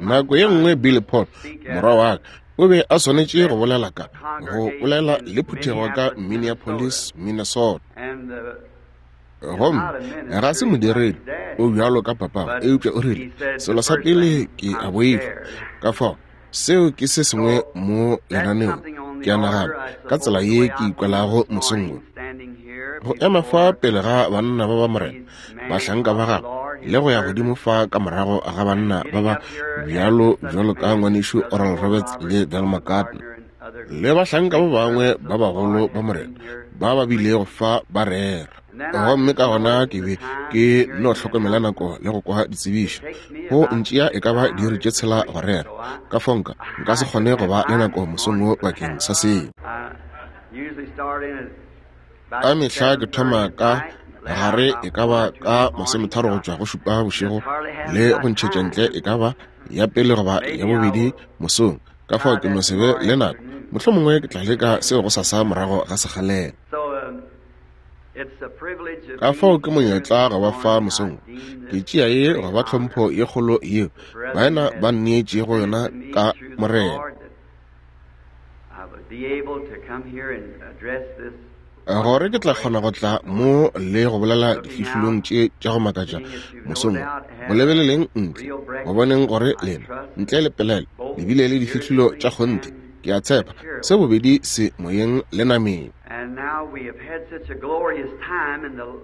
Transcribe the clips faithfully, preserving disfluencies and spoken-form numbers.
Nako ye nngwe Billy Paul, morwa wa ka, o be a swanetše go bolela ka go bolela le phuthego ka Minneapolis, Minnesota. Gomme ga se modiredi o bjalo ka papa, eupša o rile, selo sa pele ke a boifa. Ka fao seo ke se sengwe mo lenaneong, ke a nagana, ka tsela ye ke ikwelago mosong wo. Go ema fa pele ga banna ba ba Morena, bahlanka ba gagwe, le go ya godimo fa ka morago ga banna ba ba bjalo bjalo ka ngwanešu Oral Roberts le Del McCartney, le bahlanka ba bangwe ba bagolo ba Morena ba ba bilego fa ba rera. Gomme ka gona ke be ke no hlokomela nako le go kwa ditsebišo. Go ntšea e ka ba diiri tše tshela go rera. Ka fao nka nka se kgone go ba le nako mosong wo bakeng sa seo. Ka mehla ke thoma ka gare e ka ba ka masometharo go tšwa go šupa bošego le go ntšhetša ntle e ka ba ya pele goba ya bobedi mosong. Ka fao ke no se be le nako. Mohlomongwe ke tla leka seo go sasa morago ga sekgalela. Ka fao ke monyetla go ba fa mosong. Ke tšea ye go ba tlhompho ye kgolo yeo baena ba nneetšego yona ka Morena. Gore ke tla kgona go tla mo le go bolela difihlolong tše tša go makatša mosong. Go lebeleleng ntle, go boneng gore lena ntle le pelaelo le bile le difihlolo tša kgonthe. Ke a tshepa se bobedi se moyeng le nameng.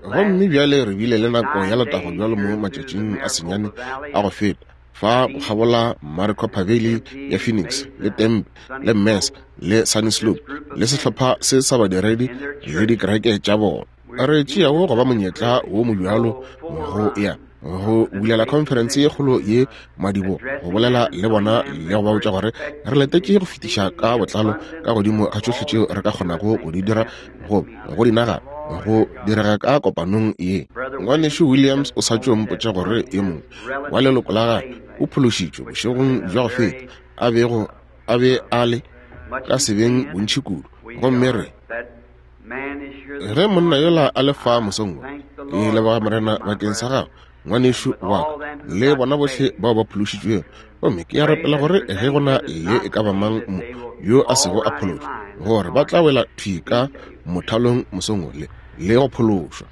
Gomme bjale re bile le nako ya letago bjalo mo matšatšing a senyane a go feta fa go kgabola Maricopa Valley ya Phoenix le Tempe le Mesa le Sunnyslope le sehlopha se sa badiredi le dikereke tša bona. Re tšeago go ba monyetla wo mobjalo go ya go bulela conference ye kgolo ye madibo, go bolela le bona le go ba botša gore re letetše go fetiša ka botlalo ka godimo ga tšohle tšeo re ka kgonago go di dira go go di nagana go direga ka kopanong ye. Ngwanešu Williams o sa tšo mpotša gore e mongwe wa leloko la gagwe o phološitšwe bošegong bja go feta, a bego a be a le ka sebeng bontši kudu. Gomme re ge monna yola a le fa mosong wo, ke leboga Morena bakeng sa gagwe, ngwanešu wa ka, le bona bohle bao ba phološitšwego. Gomme ke a rapela gore ge go na le e ka ba mang mo yo a sego a phološwa, gore ba tla wela thwi ka mothalong mosong wo le le go phološwa.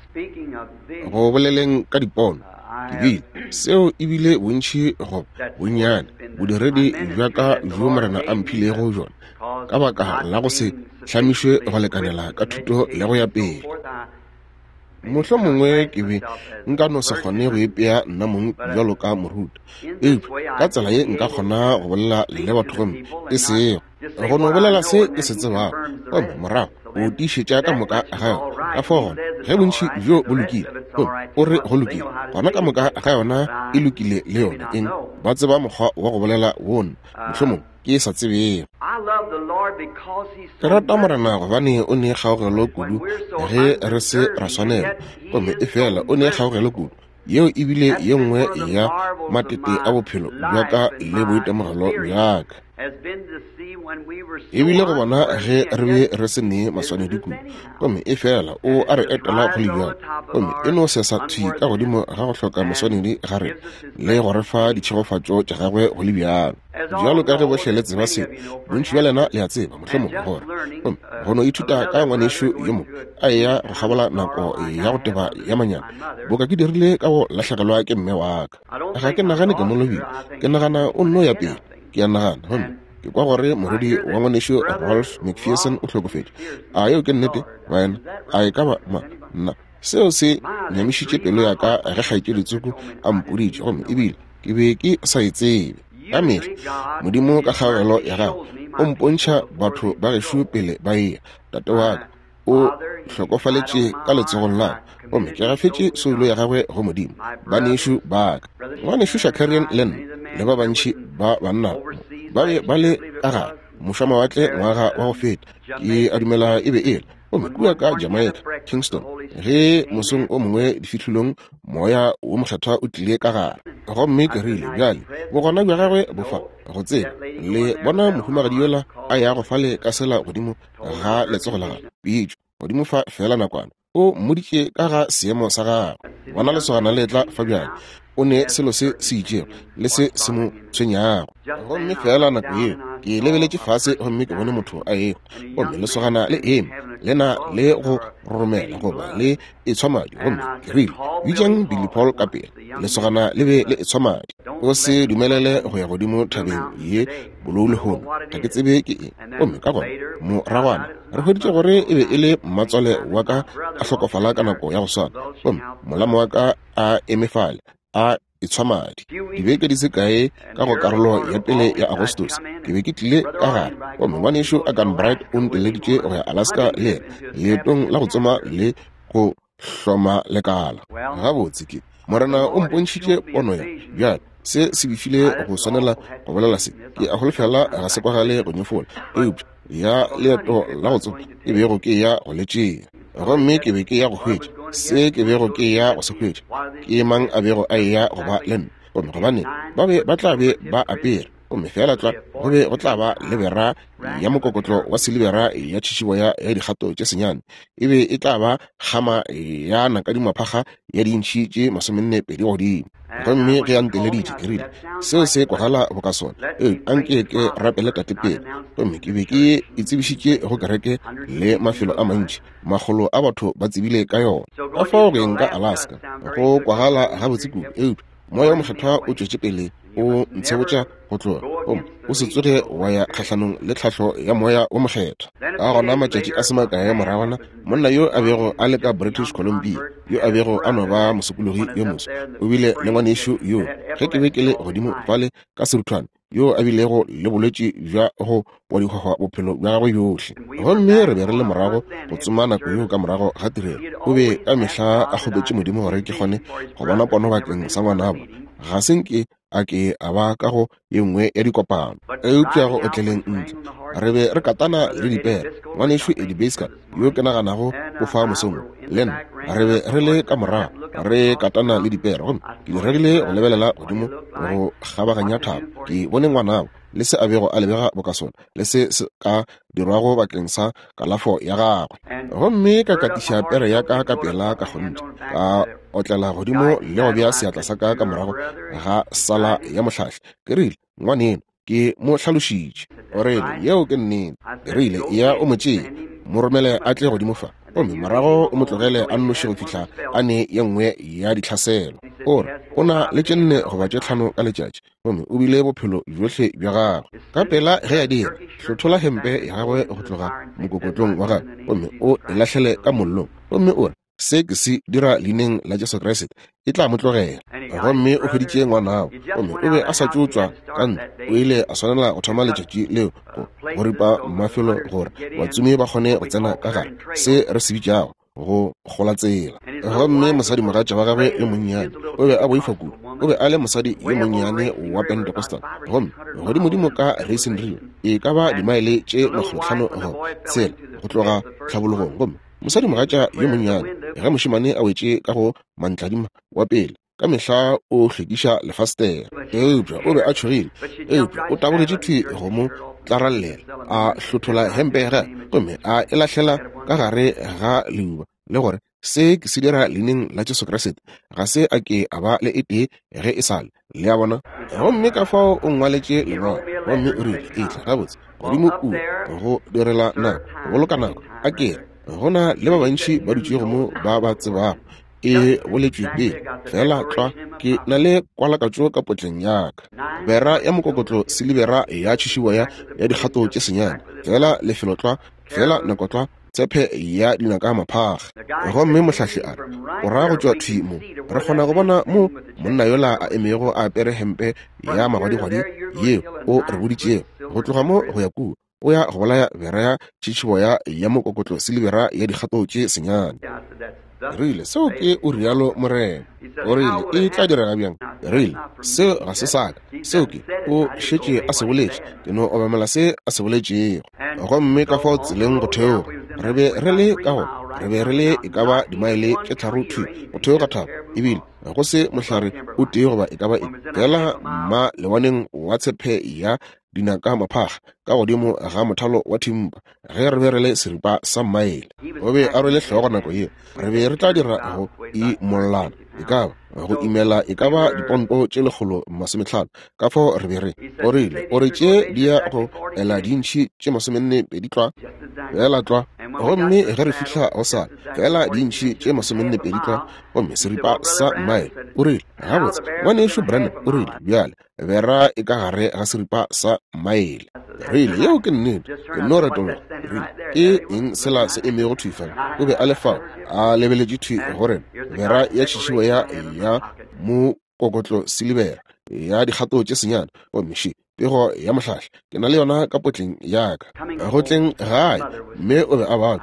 Go boleleng ka dipono, ke bile seo e bile bontši goba bonnyane bodiredi bja ka bjo Morena a mphilego bjona, ka baka la go se hlamišwe go lekanela ka thuto le go ya pele. Mohlomongwe ke be nka no se kgone go ipea nna mong bjalo ka moruti, eupša ka tsela ye nka kgona go bolela le batho gomme e sego go no bolela se ke se tsebago, gomme morago o tiišetša ka moka ga yona. Ka fao gona ge bontši bjo bo lokile, gomme o re go lokile, gona ka moka ga yona e lokile le yona. Eng ba tseba mokgwa wa go bolela wona, mohlomongwe ke sa tsebego. Ke rata Morena gobane o ne kgaogelo kudu ge re se ra swanela, gomme e fela o ne kgaogelo kudu. Yeo e bile ye nngwe ya matete a bophelo bja ka le boitemogelo bja ka. E bile go bona ge re be re se ne maswanedi kudu, gomme e fela o a re etela go le bjalo, gomme e no sesa thwi ka godimo ga go hloka maswanedi ga rena le go re fa ditšhegofatšo tša gagwe go le bjalo. Bjalo ka ge bohle le tseba seo, bontši bja lena le a tseba mohlomongwe gore gomme go no ithuta ka ngwanešu yo mongwe a eya go kgabola nako ya go teba ya manyami, boka ke dirile ka go lahlegelwa ke mme wa ka. Ga ke nagane ke mo lobile, ke nagana o nno ya pele. Ke a nagana gomme ke kwa gore morwedi wa ngwanešu Rolf McPherson o hlokofetše. A yeo ke nnete, baena? A e ka ba ma nna? Seo se nyamišitše pelo ya ka ge kgaetšedi Tsoko a mpoditše, gomme ebile ke be ke sa e tsebe. Ka mehla Modimo ka kgaogelo ya gagwe o mpontšha batho ba gešo pele ba eya. Tate wa ka o hlokofaletše ka letsogong la ka, gomme ke gafetše soulo ya gagwe go Modimo. Banešu ba ka, ngwanešu Shakarian le nna le ba bantši ba banna ba be ba le ka gare mošwamawatle ngwaga wa go feta, ke a dumela e be e le, gomme kua ka Jamaica, Kingston, ge mosong o mongwe difihlolong moya wo mokgethwa o tlile ka gare. Gomme ke rile, bjale bogona bja gagwe bo fa go tseba le bona mohumagadi yola a yago fale ka sela godimo ga letsogo la gagwe, pitšo godimo fa fela nakwana, o mmoditše ka ga seemo sa gagwe. Bona lesogana le tla fa bjale, o ne selo se se itšego le se se mo tshwenyago. Gomme feela nako yeo ke lebeletše fase gomme ke bone motho a ehwa, gomme lesogana le eme le na le go roromela goba le etshwa madi. Gomme ke rile, bitšang Billy Paul ka pele. Lesogana le be le etshwa madi. O se dumelele go ya godimo thabeng ye bolou lehono, ga ke tsebe ke eng. Gomme ka gona moragwana re hweditše gore e be e le mmatswale wa ka a hlokofala ka nako ya go swana, gomme molamo wa ka a eme fale a etshwa madi. Dibeke di se kae ka go karolo ya pele ya Agostose ke be ke tlile ka gare, gomme ngwanešu Agan Bright o nteleditše go ya Alaska le yena leetong la go tsoma le go hloma lekala. Gabotse ke Morena o mpontšhitše pono ya bjale se se befile go swanela go bolela se. Ke a holofela ga se kwagale go nyefola, eupša ya leeto la go tsoma e bego ke ya go le tšea, gomme ke be ke ya go hwetša se ke bego ke ya go se hwetša, ke mang a bego a eya go ba le nna, gomme gobane ba be ba tla be ba apere, gomme feela tlwa go be go tla ba le bera ya mokokotlo wa silibera ya tšhišiboya ya dikgato tše senyane, e be e tla ba kgama ya nakadimaphaga ya dintšhi tše masomenne pedi godimo. Gomme ge a nteleditše ke rile, seo se kwagala boka sona, eupša anke ke rapele tate pele. Gomme ke be ke itsebišitše go kereke le mafelo a mantši, makgolo a batho ba tsebile ka yona. Ka fao go eng ka Alaska go kwagala gabotse kudu, eupša moya o mokgethwa o tšwetše pele o ntshebotša go tloga, gomme o se tsoge wa ya kgahlanong le tlhahlo ya moya o mokgethwa. Ka gona matšatši a se makae moragwana, monna yo a bego a le ka British Columbia, yo a bego a no ba mosokologi yo moso, o bile le ngwanešu yo ge ke be ke le godimo fale ka seruthwane, yo a bilego le bolwetši bja go wa dihwahwa bophelo bja gagwe bjohle. Gomme re be re le morago go tsoma nako yeo ka morago ga tirelo. O be ka mehla a kgopetše Modimo gore ke kgone go bona pono bakeng sa ngwanabo. Ga se nke a ke a ba ka go ye nngwe ya dikopano, eupša go otleleng ntle re be re katana le dipere. Ngwanešu Eddie Basker, yo ke naganago o fa mosong, le nna re be re le ka morago re katana le dipere, gomme ke diregile go lebelela godimo go kgabaganya thaba. Ke bone ngwanabo le se a bego a lebega boka sona, le se se ka dirwago bakeng sa kalafo ya gagwe. Gomme ka katiša pere ya ka ka pela ka kgonthe, ka otlela godimo le go bea seatla sa ka ka morago ga sala ya mohlahli. Ke rile, ngwaneno, ke mo hlalošitše. O rile, yeo ke nnete. Ke rile, ya o mo tšee, mo romele a tle godimo fa, gomme morago o mo tlogele a nnoši go fihla a ne ye nngwe ya ditlhaselo. O re o na le tše nne goba tše tlhano ka letšatši, gomme o bile bophelo bjohle bja gagwe. Ka pela ge a dira, hlothola hempe ya gagwe go tloga mokokotlong wa gagwe, gomme o e lahlele ka mollong, gomme o re, se ke se dira leineng la Jesu Kriste, e tla mo tlogela. Gomme o hweditše ngwanabo, gomme o be a sa tšo tšwa ka ntlo. O ile a swanela go thoma letšatši leo go go ripa mafelo gore batsomi ba kgone go tsena ka gare, se re se bitšago go gola tsela. Gomme mosadimogatša wa gagwe yo monnyane o be a boifa kudu. O be a le mosadi yo monnyane wa Pentecostal, gomme godimodimo ka Racing Rio e ka ba dimaele tše makgolotlhano go tshela go tloga tlhabologong. Gomme mosadimogatša yo monnyane, ge mošemane a wetše ka go mantladima wa pele, ka mehla o hlwekiša lefastere, eupša o be a tšhogile, eupša o tabogetše thwi go mo tlarallela, a hlothola hempe ya gagwe gomme a e lahlela ka gare ga leuba, le gore se ke se dira leineng la Jesu Kriste, ga se a ke a ba le e tee ge e sale. Le a bona? Gomme ka fao o ngwaletše lengwalo, gomme o rile, etla gabotse godimo kua go direla nako, go boloka nako. A ke re, go na le ba bantši ba dutšego mo ba ba tsebago e boletšwe pele, fela tlwa ke na le kwalakatšo ka potleng ya ka. Bera ya mokokotlo silibera ya tšhišiboya ya dikgato tše senyane, fela lefelo tlwa, fela nako tlwa, tshepe ya dinaka maphaga. Gomme mohlahli a re, o ra go tšwa thwi mo, re kgona go bona mo monna yola a emego a apere hempe ya magwadigwadi yeo o re boditšego, go tloga mo go ya kua o ya go bolaya bera ya tšhitšhiboya ya mokokotlo silibera ya dikgato tše senyane. Rile, seo ke o rialo Morena. O rile, e tla direga bjang? Rile, seo ga se sa ka, seo ke o šetše a se boletše, ke no obamela se a se boletšego. Gomme ka fao tseleng go theoga, re be re le ka go, re be re le e ka ba dimaele tše tharo thwi go theoga thaba, ebile go se mohlare o tee goba e ka ba eng, fela mma lewaneng wa tshepe ya dinaka maphakga ka godimo ga mothalo wa thimpa ge re be re le seripa sa mmaele. O be a rwele hlogo nako yeo. Re be re tla dira go imollana e ka ba go imela e ka ba diponto tše lekgolo masometlhano. Ka fao re be re o rile o re tše di ya go ela dintšhi tše masomenne pedi tlwa fela tlwa. Gomme ge re fihla go sala fela dintšhi tše masomenne pedi tlwa gomme seripa sa mmaele. O rile gabotse ngwanešu Branham, o rile bjale bera e ka gare ga seripa sa mmaele. Rile yeo ke nnete. Ke no retologa. Rile ke eng sela se emego thwi fela? O be a le fao a lebeletše thwi go rena, bera ya tšhišibo ya ya mokokotlo silibera ya dikgato tše senyane. Gomme še pego ya mohlahli ke na le yona ka potleng ya ka go tleng gae. Mme o be a bala,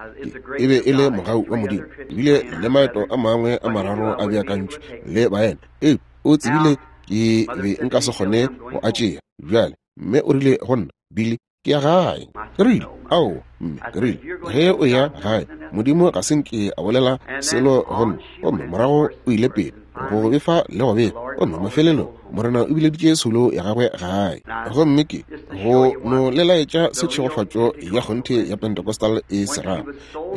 e be e le mogau wa Modimo. Ebile le maeto a mangwe a mararo a beakantšwe le baena, ee o tsebile ke be nka se kgone go a tšea. Bjale mme o rile go nna, Billy, ke ya gae. Ke rile ao mme, ke rile ge o ya gae Modimo ga se nke a bolela selo go nna. Gomme morago o ile pele go befa le go befa, gomme mafelelong Morena o bileditše soulo ya gagwe gae. Gomme ke go no le laetša se tšhegofatšo ya kgonthe ya Pentecostal e se rago.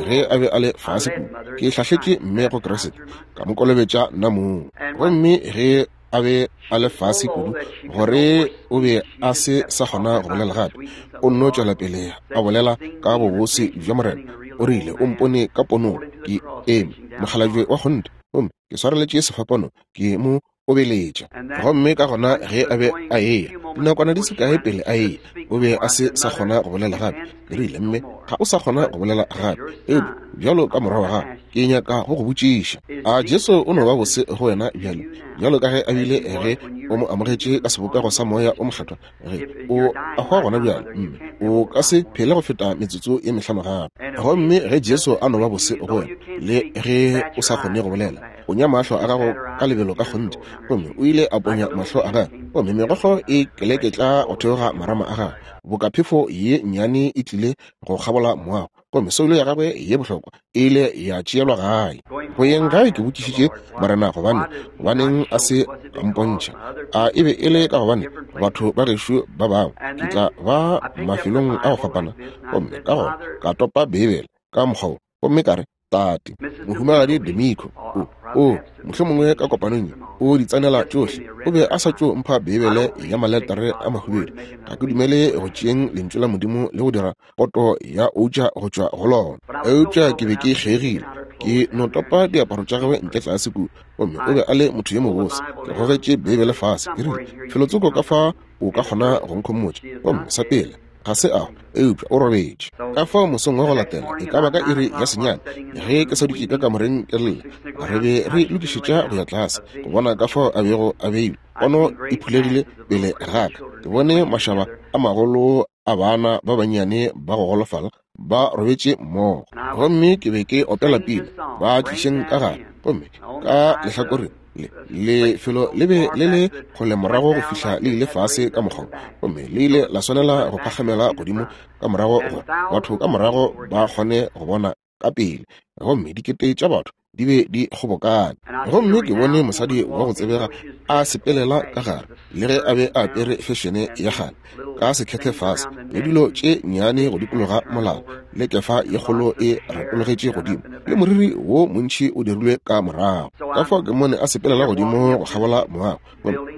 Ge a be a le fase kudu, ke hlahletše mme go Kriste, ka mo kolobetša nna mong. Gomme ge a be a le fase kudu gore o be a se sa kgona go bolela gape, o nno tšwela pele a bolela ka bobose bja Morena. O rile o mpone ka ponong ke eme mokgalabje wa kgonthe, gomme ke swareletše sefapano ke mo obeletša. Gomme ka gona ge a be a eya dinakwana di se kae pele a eya, o be a se sa kgona go bolela gape. Ke rile mme ga o sa kgona go bolela gape, eupša bjalo ka morwa wa gago ke nyaka go go botšiša, a Jesu o no ba bose go wena bjale bjalo ka ge a bile ge o mo amogetše ka sebopego sa moya o mokgethwa? Ge o a hwa gona bjale mme o ka se phele go feta metsotso ye mehlano gape. Gomme ge Jesu a no ba bose go wena le ge o sa kgone go bolela, ponya mahlo a gago ka lebelo ka kgonthe. Gomme o ile a ponya mahlo a gagwe, gomme megokgo e keleketla go theoga marama a gagwe boka phefo ye nnyane e tlile go kgabola moago. Gomme soulo ya gagwe ye bohlokwa e ile ya tšeelwa gae. Go yeng gae ke botšišitše Morena gobane gobaneng a se a mpontšha. A e be e le ka gobane batho ba gešo ba bangwe ke tla ba mafelong a go fapana. Gomme ka gona ka topa Beibele ka mokgwa wo, gomme ka re tate mohumagadi Demiko o o mohlomongwe ka kopanong ye o di tsenela tšohle. O be a sa tšo mpha Beibele ya maletere a mahubedu. Ga ke dumele go tšeeng lentšu la Modimo le go dira poto ya outša go tšwa go lona. Eupša ke be ke kgegile, ke no topa diaparo tša gagwe ntle tlase kua. Gomme o be a le motho yo mobose. Ke gogetše Beibele fase, ke rile felotsoko ka fa o ka kgona go nkhomotša. Gomme sa pele ga se a eupša o robetše. Ka fao mosong wa go latela e ka ba ka iri ya senyane ge ke sa dutše ka kamoreng ke lla, re be re lokišetša go ya tlase go bona ka fao a bego a beilwe. Pono e phulegile pele ga ka. Ke bone mašaba a magolo a bana ba bannyane ba go golofala ba robetše mmogo. Gomme ke be ke opela pina ba tlišeng ka gare. Gomme ka lehlakoreng le lefelo le be le le kgole morago go fihla le ile fase ka mokgwa, gomme le ile la swanela go phagamela godimo ka morago gore batho ka morago ba kgone go bona ka pele. Gomme dikete tša batho di be di kgobokane. Gomme ke bone mosadi wa go tsebega a sepelela ka gare, le ge a be a apere fešene ya kgale ka sekhethe fase le dilo tše nnyane go dikologa molala, le kefa ye kgolo e retologetše godimo, le moriri wo montši o dirilwe ka morago. Ka fao ke mone a sepelela godimo go kgabola moago,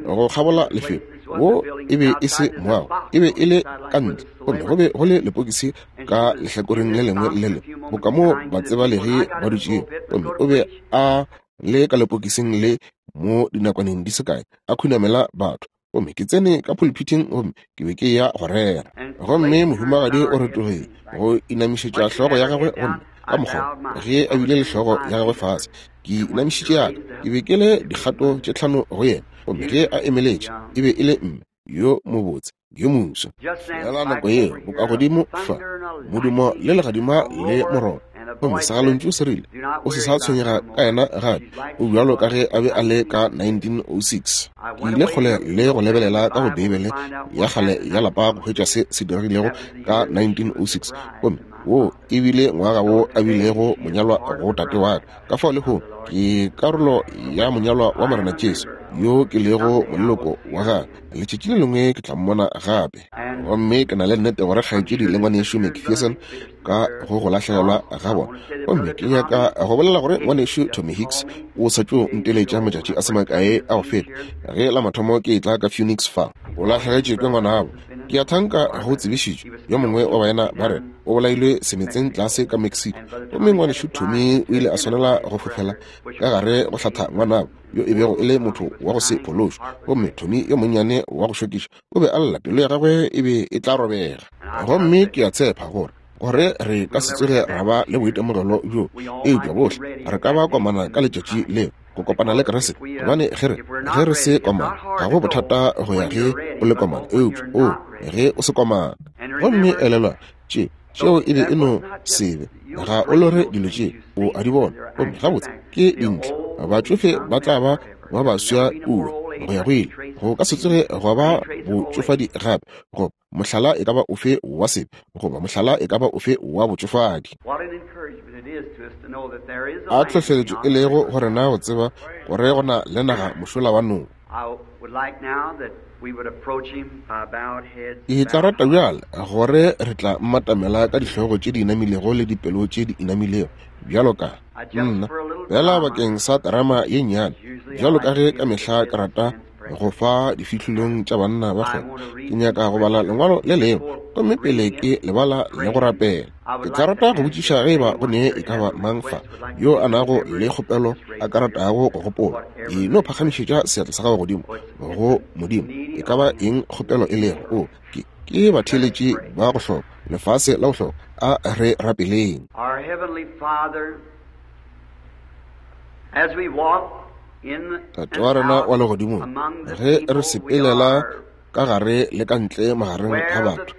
go kgabola lefelo. Wo e be e se moago, e be e le ka ntle, gomme go be go le lepokisi ka lehlakoreng le lengwe le le boka mo batsebalegi ba dutšego. Gomme o be a le ka lepokising le mo dinakwaneng di se kae a khunamela batho. Gomme ke tsene ka pulpiting gomme ke be ke ya go rera. Gomme mohumagadi o retologile go inamišetša hlogo ya gagwe gomme ka mokgwa ge a bile le hlogo ya gagwe fase, ke inamišitše ya ka. Ke be ke le dikgato tše tlhano go yena. Gomme ge a emeletše e be e le mme yo mobotse yo moswa. Fela nako yeo bokagodimo fa modumo le legadima le moroba. Gomme segalontšu se rile o se sa tshwenyega ka yena gape, o bjalo ka ge a be a le ka nineteen oh six. Ke ile kgole le go lebelela ka go Beibele ya kgale ya lapa go hwetša se se diregilego ka nineteen oh six. Gomme wo e bile ngwaga wo a bilego monyalwa go tate wa ka. Ka fao lehono ke karolo ya monyalwa wa Morena Jesu. yo ke lego moleloko wa gagwe, letšatši le lengwe ke tla mmona gape. Gomme ke na le nnete gore kgaetšedi le ngwanešu McPherson ka go go lahlegelwa ga bona. Gomme ke nyaka go bolela gore ngwanešu Tommy Hicks o sa tšo nteletša matšatši a se makae a go feta ge la mathomo ke etla ka Phoenix fa. O lahlegetšwe ke ngwanabo. Ke a thanka go tsebišitšwe yo mongwe wa baena ba rena o bolailwe semetseng tlase ka Mexico. Gomme ngwanešu Tommy o ile a swanela go fofela ka gare go hlatha ngwanabo yo e bego e le motho wa go se phološwe. Gomme Tommy yo monnyane wa go šokiša o be a lla, pelo ya gagwe e be e tla robega. Gomme ke a tshepa gore gore re ka se tsoge ra ba le boitemogelo bjo, eupša bohle re ka ba komana ka letšatši leo go kopana le Kriste. Gobane ge re ge re se komana, ga go bothata go ya ge o le komana, eupša o ge o se komana. Gomme elelwa tše tšeo e be e no sebe, ga o lore dilo tše o a di bona. Gomme gabotse ke dintle, batšofe ba tla ba ba baswa kua go ya go ile, go ka se tsoge gwa ba botšofadi gape, goba mohlala e ka ba ofe wa sebe, goba mohlala e ka ba ofe wa botšofadi. A tlhohleletšo e lego go rena go tseba gore go na le naga mošola wa noka. Ke tla rata bjale gore re tla mmatamela ka dihlogo tše di inamilego le dipelo tše di inamilego bjalo ka nna, fela bakeng sa terama ye nnyane, bjalo ka ge ka mehla ke rata go fa difihlolong tša banna ba kgwebo. Ke nyaka go bala lengwalo le lengwe, gomme pele ke lebala le go rapela. Ke tla rata go botšiša ge eba go ne e ka ba mang fa yo a nago le kgopelo a ka ratago go gopola. E no phagamišetša seatla sa gago godimo go Modimo, e ka ba eng kgopelo e lego. O ke ke batheeletši ba go hloka, lefase la go hloka. A re rapeleng. Our Heavenly Father, as we walk Tate wa rena wa legodimong, ge re sepelela ka gare le ka ntle magareng ga batho,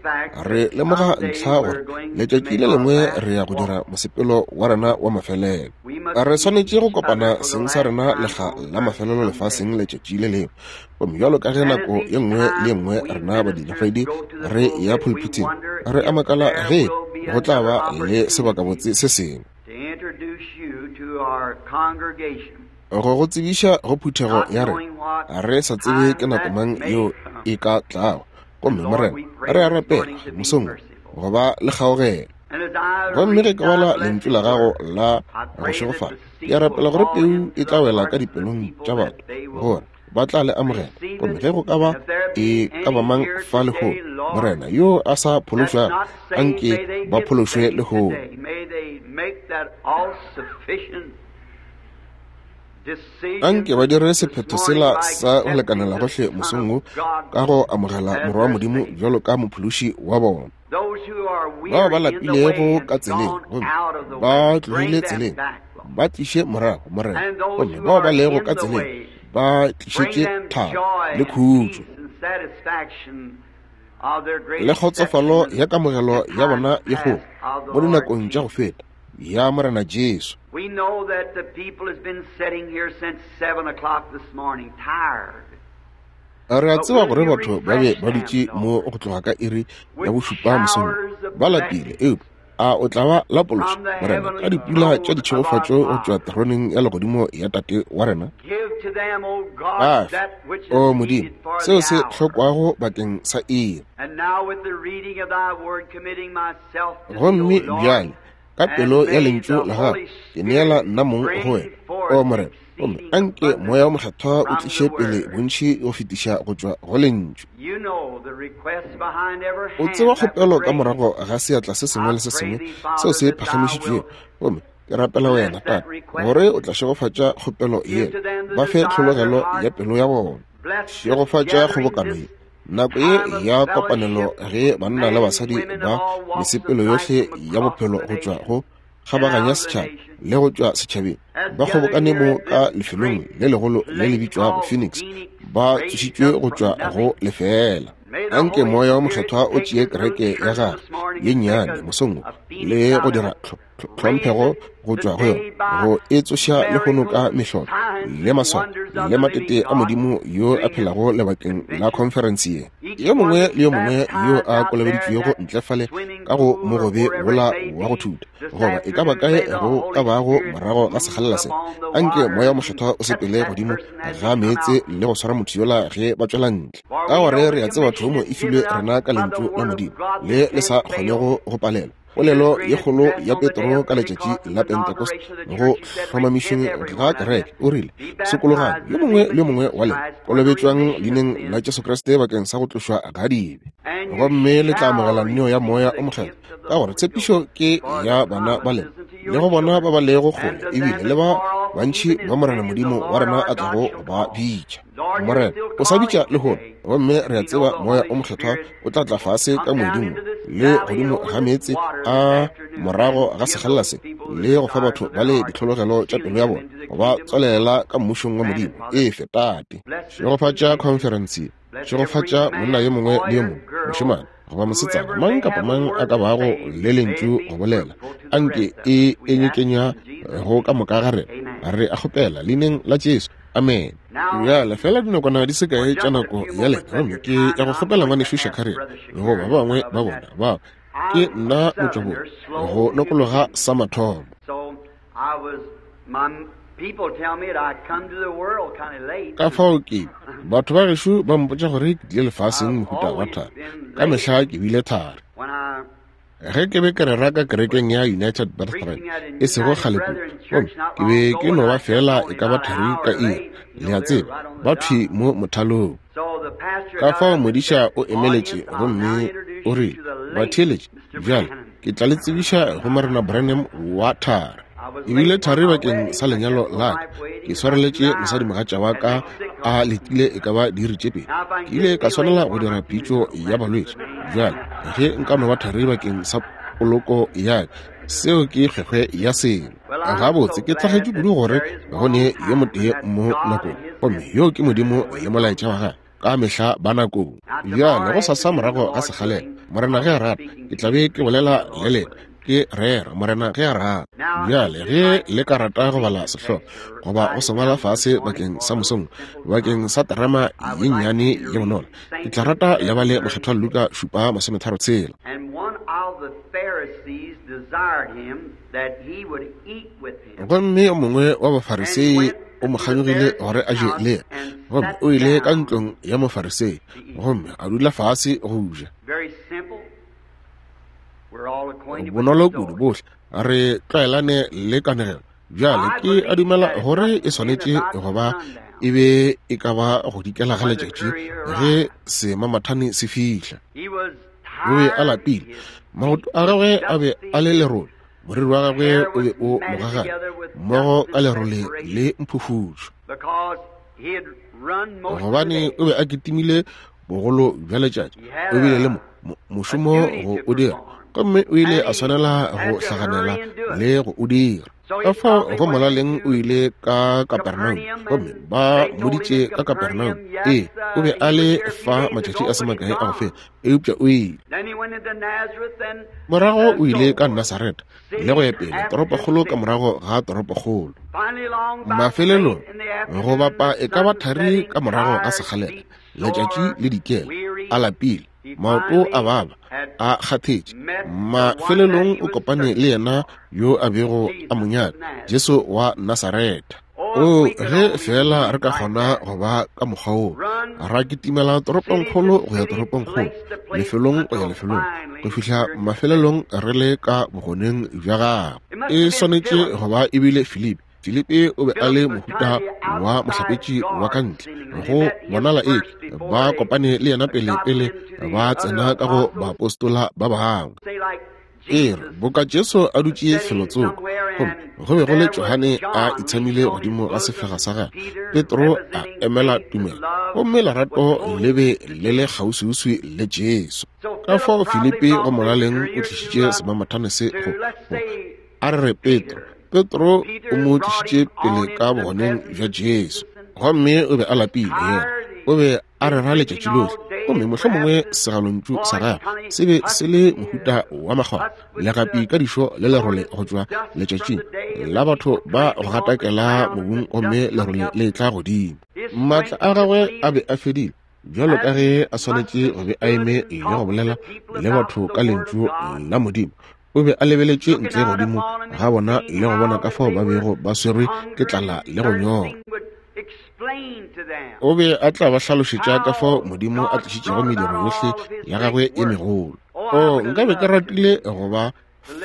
re lemoga ntlha gore letšatši le lengwe re ya go dira mosepelo wa rena wa mafelelo. Re swanetše go kopana seng sa rena lekga la mafelelo lefaseng letšatši le lengwe. Gomme bjalo ka ge nako ye nngwe le ye nngwe rena badiredi re ya pulpiting, re a makala ge go tla ba le sebakabotse se sengwe go go tsebiša go phuthego ya rena. Re sa tsebe ke nako mang yeo e ka tlago. Gomme Morena, re a rapela mosong go ba le kgaogelo. Gomme ge ke bala lentšu la gago la go šegofala, ke a rapela gore peu e tla wela ka dipelong tša batho, gore ba tla le amogela. Gomme ge go ka ba e ka ba mang fa lehono, Morena, yo a sa phološwago, anke ba phološwe lehono. Anke ba dire sephetho sela sa go lekanela gohle mosong wo ka go amogela Morwa wa Modimo bjalo ka mophološi wa bona. Bao ba lapilego ka tseleng gomme ba tlogile tseleng, ba tliše morago, Morena. Gomme bao ba lego ka tseleng, ba tlišetše thabo le khutšo le kgotsofalo ya kamogelo ya bona ye kgolo mo dinakong tša go feta ya Morena Jesu. We know that the people has been sitting here since seven o'clock this morning, tired. Re a tseba gore batho ba be ba dutše mo go tloga ka iri ya bošupa mosong, ba lapile, eupša a o tla ba lapološa, Morena, ka dipula tša ditšhegofatšo go tšwa teroneng ya legodimo ya Tate wa rena. Ba fe, o Modimo, seo se hlokwago bakeng sa iri. Gomme bjale ka pelo ya lentšu la gago ke neela nna mong go wena, o Morena, gomme anke Moya o Mokgethwa o tliše pele bontši go fetiša go tšwa go lentšu. O tseba kgopelo ka morago ga seatla se sengwe le se sengwe seo se phagamišitšwego, gomme ke rapela wena, Tate, gore o tla šegofatša kgopelo ye, ba fe tlhologelo ya pelo ya bona. Šegofatša kgobokano ye, nako ye ya kopanelo ge banna le basadi ba mesepelo yohle ya bophelo go tšwa go kgabaganya setšhaba le go tšwa setšhabeng ba kgobokane mo ka lefelong le legolo le le bitšwago Phoenix, ba tsošitšwe go tšwa go lefela. Anke Moya o Mokgethwa o tšee kereke ya gagwe ye nnyane mosong wo le go dira tlhomphego go tšwa go yona, go e tsoša lehono ka mehlolo le maswao le matete a Modimo yo a phelago lebakeng la conference ye. Yo mongwe le yo mongwe yo a kolobeditšwego ntle fale ka go mogobe wola wa go thuta, goba e ka ba kae go ka bago morago ga sekgalela se, anke Moya Mokgethwa o sepele godimo ga meetse le go swara motho yola ge ba tšwela ntle. Ka gore re a tseba thomo e filwe rena ka lentšu la Modimo le le sa kgonego go palelwa. Polelo ye kgolo ya Petro ka letšatši la Pentecost go hlomamišeng ga kereke, o rile, sokologang yo mongwe le yo mongwe wa lena, kolobetšwang leineng la Jesu Kriste bakeng sa go tlošwa ga dibe, gomme le tla amogela neo ya Moya o Mokgethwa, ka gore tshepišo ke ya bana ba lena le go bona ba ba lego kgole, ebile le ba bantši ba Morena Modimo wa rena a tlago go ba bitša. Morena o sa bitša lehono, gomme re a tseba Moya o Mokgethwa o tla tla fase ka moeding le godimo ga meetse a morago ga sekgalela se, le go fa batho ba le ditlhologelo tša pelo ya bona, go ba tswalela ka mmušong wa Modimo. Efe Tate, šegofatša conference, šegofatša monna yo mongwe le yo mongwe, mošemane goba mosetsana, mang kapa mang a ka bago le lentšu go bolela, anke e enyekenya go ka moka ga rena. Re a kgopela leineng la Jesu, amen. Bjale fela dinakwana di se kae tša nako ya lena, gomme ke ya go kgopela ngwanešu Shakarian goba ba bangwe ba bona bao ke nna motšwabong go nokologa sa mathomo. Ka fao ke batho ba gešo ba mpotša gore ke tlile lefaseng mohuta wa thari, ka mehla ke bile thari. Ge ke be ke rera ka kerekeng ya United Brethren e sego kgale kudu, gomme ke be ke no ba fela e ka ba thari ka iri, le a tseba, ba thwi mo mothalong. Ka fao modiša o emeletše gomme o rile, batheeletše, bjale ke tla le tsebiša go Morena Branham wa thari. Ebile thari bakeng sa lenyalo la ka, ke swareletše mosadimogatša wa ka a letile e ka ba diiri tše pedi. Ke ile ka swanela go dira pitšo ya balwetši. Bjale ge nka no ba thari bakeng sa poloko ya ka, seo ke kgwekgwe ya selo. Gabotse ke tlhagetše kudu gore go ne yo motee mo nakong, gomme yo ke Modimo le molaetša wa gagwe ka mehla ba nakong. Bjale go sasa morago ga sekgalela, Morena ge a rata, ke tla be ke bolela le lena, ke rera, Morena ge a rata. Bjale ge le ka rata go bala sehlogo goba go se ngwala fase bakeng sa mosong, bakeng sa terama ye nnyane ye bonolo, ke tla rata le bale Mokgethwa Luka šupa masometharo tshela. Gomme yo mongwe wa Bafarisei o mo kganyogile gore a je le yena, gomme o ile ka ntlong ya Mofarisei gomme a dula fase go ja. Bonolo kudu, bohle re tlwaelane le kanegelo. Bjale ke a dumela gore e swanetše go ba e be e ka ba go dikela ga letšatši ge semamathane se fihla. O be a lapile, maoto a gagwe a be a le lerole, moriri wa gagwe o be o logagane mmogo ka lerole le mphufutšo, gobane o be a kitimile bogolo bja letšatši. O bile le mošomo go o dira, gomme o ile a swanela go hlaganela le go o dira. Ka fao go molaleng o ile ka Kapernaum, gomme ba mmoditše ka Kapernaum. Ee, o be a le fa matšatši a se makae a go feta, eupša o ile. Morago o ile ka Nasareta le go ya pele, toropokgolo ka morago ga toropokgolo. Mafelelong go bapa e ka ba thari ka morago ga sekgalela, letšatši le dikela, a lapile, maoto a baba, a kgathetše. Mafelelong o kopane le yena yo a bego a mo nyaka, Jesu wa Nasareta. O ge fela re ka kgona go ba ka mokgwa woo, ra kitimela toropongkgolo go ya toropongkgolo, lefelong go ya lefelong, go fihla mafelelong re le ka bogoneng bja gagwe. E swanetše go ba ebile Filipi. Filipi o be a le mohuta wa mohlapetši wa ka ntle, go bonala eke ba kopane le yena pele pele ba tsena ka go baapostola ba bangwe. Ke re boka Jesu a dutše felotsoko, gomme go be go le Johane a itshamile godimo ga sefega sa gagwe, Petro a emela tumelo, gomme lerato le be le le kgauswiuswi le Jesu. Ka fao Filipi go molaleng o tlišitše semamathane se go, go a re re Petro. Petro o mo tlišitše pele ka bogoneng bja Jesu, gomme o be a lapile yena, o be a rera letšatši lohle, gomme mohlomongwe segalontšu sa gagwe se be se le mohuta wa makgwakgwa, legapi ka dišo le lerole go tšwa letšatšing la batho ba go gatakela mobung, gomme lerole le tla godimo. Maatla a gagwe a be a fedile, Bjalo ka ge a swanetše go be a eme le go bolela le batho ka lentšu la Modimo, o be a lebeletše ntle godimo ga bona le go bona ka fao ba bego ba swerwe ke tlala le go nyorwa. O be a tla ba hlalošetša ka fao Modimo a tlišitšego mediro yohle ya gagwe e megolo. O, nka be ke ratile go ba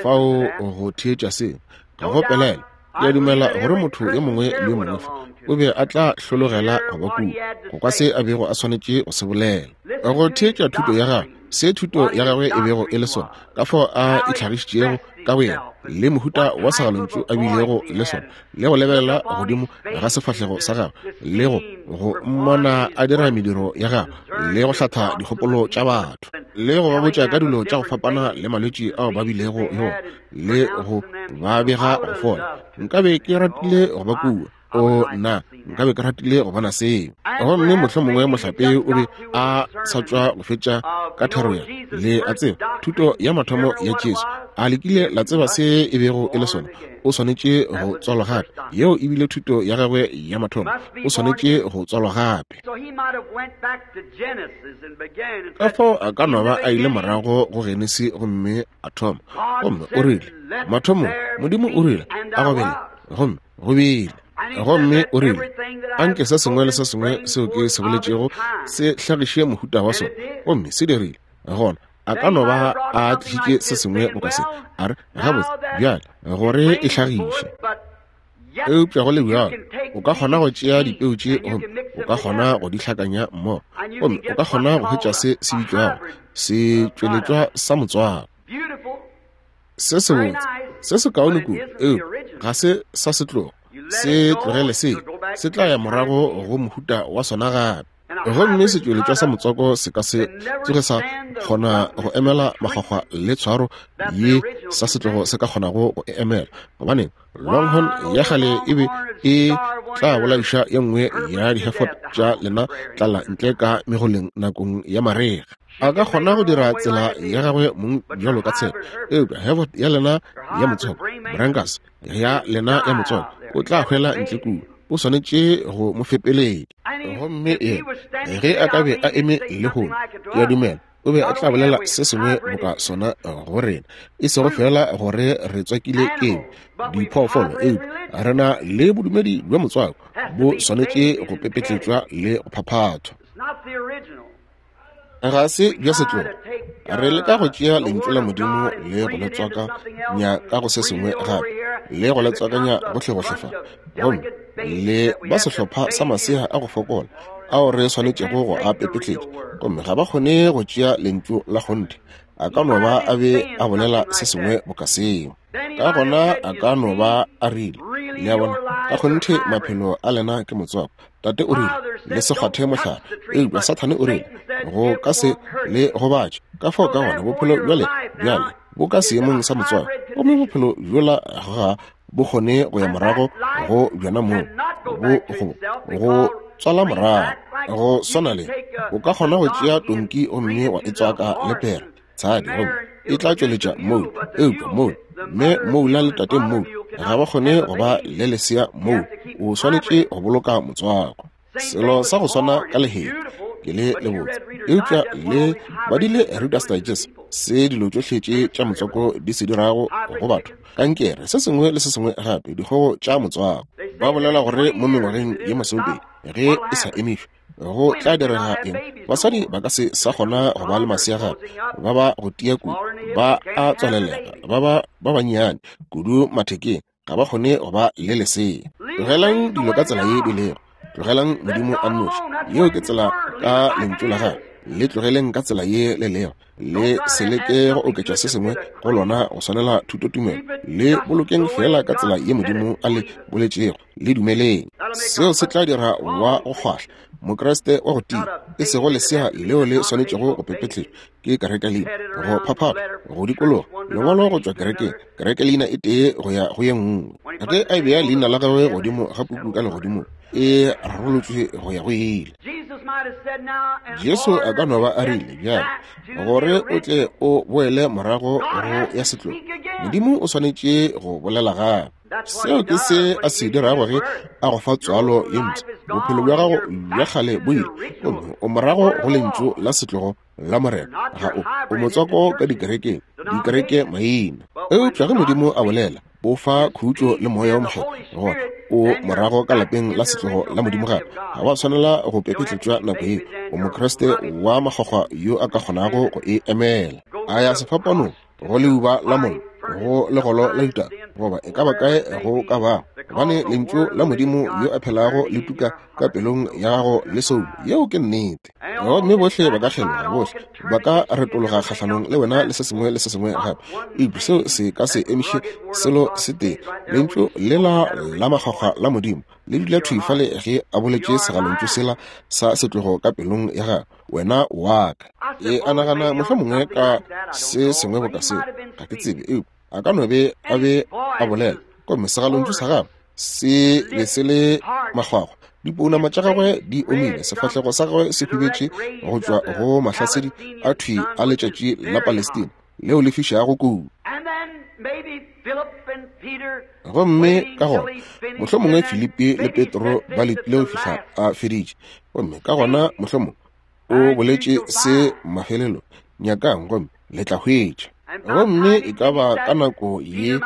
fao go theetša seo. Ga go pelaelo, ke a dumela gore motho yo mongwe le yo mongwe fa o be a tla hlologela go ba kua, go kwa se a bego a swanetše go se bolela, go theetša thuto ya gagwe, se thuto ya gagwe e bego e le sona, ka fao a itlhagišitšego ka boyena, le mohuta wa segalontšu a bilego le sona, le go lebelela godimo ga sefahlego sa gagwe, le go go mmona a dira mediro ya gagwe, le go hlatha dikgopolo tša batho, le go ba botša ka dilo tša go fapana le malwetši ao ba bilego le ona, le go ba bega go fola. Nkabe ke ratile go ba kua. O, nna, nkabe ke ratile go bona seo. Gomme mohlomongwe mohlape o be a sa tšwa go fetša ka thero ya, le a tseba, thuto ya mathomo ya Jesu. A le kile la tseba se e bego e le sona? O swanetše go tswalwa gape. Yeo e bile thuto ya gagwe ya mathomo. O swanetše go tswalwa gape. Ka fao a ka no ba a ile morago go Genesi gomme a thoma. Gomme o rile, mathomong, Modimo o rile, a go bele, gomme go bile. Gomme o rile, anke se sengwe le se sengwe seo ke se boletšego se hlagiše mohuta wa sona, gomme se dirile. Gona a ka no ba a tlišitše se sengwe boka se, a re, gabotse bjale gore e hlagiše. Eupša go le bjalo, o ka kgona go tšea dipeu tše gomme o ka kgona go di hlakanya mmogo, gomme o ka kgona go hwetša se se bitšwago setšweletšwa sa motswako. Se sebotse, se se kaone kudu, eupša ga se sa setlogo. Se tlogele se, se tla ya morago go mohuta wa sona gape. Gomme setšweletšwa sa motswako se ka se tsoge sa kgona go emela makgwakgwa le tshwaro ye sa setlogo se ka kgonago go e emela, gobane Longhorn ya kgale e be e tla bolaiša ye nngwe ya di-Hereford tša lena tlala ntle ka megoleng nakong ya marega. A ka kgona go dira tsela ya gagwe mong bjalo ka tshepo, eupša Hereford ya lena ya motswako, Brangus ya lena ya motswako, o tla hwela ntle kua. O swanetše go mo fepeletša. Gomme yena ge a ka be a eme lehono, ke a dumela o be a tla bolela se sengwe boka sona go rena, e sego fela gore re tswakile keng diphoofolo, eupša re na le bodumedi bja motswako, bo swanetše go pepetletšwa le go phaphathwa. Ga se bja setlogo. Re leka go tšea lentšu la Modimo le go le tswakanya ka go se sengwe gape, le go le tswakanya gohlegohle fa, gomme le ba sehlopha sa masea a go fokola ao re swanetšego go a pepetletša, gomme ga ba kgone go tšea lentšu la kgonthe. A ka no ba a be a bolela se sengwe boka seo. Ka gona a ka no ba a rile, le a bona, ka kgonthe maphelo a lena ke motswako. Tate o rile, le se kgwathe mohlare, eupša Sathane o rile, go ka se le gobatše. Ka fao ka gona bophelo bjale bjale bo ka seemong sa motswako, gomme bophelo bjola ga bo kgone go ya morago go bjona moo, bo go go tswala morago. Go swana le o ka kgona go tšea tonki gomme wa e tswaka le pere tshadi, gomme e tla tšweletša moula, eupša moula, mme moula le tate moula ga ba kgone go ba le lesea moula. O swanetše go boloka motswako. Selo sa go swana ka lehea ke le lebotse, eupša le badile Reader's Digest se dilo tšohle tše tša motswako di se dirago go batho, kankere, se sengwe le se sengwe gape, dikgogo tša motswako. Ba bolela gore mo mengwageng ye masomepedi ge e sa emišwe go tla direga eng? Basadi ba ka se sa kgona go ba le masea gape, ba ba go tia kudu, ba a tswalelega, ba ba ba bannyane kudu mathekeng, ga ba kgone go ba le lesea. Tlogelang dilo ka tsela ye di lego. Tlogelang Modimo a nnoši. Yeo ke tsela ka lentšu la gagwe. Le tlogeleng ka tsela ye le lego. Le se leke go oketša se sengwe go lona go swanela thutotumelo. Le bolokeng fela ka tsela ye Modimo a le boletšego. Le dumeleng. Seo se tla dira wa go kgwahla Mokreste wa go tia, e sego lesea leo le swanetšego go pepetletšwa ke kerekelina, go phaphathwa, go dikologa lengwalo go tšwa kerekeng, kerekelina e tee go ya go ye nngwe. Ge a bea leina la gagwe godimo ga puku ka legodimong, e rarolotšwe go ya go ile. Jesu a ka no ba a rile bjale, gore o tle o boele morago go ya setlogo, Modimo o swanetše go bolela gape. Seo ke se a se dirago ge a go fa tswalo ye mpsha. Bophelo bja gago bja kgale bo ile, gomme O morago go lentšu la setlogo la Morena. Ga o, o motswako ka dikerekeng, dikereke maina. Eupša ge Modimo a bolela, o fa khutšo le moya o mokgethwa, gona o morago ka lapeng la setlogo la Modimo gape. Ga wa swanela go pepetletšwa nako yeo. O Mokriste wa makgwakgwa yo a ka kgonago go e emela. A ya sefapanong, go leuba la mollo, go legolo la ditaba, goba e ka ba kae go ka bago, gobane lentšu la Modimo yo a phelago le tuka ka pelong ya gago le soulo. Yeo ke nnete. Gomme bohle ba ka kgeloga, bohle ba ka retologa kgahlanong le wena le se sengwe le se sengwe gape, eupša seo se ka se emiše selo se tee. Lentšu lela la makgwakgwa la Modimo le dula thwi fale ge a boletše segalontšu sela sa setlogo ka pelong ya gagwe, wena wa ka. E a nagana mohlomongwe ka se sengwe boka seo, ga ke tsebe, eupša a ka no be a be a bolela, gomme segalontšu sa gagwe se be se le makgwakgwa, dipounama tša gagwe di omile, sefahlego sa gagwe se hubetše go tšwa go mahlasedi a thwi a letšatši la Palestina leo le fišago kudu. Gomme ka gona mohlomongwe Filipi le Petro ba letile go fihla a feditše, gomme ka gona mohlomongwe o boletše se mafelelo, nyakang gomme le tla hwetša. Gomme e ka ba ka nako ye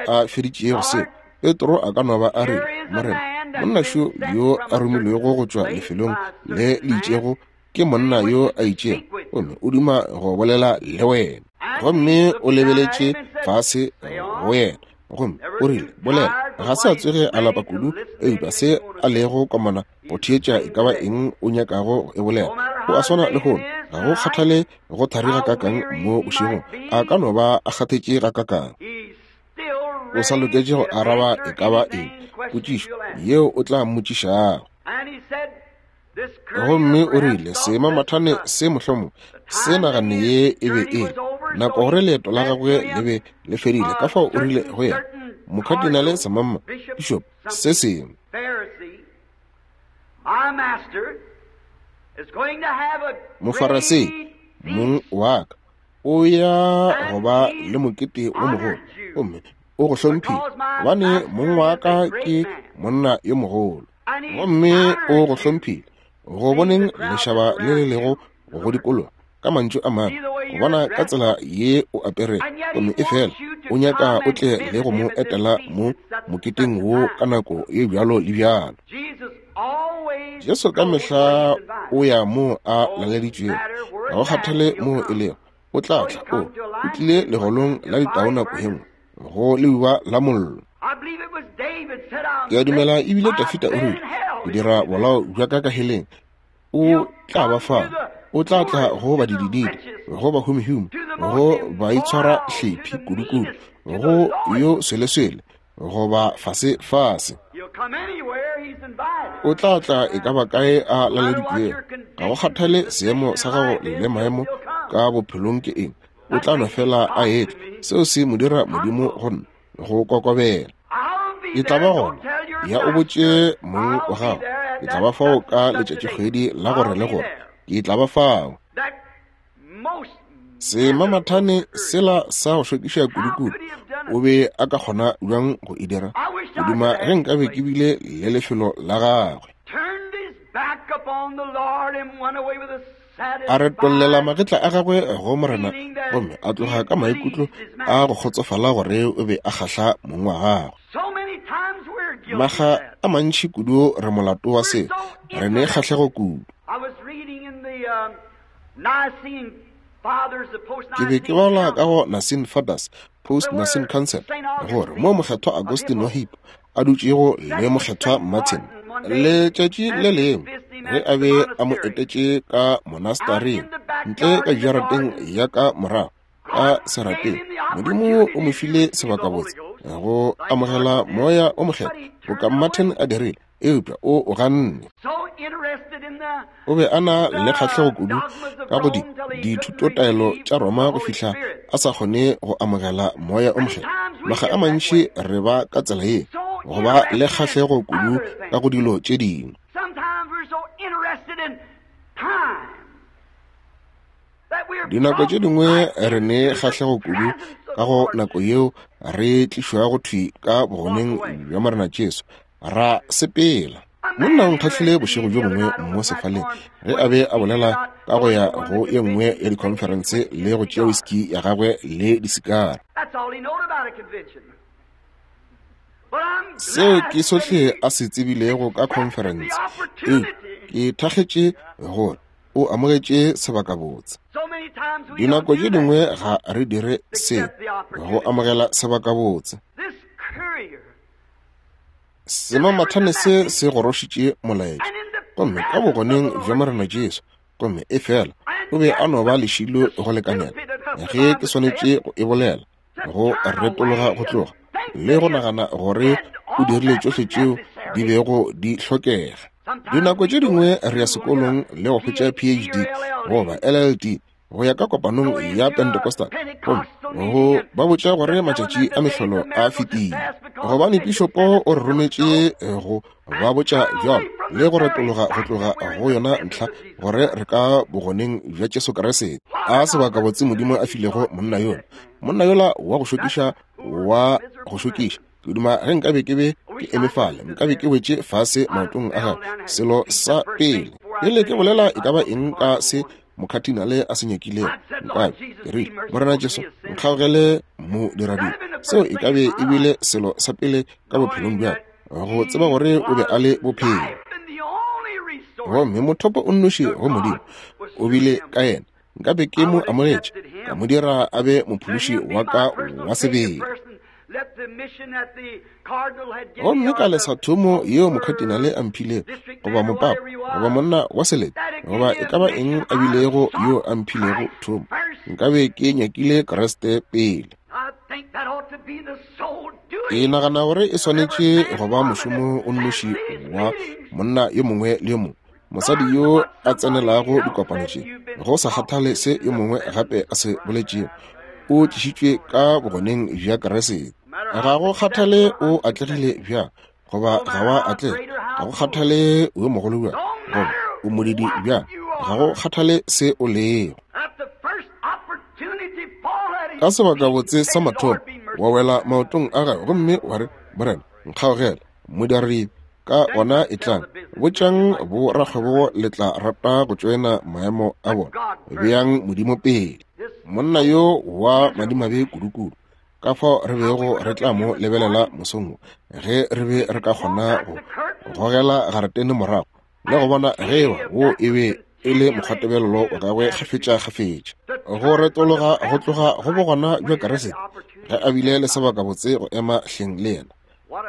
a feditšego seo, Petro a ka no ba a re, Morena, monnašo yo a romilwego go tšwa lefelong le le itšego ke monna yo a itšego, gomme o duma go bolela le wena. Gomme o lebeletše fase go yena, gomme o rile, bolela. Ga se a tsoge a lapa kudu, eupša se a lego komana go theetša e ka ba eng o nyakago go e bolela. O a swana lehono, ga go kgathale go thari gakakang mo bošegong, a ka no ba a kgathetše gakakang. O sa loketše go araba e ka ba eng potšišo yeo o tla mmotšišago. Gomme o rile, semamathane se mohlomongwe se naganne ye e be e le nako gore leeto la gagwe le be le fedile, ka fao o rile go yena, mokadinale semamma, bishop se sengwe, Mofarasei, mong wa ka o ya go ba le mokete wo mogolo, gomme o go hlomphile, gobane mong wa ka ke monna yo mogolo, gomme o go hlomphile go boneng lešaba le le lego go dikologa. Ka mantšu a mangwe, go bona ka tsela ye o apere, gomme e fela o nyaka o tle le go mo etela mo moketeng wo ka nako ye bjalo le bjalo. Jesu ka mehla o ya mo a laleditšwego, ga go kgathale mo e lego, o tla tla. O o tlile legolong la ditau nako ye nngwe, go leuba la mollo. Ke a dumela ebile Dafida o rile, ke dira bolao bja ka ka heleng, o tla ba fa, o tla tla go badidididi, go bahumihume, go baitshwara hlephi kudukudu, go yo sweleswele, goba fase fase. O tla tla e ka ba kae a laleditšwego, ga go kgathale seemo sa gago le maemo ka bophelong ke eng, o tla no fela a etla. Seo se mo dira Modimo go nna go kokobela. Ke tla ba gona, ya o botše mong wa gago, ke tla ba fao ka letšatšikgwedi la gore le gore, ke tla ba fao. Semamathane sela sa go šokiša kudukudu, o be a ka kgona bjang go e dira? Ke duma ge nkabe ke bile le lefelo la gagwe. A retollela magetla a gagwe go Morena, gomme a tloga ka maikutlo a go kgotsofala gore o be a kgahla mong wa gagwe. Maga a mantši kudu re molato wa se, re ne kgahlego kudu. Ke be ke bala ka go Nicene Fathers, Post-Nicene Council, gore mo mokgethwa Augustine wa Hippo a dutšego le mokgethwa Martin letšatši le lengwe ge a be a mo etetše ka monastaring ntle ka jarateng ya ka morago ka serapeng, Modimo o mo file sebakabotse go amogela moya o mokgethwa boka Martin a dirile, eupša o o ganne. O be a na le kgahlego kudu ka go di dithutotaelo tša Roma go fihla a sa kgone go amogela moya o mokgethwa. Maga a mantši re ba ka tsela ye, go ba le kgahlego kudu ka go dilo tše dingwe. Dinako tše dingwe re ne kgahlego kudu ka go nako yeo re tlišwago thwi ka bogoneng bja Morena Jesu, ra sepela. Monna o nkgahlile bošego bjo bongwe mo sefaleng ge a be a bolela ka go ya go ye nngwe ya dikhonferense le go tšea whisky ya gagwe le disikara. Seo ke sohle a se tsebilego ka khonferense, eupša ke thakgetše gore o amogetše sebakabotse. Dinako tše dingwe ga re dire se go amogela sebakabotse. Semamathane se se gorošitše molaetša, gomme ka bogoneng bja Morena Jesu, gomme efela o be a no ba lešilo go lekanela, ge ke swanetše go e bolela, go retologa go tloga le go nagana gore o dirile tšohle tšeo di bego di hlokega. Dinako tše dingwe re ya sekolong le go hwetša P H D goba L L D go ya ka kopanong ya Pentecostal, gomme go ba botša gore matšatši a mehlolo a fetile, gobane pišopo o re rometše go ba botša bjalo le go retologa go tloga go yona ntlha gore re ka bogoneng bja Jesu Kriste. A sebakabotse Modimo a filego monna yola, monna yola wa go šokiša, wa go šokiša. Ke duma ge nkabe ke be ke eme fale, nkabe ke wetše fase maotong a gagwe. Selo sa pele pele ke bolela e ka ba eng ka se mokhatinale a se nyakilego, nkabe ke rile, Morena Jesu, nkgaogele modiradibe. Seo e ka be e bile selo sa pele ka bophelong bja ka, go tseba gore o be a le bophelo. Gomme mothopo o nnoši go Modimo o bile ka yena. Nkabe ke mo amogetše, ka mo dira a be mophološi wa ka wa sebele. Gomme ka lesa thomo yeo mokhatinale a mphilego, goba mopapa, goba monna wa selete, goba e ka ba eng a bilego yo a mphilego thomo, nkabe ke nyakile Kriste pele. Ke nagana gore e swanetše go ba mošomo o nnoši wa monna yo mongwe le yo mongwe, mosadi yo a tsenelago dikopano tše, go sa kgathale se yo mongwe gape a se boletšego, o tlišitšwe ka bogoneng bja Kriste. Ga go kgathale o atlegile bjang goba ga wa atlega, ga go kgathale o yo mogolo bjang goba o modidi bjang, ga go kgathale se o lego. Ka sebakabotse sa mathomo wa wela maotong a gagwe gomme wa re, Morena, nkgaogele, modiradibe. Ka gona e tlang, botšang borakgwebo le tla rata go tšoena maemo a bona. Beang Modimo pele. Monna yo wa madimabe kudukudu, ka fao re bego re tla mo lebelela mosong wo, ge re be re ka kgona go gogela garetene morago le go bona ge eba wo e be e le mokgwatebelelo wa gagwe kgafetša-kgafetša, go retologa go tloga go bogona bja Kriste ge a bile le sebakabotse go ema hleng le yena.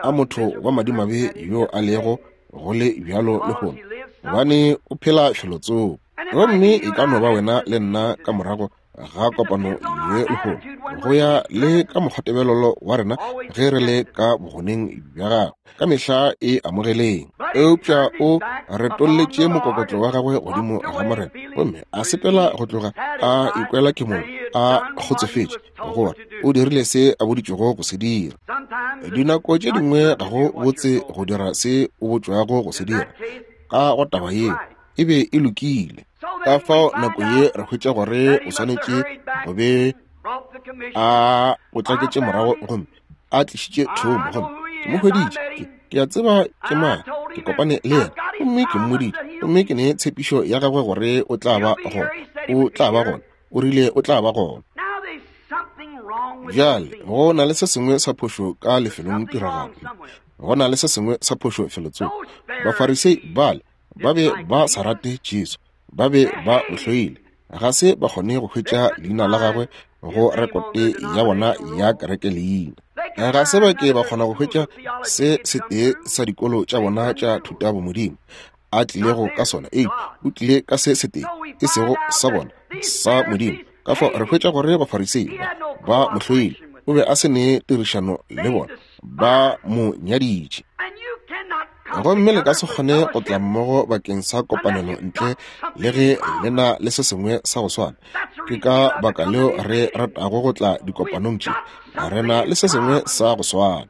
A motho wa madimabe yo a lego go le bjalo lehono, gobane o phela felotsoko. Gomme e ka no ba wena le nna ka morago ga kopano ye lehono, go ya le ka mokgwatebelelo wa rena ge re le ka bogoneng bja gagwe, ka mehla e amogeleng. Eupša o retolletše mokokotlo wa gagwe godimo ga Morena, gomme a sepela go tloga a ikwela ke mong a kgotsofetše gore o dirile se a boditšwego go se dira. Dinako tše dingwe ga go botse go dira se o botšwago go se dira. Ka go taba yeo e be e lokile. Ka fao nako ye re hwetša gore o swanetše go be a potlaketše morago gomme a tlišitše thomo, gomme ke mo hweditše, ke a tseba ke mang, ke kopane le yena, gomme ke mmoditše, gomme ke ne tshepišo ya gagwe gore o tla ba gona, o tla ba gona, o rile o tla ba gona. Bjale go na le se sengwe sa phošo ka lefelong tiragalo, go na le se sengwe sa phošo felotsoko. Bafarisei bale ba be ba sa rate Jesu, ba be ba mo hloile, ga se ba kgone go hwetša leina la gagwe go rekote ya bona ya kereke leina. Ga se ba ke ba kgona go hwetša se setee sa dikolo tša bona tša thutabomodimo a tlilego ka sona, ee, o tlile ka se setee e sego sa bona sa Modimo. Ka fao re hwetša gore Bafarisei ba ba mo hloile, o be a se ne tirišano le bona, ba mo nyaditše. Gomme le ka se kgone go tla mmogo bakeng sa kopanelo ntle le ge le na le se sengwe sa go swana. Ke ka baka leo re ratago go tla dikopanong tše, re na le se sengwe sa go swana.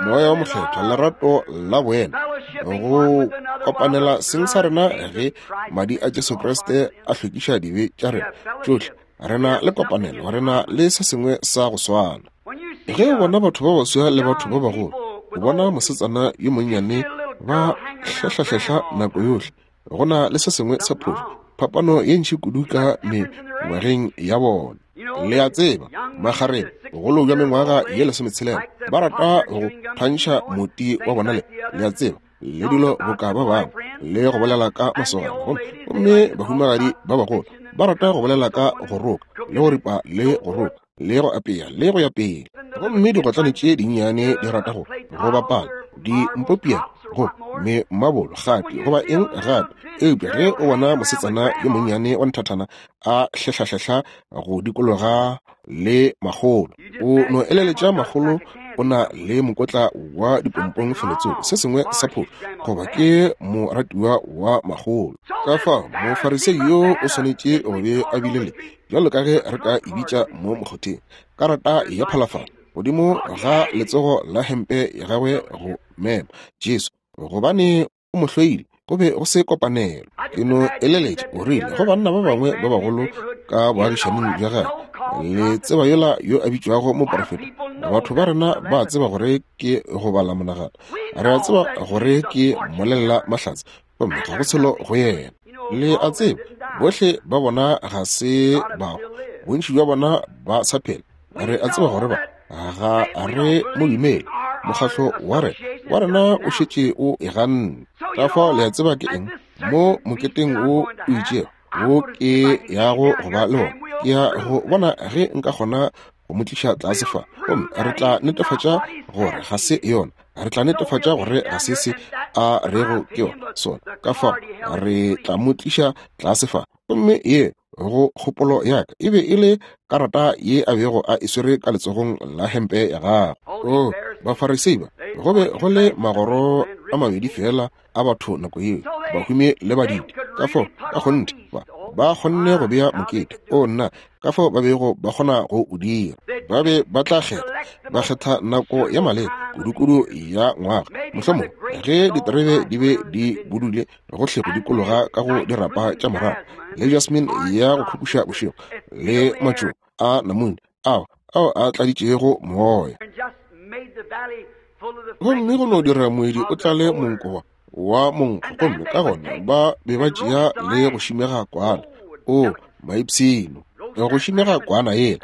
Moya wa Mokgethwa, lerato la boena, go kopanela seng sa rena ge madi a Jesu Kriste a hlwekiša dibe tša rena tšohle, re na le kopanelo, re na le se sengwe sa go swana. Ge o bona batho ba baswa le batho ba bagolo O bona mosetsana yo monnyane ba hlehla-hlehla nako yohle, go na le se sengwe sa phošo, phapano ye ntši kudu ka mengwageng ya bona. Le a tseba, magareng bogolo bja mengwaga ye lesometshelela ba rata go thwantšha moti wa bona le, le a tseba, le dilo boka ba bangwe, le go bolela ka masogana, gomme bahumagadi ba bagolo ba rata go bolela ka go roka le go ripa le go roka le go apea le go ya pele. Gomme digotlane tše dinnyane di rata go go bapala di mpopia go me mabolo gape goba eng gape. Eupša ge o bona mosetsana yo monnyane wa nthathana a hlehla-hlehla go dikologa le makgolo, o no eleletša makgolo o na le mokotla wa dipompong felotsoko, se sengwe sa phošo, goba ke moratiwa wa makgolo. Ka fao mofarisei yo o swanetše go be a bile le, bjalo ka ge re ka e bitša mo mokgotheng, karata ya phalafala godimo ga letsogo la hempe ya gagwe go mema Jesu, gobane o mo hloile. Go be go se kopanelo. Ke no eleletša o rile go banna ba bangwe ba bagolo ka boagišaning bja gagwe, le tseba yola yo a bitšwago moprofeta, batho ba rena ba tseba gore ke go bala monagano, re a tseba gore ke mmolelela mahlatse, gomme ga go selo go yena. Le a tseba, bohle ba bona ga se bao, bontši bja bona ba sa phela. Re a tseba gore ba ga re mo dumele, mokgahlo wa rena wa rena o šetše o e ganne. Ka fao le a tseba ke eng mo moketeng wo o itšego wo ke yago go ba le bona, ke ya go bona ge nka kgona go mo tliša tlase fa, gomme re tla netefatša gore ga se yona, re tla netefatša gore ga se se a rego ke yona sona. Ka fao re tla mo tliša tlase fa. Gomme ye go kgopolo ya ka e be e le karata ye a bego a e swere ka letsogong la hempe ya gagwe. O Bafarisei ba, go be go le magoro a mabedi fela a batho nako yeo, bahumi le badidi. Ka fao ka kgonthe ba ba kgonne go bea mokete o nna, ka fao ba bego ba kgona go o dira. Ba be ba tla kgetha, ba kgetha nako ya maleba kudu-kudu ya ngwaga, mohlomongwe ge diterebe di be di budule gohle go dikologa ka go dirapa tša morago, le jasmine ya go khukuša bošego, le matšo a namune ao ao a tladitšego moya. Gomme go no dira moedi o tlale monko wa monkgo, gomme ka gona ba be ba tšea le go šimega kwana, o maipshino, go šimega kwana yela.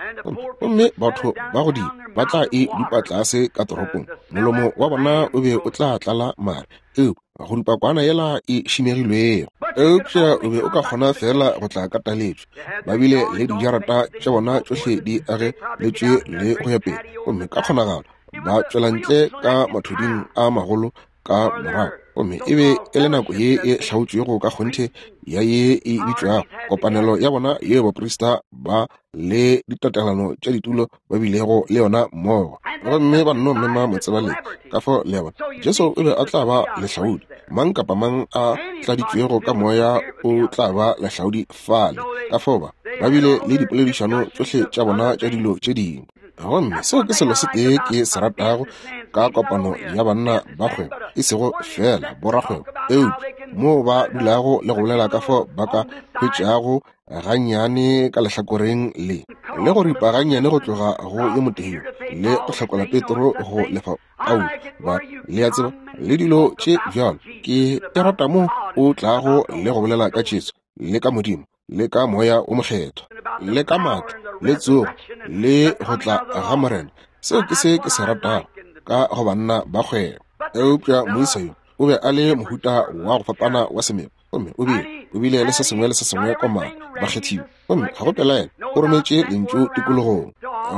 Gomme batho ba godimo ba tla e dupa tlase ka toropong, molomo wa bona o be o tla tlala mare, eupša go dupa kwana yela e šimegilwego. Eupša o be o ka kgona fela go tla ka taletšo. Ba bile le dijarata tša bona tšohle di ageletšwe le go ya pele, gomme ka kgonagalo ba tšwela ntle ka mathuding a magolo ka morago. Gomme e be e le nako ye e hlaotšwego ka kgonthe ya ye e bitšwago kopanelo ya bona ye baprista ba le ditatelano tša ditulo ba bilego le yona mmogo. Gomme ba nno mema motsebaledi. Ka fao le a bona, Jesu o be a tla ba lehlaodi. Mang kapa mang a tladitšwego ka moya o tla ba lehlaodi fale. Ka fao ba ba bile le dipoledišano tšohle tša bona tša dilo tše dingwe. Gomme seo ke selo se tee ke se ratago ka kopano ya banna ba kgwebo, e sego fela borakgwebo, eupša moo ba dulago le go bolela ka fao ba ka hwetšago gannyane ka lehlakoreng le, le go ripa gannyane go tloga go yo motee le go hlakola Petro go lefa Paulo, ba le a tseba, le dilo tše bjalo. Ke e rata mo o tlago le go bolela ka Jesu le ka Modimo le ka moya o mokgethwa le ka maatla le tsogo le go tla ga Morena. Seo ke se ke se ratago ka go banna ba kgwebo. Eupša moisa yo o be a le mohuta wa go fapana wa semelo, gomme o bile o bile le se sengwe le se sengwe komana bakgethiwa, gomme ga go pelaelo o rometše lentšu tikologong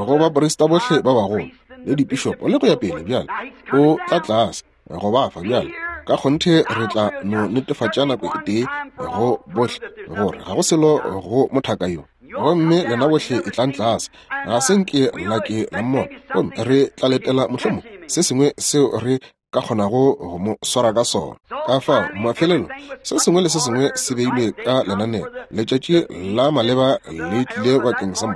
go baprista bohle ba bagolo le dipišopo le go ya pele. Bjale o tla tlase go ba fa bjale. Ka kgonthe re tla no netefatša nako e tee go bohle gore ga go selo go mothaka yo, gomme lena bohle e tlang tlase, ga se nke la ke la mmona, gomme re tla letela mohlomong se sengwe seo re ka kgonago go mo swara ka sona. Ka fao mafelelo se sengwe le se sengwe se beilwe ka lenaneo. Letšatši la maleba le tlile bakeng sa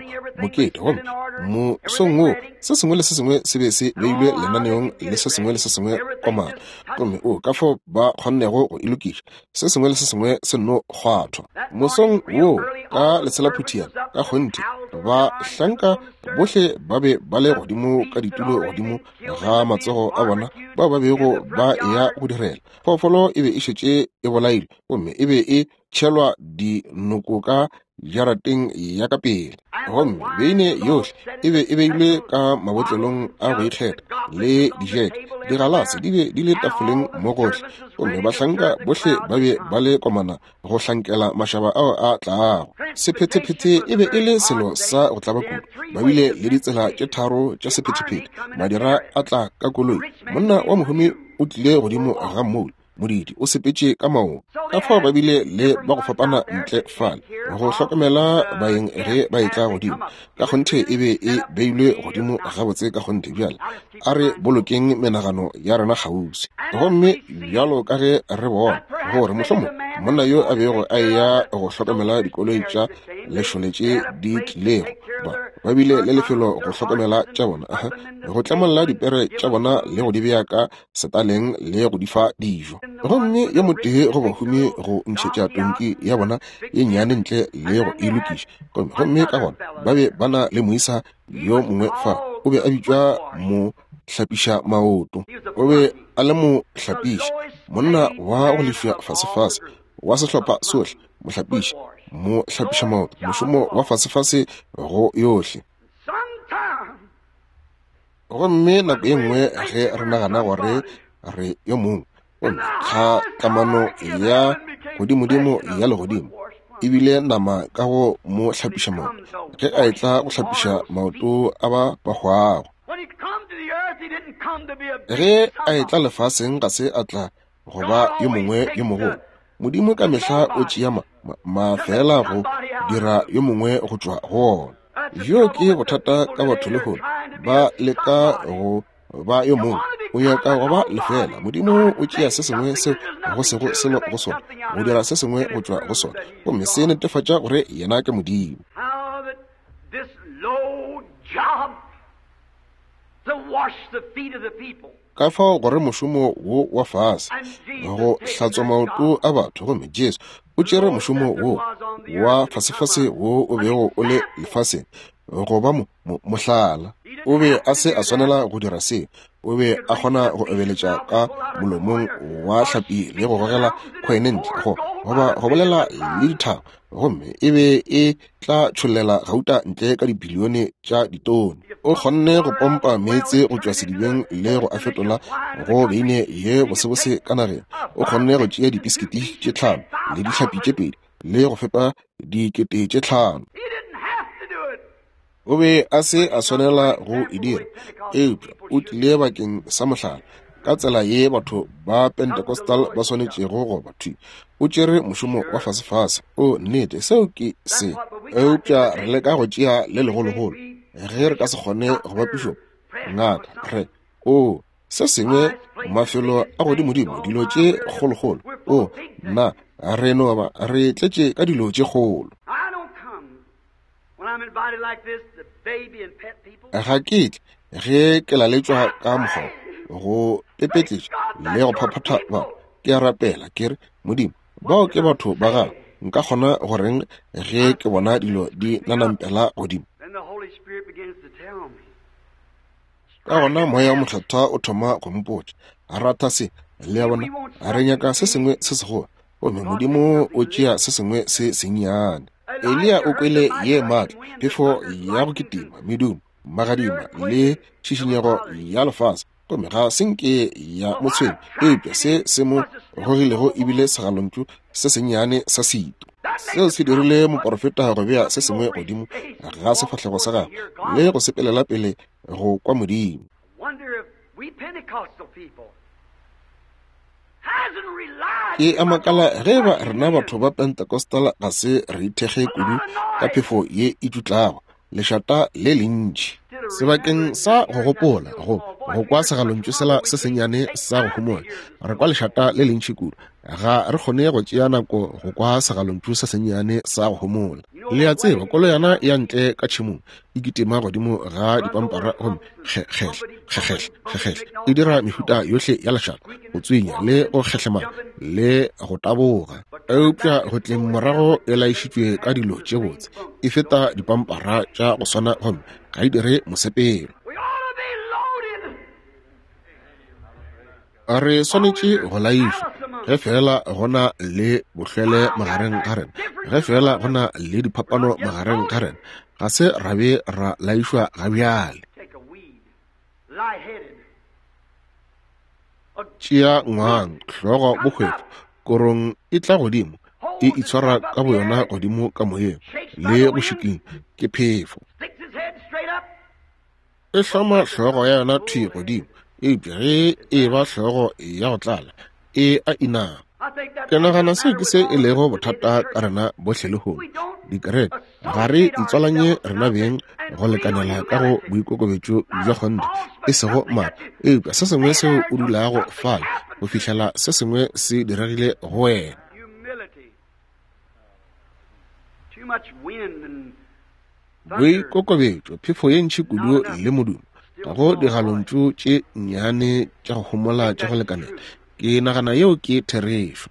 mokete, gomme mosong wo se sengwe le se sengwe se be se beilwe lenaneong le se sengwe le se sengwe komana. Gomme o ka fao ba kgonnego go e lokiša, se sengwe le se sengwe se nno kgwathwa. Mosong wo ka letshelaphuthiana ka kgonthe bahlanka bohle ba be ba le godimo ka ditulo godimo ga matsogo a bona bao ba bego ba eya go direla. Phoofolo e be e šetše e bolailwe gomme e be e tšhelwa dinoko ka jarateng ya ka pele, gomme beine yohle e be e beilwe ka mabotlelong a go ikgetha le dijeke. Digalase di be di le tafoleng mo gohle, gomme bahlanka bohle ba be ba le komana go hlankela mašaba ao a tlago. Sephethephethe e be e le selo sa go tlaba kudu. Ba bile le ditsela tše tharo tša sephethephethe. Madira a tla ka koloi, monna wa mohumi o tlile godimo ga mmoula, modidi o sepetše ka maoto. Ka fao ba bile le ba go fapana ntle fale go hlokomela baeng ge ba etla godimo. Ka kgonthe e be e beilwe godimo gabotse ka kgonthe. Bjale a re bolokeng menagano ya rena kgauswi. Gomme bjalo ka ge re bona gore mohlomong monna yo a bego a eya go hlokomela dikoloi tša lešole tše di tlilego, ba ba bile le lefelo go hlokomela tša bona, go tlemolla dipere tša bona le go di bea ka setaleng le go di fa dijo. Gomme yo motee go bahumi go ntšhetša tonki ya bona ye nnyane ntle le go e lokiša. Gomme ka gona ba be ba na le moisa yo mongwe fa, o be a bitšwa mo hlapiša maoto. O be a le mo hlapiša, monna wa go lefiwa fasefase wa sehlopha sohle, mohlapiši, mo hlapiša maoto, mošomo wa fasefase go yohle. Gomme nako ye nngwe ge re nagana gore re yo mongwe, gomme tlhatlamano ya godimodimo ya legodimo ebile nama ka go mo hlapiša maoto, ge a etla go hlapiša maoto a ba ba hwago. Ge a etla lefaseng ga se a tla go ba yo mongwe yo mogolo. Modimo ka mehla o tšea mafela go dira yo mongwe go tšwa go ona. Bjo ke bothata ka batho lehono, ba leka go ba yo mongwe, o nyaka go ba lefela. Modimo o tšea se sengwe seo go sego selo go sona, go dira se sengwe go tšwa go sona, gomme se netefatša gore yena ke Modimo. Ka fao gore mošomo wo wa fase go hlatswa maoto a batho, gomme Jesu o tšere mošomo wo wa fasefase wo o bego o le lefaseng go ba mo mohlala. O be a se a swanela go dira seo. O be a kgona go obeletša ka molomong wa hlapi le go gogela khoene ntle, go goba go bolela le dithaba, gomme e be e tla tšhollela gauta ntle ka dibilione tša ditone. O kgonne go pompa meetse go tšwa sedibeng le go a fetola go beine ye bosebose ka nageng. O kgonne go tšea dipiskiti tše tlhano le dihlapi tše pedi le go fepa dikete tše tlhano. O be a se a swanela go e dira, eupša o tlile bakeng sa mohlala ka tsela ye batho ba Pentecostal ba swanetšego go ba thwi. O tšere mošomo wa fasefase. O nnete, seo ke se. Eupša re leka go tšea le legologolo ge re ka se kgone go bapišo ngaka re o se sengwe mafelo a godimodimo, dilo tše kgolokgolo. O nna re no ba re tletše ka dilo tše kgolo. Ga ke tle ge ke laletšwa ka mokgwa go pepetletša le go phaphatha batho. Ke a rapela ke re, Modimo, bao ke batho ba gago, nka kgona goreng ge ke bona dilo di nanampela godimo? Ka gona moya wa Mokgethwa o thoma go mpotša, ratha se, le a bona, re nyaka se sengwe se segolo, gomme Modimo o tšea se sengwe se sennyane. Eliya o kwele ye maatla, phefo ya go kitima, medumo, magadima le tšhišinyego ya lefase, gomme ga se nke ya mo tshwenya, eupša se se mo gogilego ebile segalontšu se sennyane sa setu. Seo se dirile moporofeta go bea se sengwe godimo ga sefahlego sa gagwe le go sepelela pele go kwa Modimo. Ke a makala ge ba rena batho ba Pentecostal ga se re ithekge kudu ka phefo ye e tšutlago, lešata le lentši. Sebakeng sa go gopola go go kwa segalontšu sela se sennyane sa go homola. Re kwa lešata le lentši kudu, ga re kgone go tšea nako go kwa segalontšu se sennyane sa go homola. Le a tseba, koloyana ya ntle ka tšhemong e kitima godimo ga dipampara gomme kgehle kgehle kgehle e dira mehuta yohle ya lešata, go tswinya le go kgehlemana le go taboga. Eupša go tleng morago e laišitšwe ka dilo tše botse, e feta dipampara tša go swana gomme ga e dire mosepelo. Re swanetše go laišwa ge fela go na le bohlwele magareng ga rena, ge fela go na le diphapano magareng ga rena. Ga se ra be ra laišwa ga bjale. Tšea ngwang, hlogo bohwefo, korong e tla godimo, e itshwara ka boyona godimo ka moyeng le go šikinya ke phefo. E hloma hlogo ya yona thwi godimo, eupša ge e ba hlogo ya go tlala e a inama. Ke nagana seo ke se e lego bothata ka rena bohle lehono. Dikereke ga re itswalanye rena beng go lekanela ka go boikokobetšo bja kgonthe, e sego maatla, eupša se sengwe seo o dulago fale go fihlela se sengwe se diregile go wena. Boikokobetšo, phefo ye ntši kudu le modumo, ga go digalontšu tše nnyane tša go homola tša go lekanela. Ke nagana yeo ke therešo.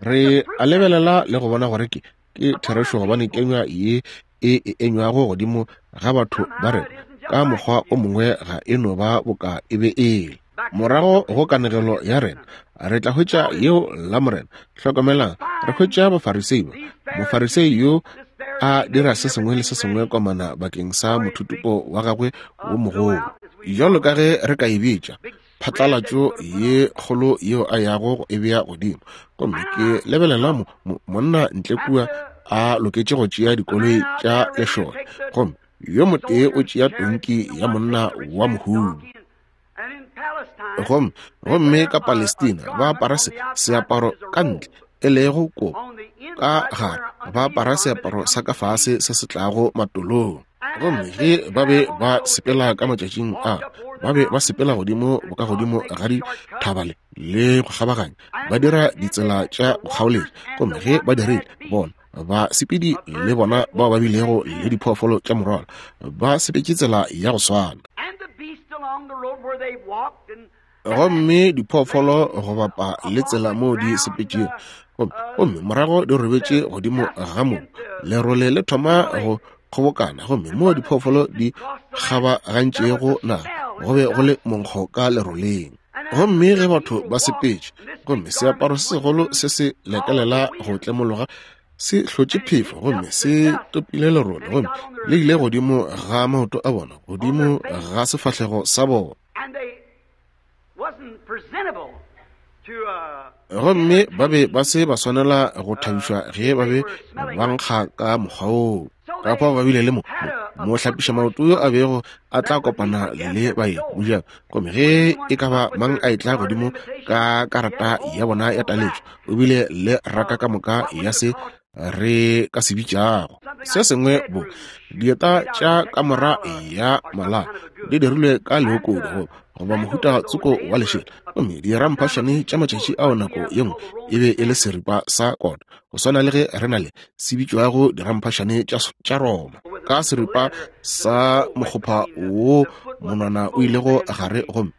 Re a lebelela le go bona gore ke ke therešo, gobane kenywa ye e e enywago godimo ga batho ba rena ka mokgwa o mongwe ga e no ba boka e be e le. Morago go kanegelo ya rena re tla hwetša yeo la Morena. Hlokomelang, re hwetša Bafarisei ba. Mofarisei yo a dira se sengwe le se sengwe komana bakeng sa mothutupo wa gagwe wo mogolo, bjalo ka ge re ka e bitša phatlalatšo ye kgolo yeo a yago go e bea godimo. Gomme ke lebelela mo, mo, monna ntle kua a loketše go tšea dikoloi tša lešole, gomme yo motee o tšea tonki ya monna wa mohumi. Gomme gomme ka Palestina ba apara se seaparo ka ntle e lego kobo, ka gare ba apara seaparo sa ka fase se se tlago matolong. Gomme ge ba be ba sepela ka matšatšing a, ba be ba sepela godimo bokagodimo ga dithaba le le go kgabaganya, ba dira ditsela tša go kgaoletša. Gomme ge ba dirile, bona basepedi le bona bao ba bilego le diphoofolo tša morwalo ba sepetše tsela ya go swana. Gomme diphoofolo go bapa le tsela moo di sepetšego, gomme morago di robetše godimo ga mobu, lerole le thoma go kgobokana, gomme moo diphoofolo di kgabagantšego naga go be go le monkgo ka leroleng. Gomme ge batho ba sepetše, gomme seaparo se segolo se se lekelela go tlemologa se hlotše phefo, gomme se topile lerole, gomme le ile godimo ga maoto a bona, godimo ga sefahlego sa bona. Gomme ba be ba se ba swanela go thabišwa ge ba be ba nkga ka mokgwa woo. Ka fao ba bile le mo mo hlapiša maoto yo a bego a tla kopana le baeng mojako. Gomme ge e ka ba mang a etla godimo ka karata ya bona ya taletšo, o bile le raka ka moka ya se re ka se bitšago se sengwe bo dieta tša kamora ya mala di dirilwe ka leokodi go goba mohuta tsoko wa lešela. Gomme diramphašane tša matšatši ao nako ye nngwe e be e le seripa sa kota, go swana le ge re na le se bitšwago diramphašane tša Roma, ka seripa sa mokgopha wo monwana o ilego gare, gomme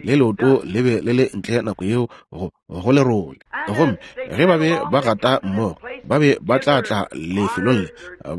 le leoto le be le le ntle nako yeo go go lerole. Gomme ge ba be ba gata mmogo, ba be ba tla tla lefelong le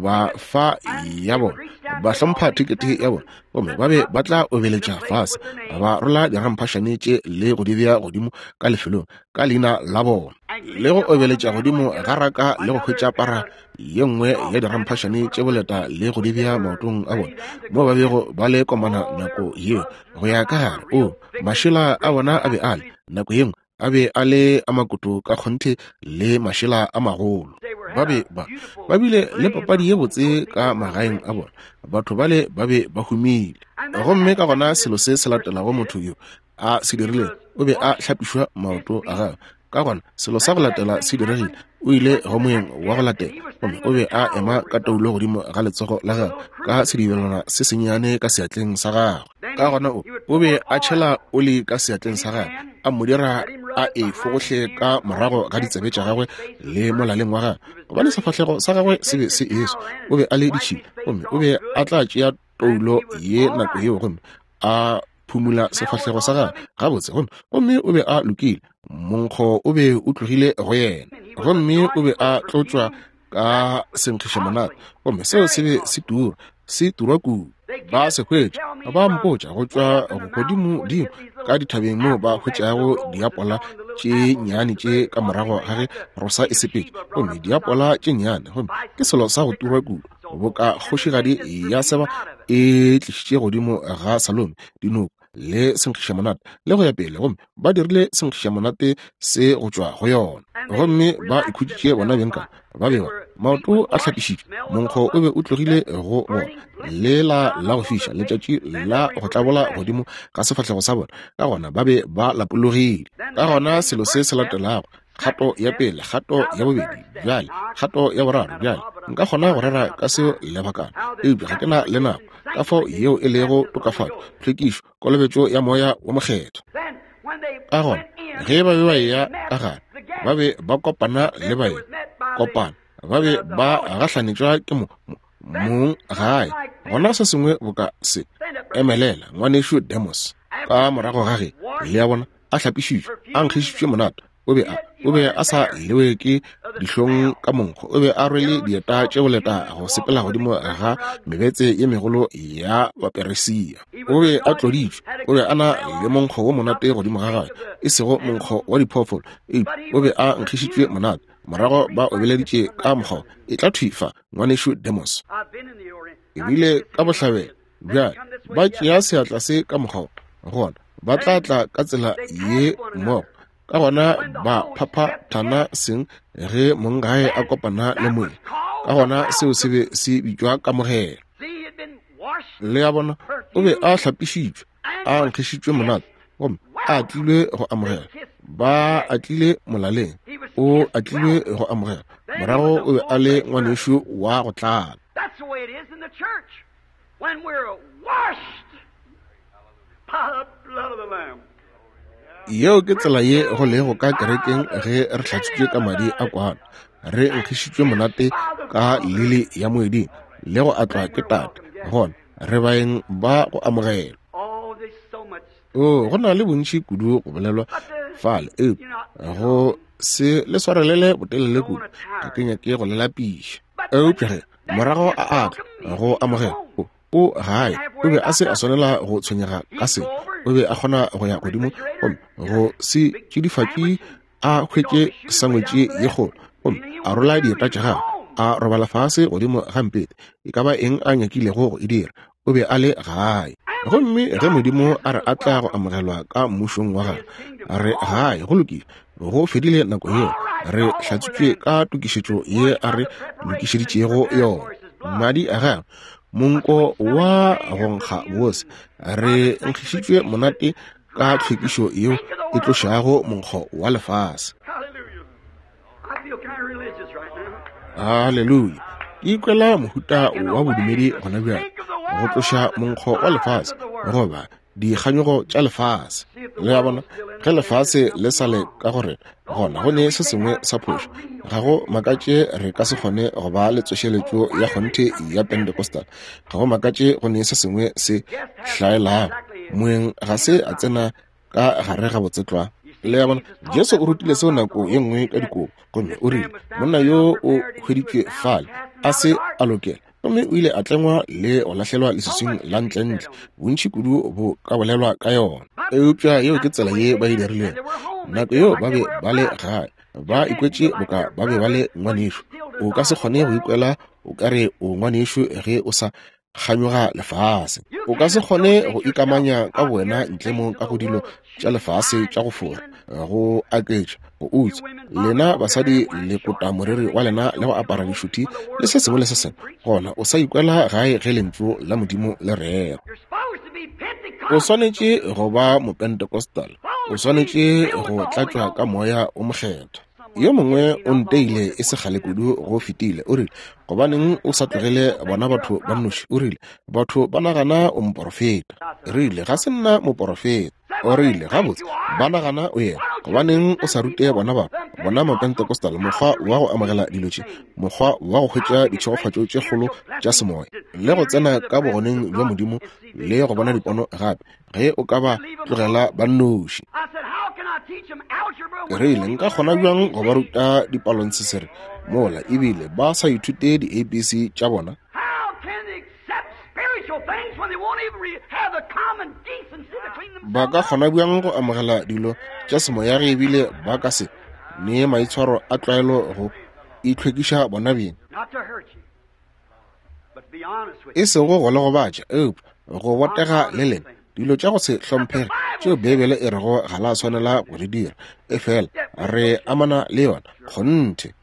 ba fa ya bona, ba hlompha thekete ya bona, gomme ba be ba tla obeletša fase, ba rola diramphašane tše le go di bea godimo ka lefelong ka leina la bona, le go obeletša godimo ga raka le go hwetša para ye nngwe ya diramphašane tše boleta le go di bea maotong a bona moo ba bego ba le komana nako yeo go ya ka gare. O mašela a bona a be a le nako ye nngwe a be a le a makoto ka kgonthe le mašela a magolo. Ba be ba ba bile le papadi ye botse ka magaeng a bona, batho bale ba be ba humile. Gomme ka gona selo se se latelago motho yo a se dirilego, o be a hlapišwa maoto a gagwe Ka gona selo sa go latela se diregile, o ile go moeng wa go latela, gomme o be a ema ka toulo godimo ga letsogo la gagwe, ka sedibelwana se sennyane ka seatleng sa gagwe. Ka gona o, o be a tšhela oli ka seatleng sa gagwe, a mo dira a e fogohle ka morago ga ditsebe tša gagwe le molaleng wa gagwe, gobane sefahlego sa gagwe se be se eswa. O be a le ditšhila, gomme o be a tla tšea toulo ye nako yeo gomme a phumula sefahlego sa gagwe gabotse, gomme gomme o be a lokile. Monkgo o be o tlogile go yena, gomme o be a tlotšwa ka senkgišamonate, gomme seo se be se tura, se turwa kudu. Ba se hwetša, ba mpotša go tšwa godimo-dimo ka dithabeng moo ba hwetšago diapola tše nnyane tše ka morago ga ge rosa e sepetše, gomme diapola tše nnyane, gomme ke selo sa go turwa kudu, boka kgošigadi ya Seba e tlišitše godimo ga Salome dinoko le senkgišamonate le go ya pele, gomme ba dirile senkgišamonate se go tšwa go yona, gomme ba ikhutšitše bona beng ka ba bewa maoto a hlapišitšwe, monkgo o be o tlogile go bona, lela la go fiša letšatši la go tlabola godimo ga sefahlego sa bona, ka gona ba be ba lapologile. Ka gona selo se se latelago, kgato ya pele, kgato ya bobedi, bjale kgato ya boraro. Bjale nka kgona go rera ka seo lebakana, eupša ga ke na le nako. Ka fao yeo e lego tokafatšo, tlhwekišo, kolobetšo ya moya wa mokgethwa. Ka gona ge ba be ba eya ka gare, ba be ba kopana le baeng, kopana, ba be ba gahlanetšwa ke mo mong gae. Gona se sengwe boka se emelela ngwanešu Demos ka morago ga ge, le a bona, a hlapišitšwe, a nkgišitšwe monate. O be a o be a sa lewe ke dihlong ka monkgo, o be a rwele dieta tše boleta go sepela godimo ga mebetse ye megolo ya Baperesia. O be a tloditšwe, o be a na le monkgo wo monate godimo ga gagwe, e sego monkgo wa diphoofolo, eupša o be a nkgišitšwe monate. Morago ba obeleditše ka mokgwa, e tla thwi fa, ngwanešu Demos. Ebile ka bohlabela bjale ba tšea seatla se ka mokgwa, gona ba tla tla ka tsela ye mmogo. Ka gona ba phaphathana seng ge monggae a kopana le moeng. Ka gona seo se be se bitšwa kamogelo. Le a bona, o be a hlapišitšwe, a nkgišitšwe monate, gomme a atlilwe go amogela. Ba atlile molaleng, o atlilwe go amogela. Morago o be a le ngwanešu wa go tlala. That's the way it is in the church. When we're washed by the blood of the Lamb. Yeo ke tsela ye go lego ka kerekeng ge re hlatswitšwe ka madi a kwana, re nkgišitšwe monate ka lili ya moeding le go atlwa ke Tate, gona re baeng ba go amogela. Oh, there's so much. O, go na le bontši kudu go bolelwa fale, eupša go se le swarelele botelele kudu, ga ke nyake go le lapiša. Eupša ge morago a atla go amogela, o, o gae, o be a se a swanela go tshwenyega ka se. O be a kgona go ya godimo gomme go se tšidifatše a hwetše sangwetši ye kgolo, gomme a rola dieta tša gagwe, a robala fase godimo ga mpete, e ka ba eng a nyakilego go e dira, o be a le gae. Gomme ge Modimo a re atla go amogelwa ka mmušong wa gagwe, re gae, go lokile, go fedile nako yeo, re hlatswitšwe ka tokišetšo ye a re lokišeditšego yona, madi a gagwe, monko wa go nkga bose, re nkgišitšwe monate ka tlhwekišo yeo e tlošago monkgo wa lefase. Hallelujah. I feel kind of religious right now. Haleluya. Ke ikwela mohuta wa bodumedi gona bjale, go tloša monkgo wa lefase goba dikganyogo tša lefase. Le a bona, ge lefase le sa le ka go rena, gona go ne se sengwe sa phošo. Ga go makatše re ka se kgone go ba le tsošeletšo ya kgonthe ya Pentecostal. Ga go makatše go ne se sengwe se hlaelago. Moeng ga se a tsena ka gare ga botsetlwa. Le a bona, Jesu o rutile seo nako ye nngwe ka dikobo, gomme o rile monna yo o hweditšwe fale a se a lokela, gomme o ile a tlengwa le go lahlelwa leswiswing la ntlentle. Bontši kudu bo ka bolelwa ka yona, eupša yeo ke tsela ye ba e dirilego. Nako yeo ba be ba le gae, ba ikwetše boka ba be ba le ngwanešu. O ka se kgone go ikwela o ka re o ngwanešu ge o sa kganyoga lefase. O ka se kgone go ikamanya ka bowena ntle mo ka go dilo tša lefase tša go fora, go aketša, go utswa. Lena basadi le kota moriri wa lena le go apara dišuthi le se sengwe le se sengwe, gona o sa ikwela gae ge lentšu la Modimo le rera. You're supposed to be O Pentecostal. swanetše go ba mopentecostal, O swanetše go tlatšwa ka Moya o Mokgethwa. Yo mongwe o nteile e se kgale kudu go fetile, o rile, gobaneng o sa tlogele bona batho ba nnoši? O rile, batho ba nagana o moporofeta. Rile, ga se nna moporofeta. O rile, gabotse, ba nagana o yena. Gobaneng o sa rute bona batho, bona Mapentecostal, mokgwa wa go amogela dilo tše, mokgwa wa go hwetša ditšhegofatšo tše kgolo tša semoya, le go tsena ka bogoneng bja Modimo le go bona dipono gape, ge o ka ba tlogela ba nnoši. Rile, nka kgona bjang go ba ruta dipalontshesere mola ebile ba sa ithute di-A B C tša bona? Ba ka kgona bjang go amogela dilo tša semoya ge ebile ba ka se nee maitshwaro a tlwaelo go itlhwekiša bona beng? E sego go le gobatša, eupša go botega le lena. Dilo tša go se hlomphege tšeo Beibele e rego ga la swanela go di dira, efela re amana le yona kgonthe.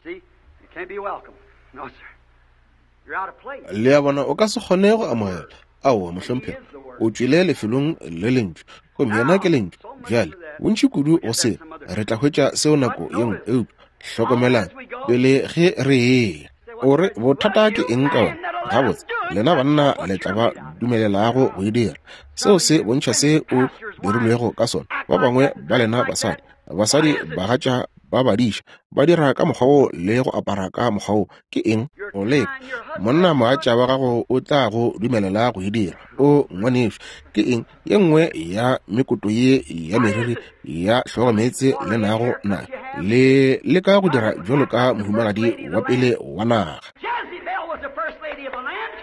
Le a bona, o ka se kgone go amogela. Aowa, mohlomphegi, o tšwele lefelong le lentšu, gomme yena ke lentšu. Bjale, bontši kudu go se, re tla hwetša seo nako ye nngwe, eupša hlokomelang pele ge re eya. O re, bothata ke eng ka wena? Gabotse, lena banna le tla ba dumelelago go e dira. Seo se bontšha se o dirilwego ka sona. Ba bangwe ba lena basadi, basadi bagatša ba badiša, ba dira ka mokgwa wo le go apara ka mokgwa wo. Ke eng? O leka. Monna mogatša wa gago o tla go dumelela go e dira. O ngwanešu, ke eng ye nngwe ya mekoto ye ya meriri ya hlogomeetse le nago na le leka go dira bjalo ka mohumagadi wa pele wa naga?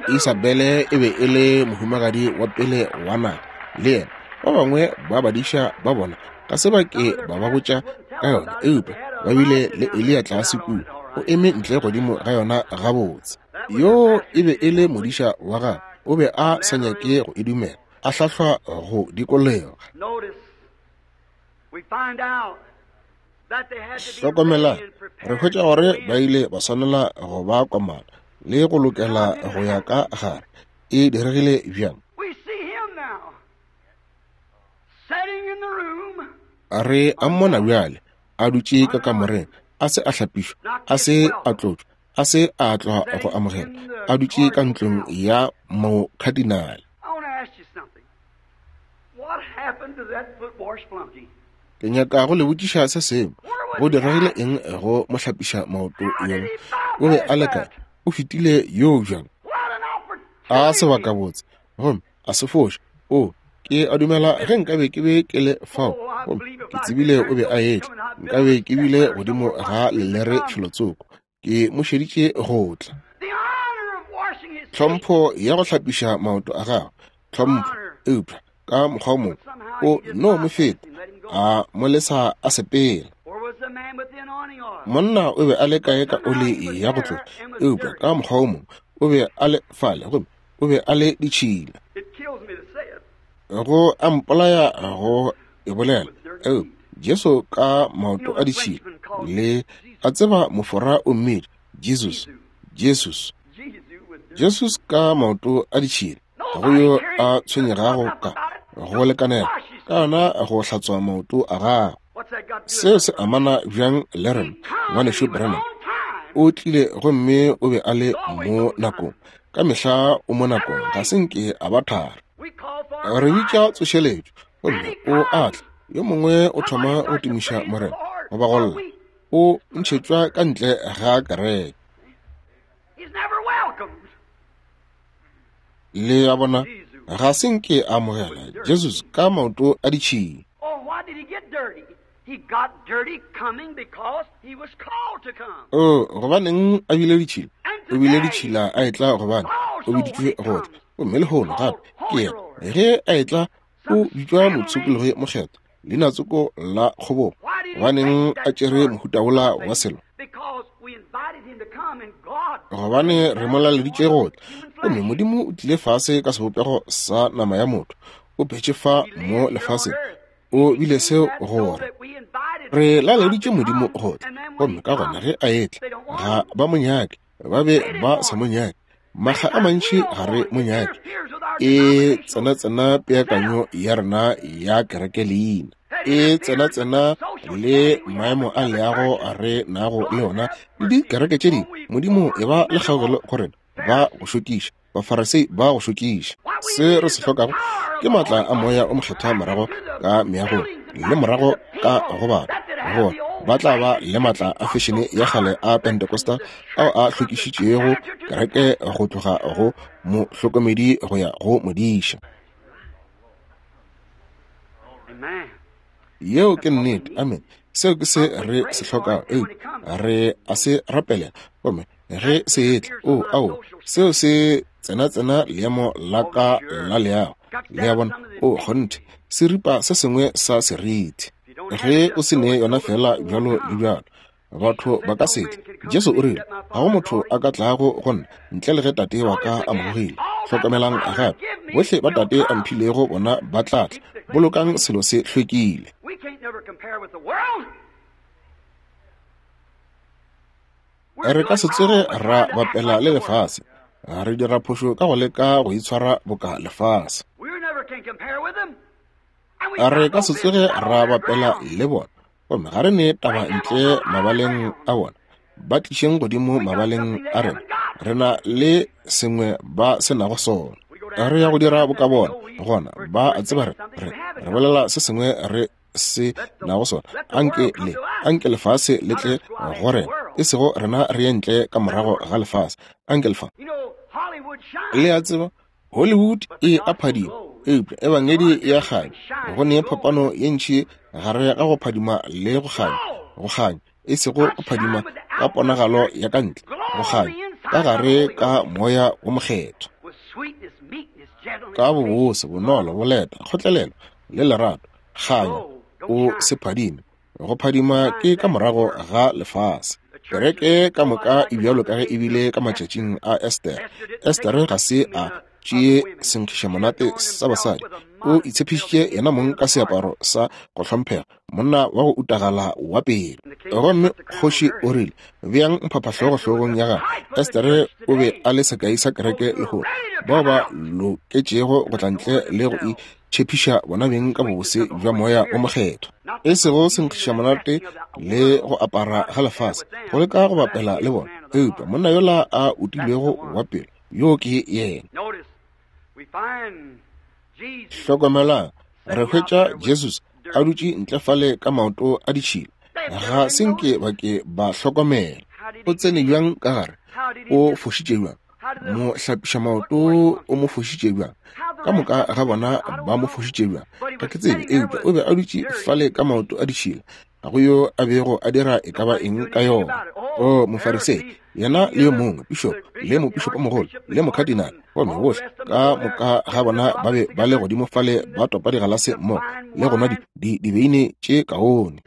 Isabele e be e le mohumagadi wa pele wa naga le yena. Ba bangwe ba badiša ba bona ga se ba ke ba ba botša ka yona, eupša ba bile le Eliya tlase kua, o eme ntle godimo ga yona gabotse. Yo e be e le modiša wa gagwe, o be a sa nyake go e dumela, a hlahlwa go dikologa. Hlokomela, re hwetša gore ba ile ba swanela go ba komana le go lokela go ya ka gare. E diregile bjang? Re a mmona bjale a dutše ka kamoreng, a se a hlapišwa, a se a tlotšwa, a se a tlwa go amogela, a dutše ka ntlong ya mokadinale. Ke nyaka go le botšiša se sengwe. Go diregile eng go mo hlapiša maoto yola? O be a le kae? O fetile yo bjang? A sebaka botse, gomme a se foše. O, ke a dumela ge nkabe ke be ke le fao, gomme ke tsebile o be a etla, nkabe ke bile godimo ga lelere felotsoko, ke mo šeditše go tla. Tlhompho ya go hlapiša maoto a gagwe, tlhompho, eupša ka mokgwa o mongwe o no mo feta, a mo lesa a sepela. Monna o be a le kae ka oli ya go tlotša, eupša ka mokgwa o mongwe o be a le fale, gomme o be a le ditšhila. Go a mpolaya go e bolela, eupša Jesu ka maoto a ditšhila, le a tseba mofora o mmedi, Jesus, Jesus, Jesus ka maoto a ditšhila, go yo a tshwenyegago ka go lekanela ka yona go hlatswa maoto a gagwe. Seo se amana bjang le rena, ngwanešu Branham? O tlile gomme o be a le mo nakong. Ka mehla o mo nakong, ga se nke a ba thara. Re bitša tsošeletšo, gomme o a tla. Yo mongwe o thoma go tumiša Morena goba go lla, o ntšhetšwa ka ntle ga kereke. Le a bona, ga se nke a amogela Jesus ka maoto a ditšhila. O, gobaneng a bile ditšhila? O bile ditšhila a etla gobane o biditšwe go tla. Gomme lehono gape ke yena ge a etla o bitšwa motshokologi mokgethwa, leinatsoko la kgobogo. Gobaneng a tšere mohuta wola wa selo? Gobane re mo laleditše go tla, gomme Modimo o tlile fase ka sebopego sa nama ya motho, o phetše fa mo lefaseng, o bile seo gore re laleditše Modimo go tla. Gomme ka gona ge a etla, ga ba mo nyake, ba be ba sa mo nyake. Makga a mantši ga re mo nyake, e tsena-tsena peakanyo ya rena ya kereke leina. E tsena-tsena le maemo a leago re nago le ona le dikereke tše dingwe. Modimo e ba le kgaogelo go rena, ba go šokiša, Bafarisei ba go šokiša. Se re se hlokago ke maatla a Moya o Mokgethwa morago ka meagong le morago ka go batho, gore ba tla ba le maatla a fešene ya kgale a Pentecostal ao a hlokišitšego kereke go tloga go mohlokomedi go ya go modiša. Yeo ke nnete. Amen. Seo ke se re se hlokago. Eupša re a se rapelela, gomme ge se etla, o ao, seo se tsena-tsena leemo la ka la leago. Le a bona? O kgonthe, se ripa se sengwe sa seriti. Ge o se ne yona fela bjalo le bjalo, batho ba ka se tle. Jesu o rile, ga go motho a ka tlago go nna ntle le ge Tate wa ka a mo gogile. Hlokamelang gape, bohle ba Tate a mphilego bona ba tla tla. Bolokang selo se hlwekile. Re ka se tsoge ra bapela le lefase. Re dira phošo ka go leka go itshwara boka lefase. Re ka se tsoge ra bapela le bona, gomme ga re ne taba ntle mabaleng a bona. Ba tlišeng godimo mabaleng a rena. Re na le sengwe ba se nago sona. Re ya go dira boka bona, gona ba a tseba re re re bolela se sengwe re se nago sona. Anke le anke lefase le tle go rena, e sego rena re ye ntle ka morago ga lefase. Anke lefa. Le a tseba, Hollywood e a phadima, eupša ebangedi ya kganya. Go ne phapano ye ntši gare ga go phadima le go kganya. Go kganya e sego go phadima ka ponagalo ya ka ntle, go kganya ka gare ka Moya o Mokgethwa, ka bobose, bonolo, boleta, kgotlelelo le lerato. Kganya o se phadime. Go phadima ke ka morago ga lefase. Kereke ka moka e bjalo ka ge e bile ka matšatšing a Esther. Esther ga se a tšee senkgišamonate sa basadi. O itshepišitše yena mong ka seaparo sa go hlomphega, monna wa go utagala wa pele. Gomme kgoši o rile, beang mphaphahlogo hlogong ya gagwe. Esther o be a le sekai sa kereke lehono, bao ba loketšego go tla ntle le go itšhepiša bona beng ka bobose bja Moya o Mokgethwa, e sego senkgišamonate le go apara ga lefase, go leka go bapela le bona. Eupša monna yola a utilwego wa pelo, yo ke yena. Hlokomelang, re hwetša Jesus a dutše ntle fale ka maoto a ditšhila. Ga se nke ba ke ba hlokomela. O tsene bjang ka gare? O fošitše bjang? Mo hlapiša maoto o mo fošitše bjang? Ka moka ga bona ba mo fošitše bjang? Ga ke tsebe, eupša o be a dutše fale ka maoto a ditšhila. Ga go yo a bego a dira e ka ba eng ka yona. O Mofarisei, yena le yo mongwe, pišopo, le mopišopomogolo, le mokadinale, gomme bohle ka moka ga bona ba be ba le godimo fale ba topa digalase mmogo le go nwa dibeine tše kaone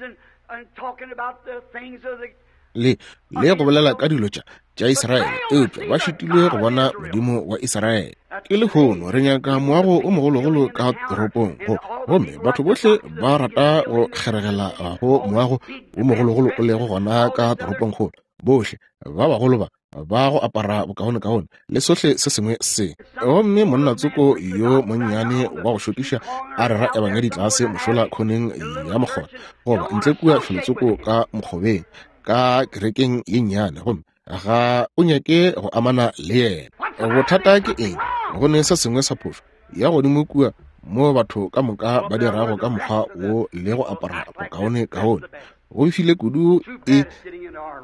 le le go bolela ka dilo tša tša Israele, eupša ba šitilwe go bona Modimo wa Israele. Ke lehono re nyaka moago o mogologolo ka toropong, go gomme batho bohle ba rata go kgeregela go moago o mogologolo o lego gona ka toropongkgolo. Bohle ba bagolo ba ba go apara bokaonekaone le sohle se sengwe se. Gomme monna tsoko yo monnyane wa go šokiša a rera ebangedi tlase mošola khoneng ya mokgotha, goba ntle kua felotsoko ka mokgobeng ka kerekeng ye nnyane, gomme ga o nyake go amana le yena. Bothata ke eng? Go ne se sengwe sa phošo ya godimo kua mo batho ka moka ba dirago ka mokgwa wo le go apara bokaonekaone. Go befile kudu e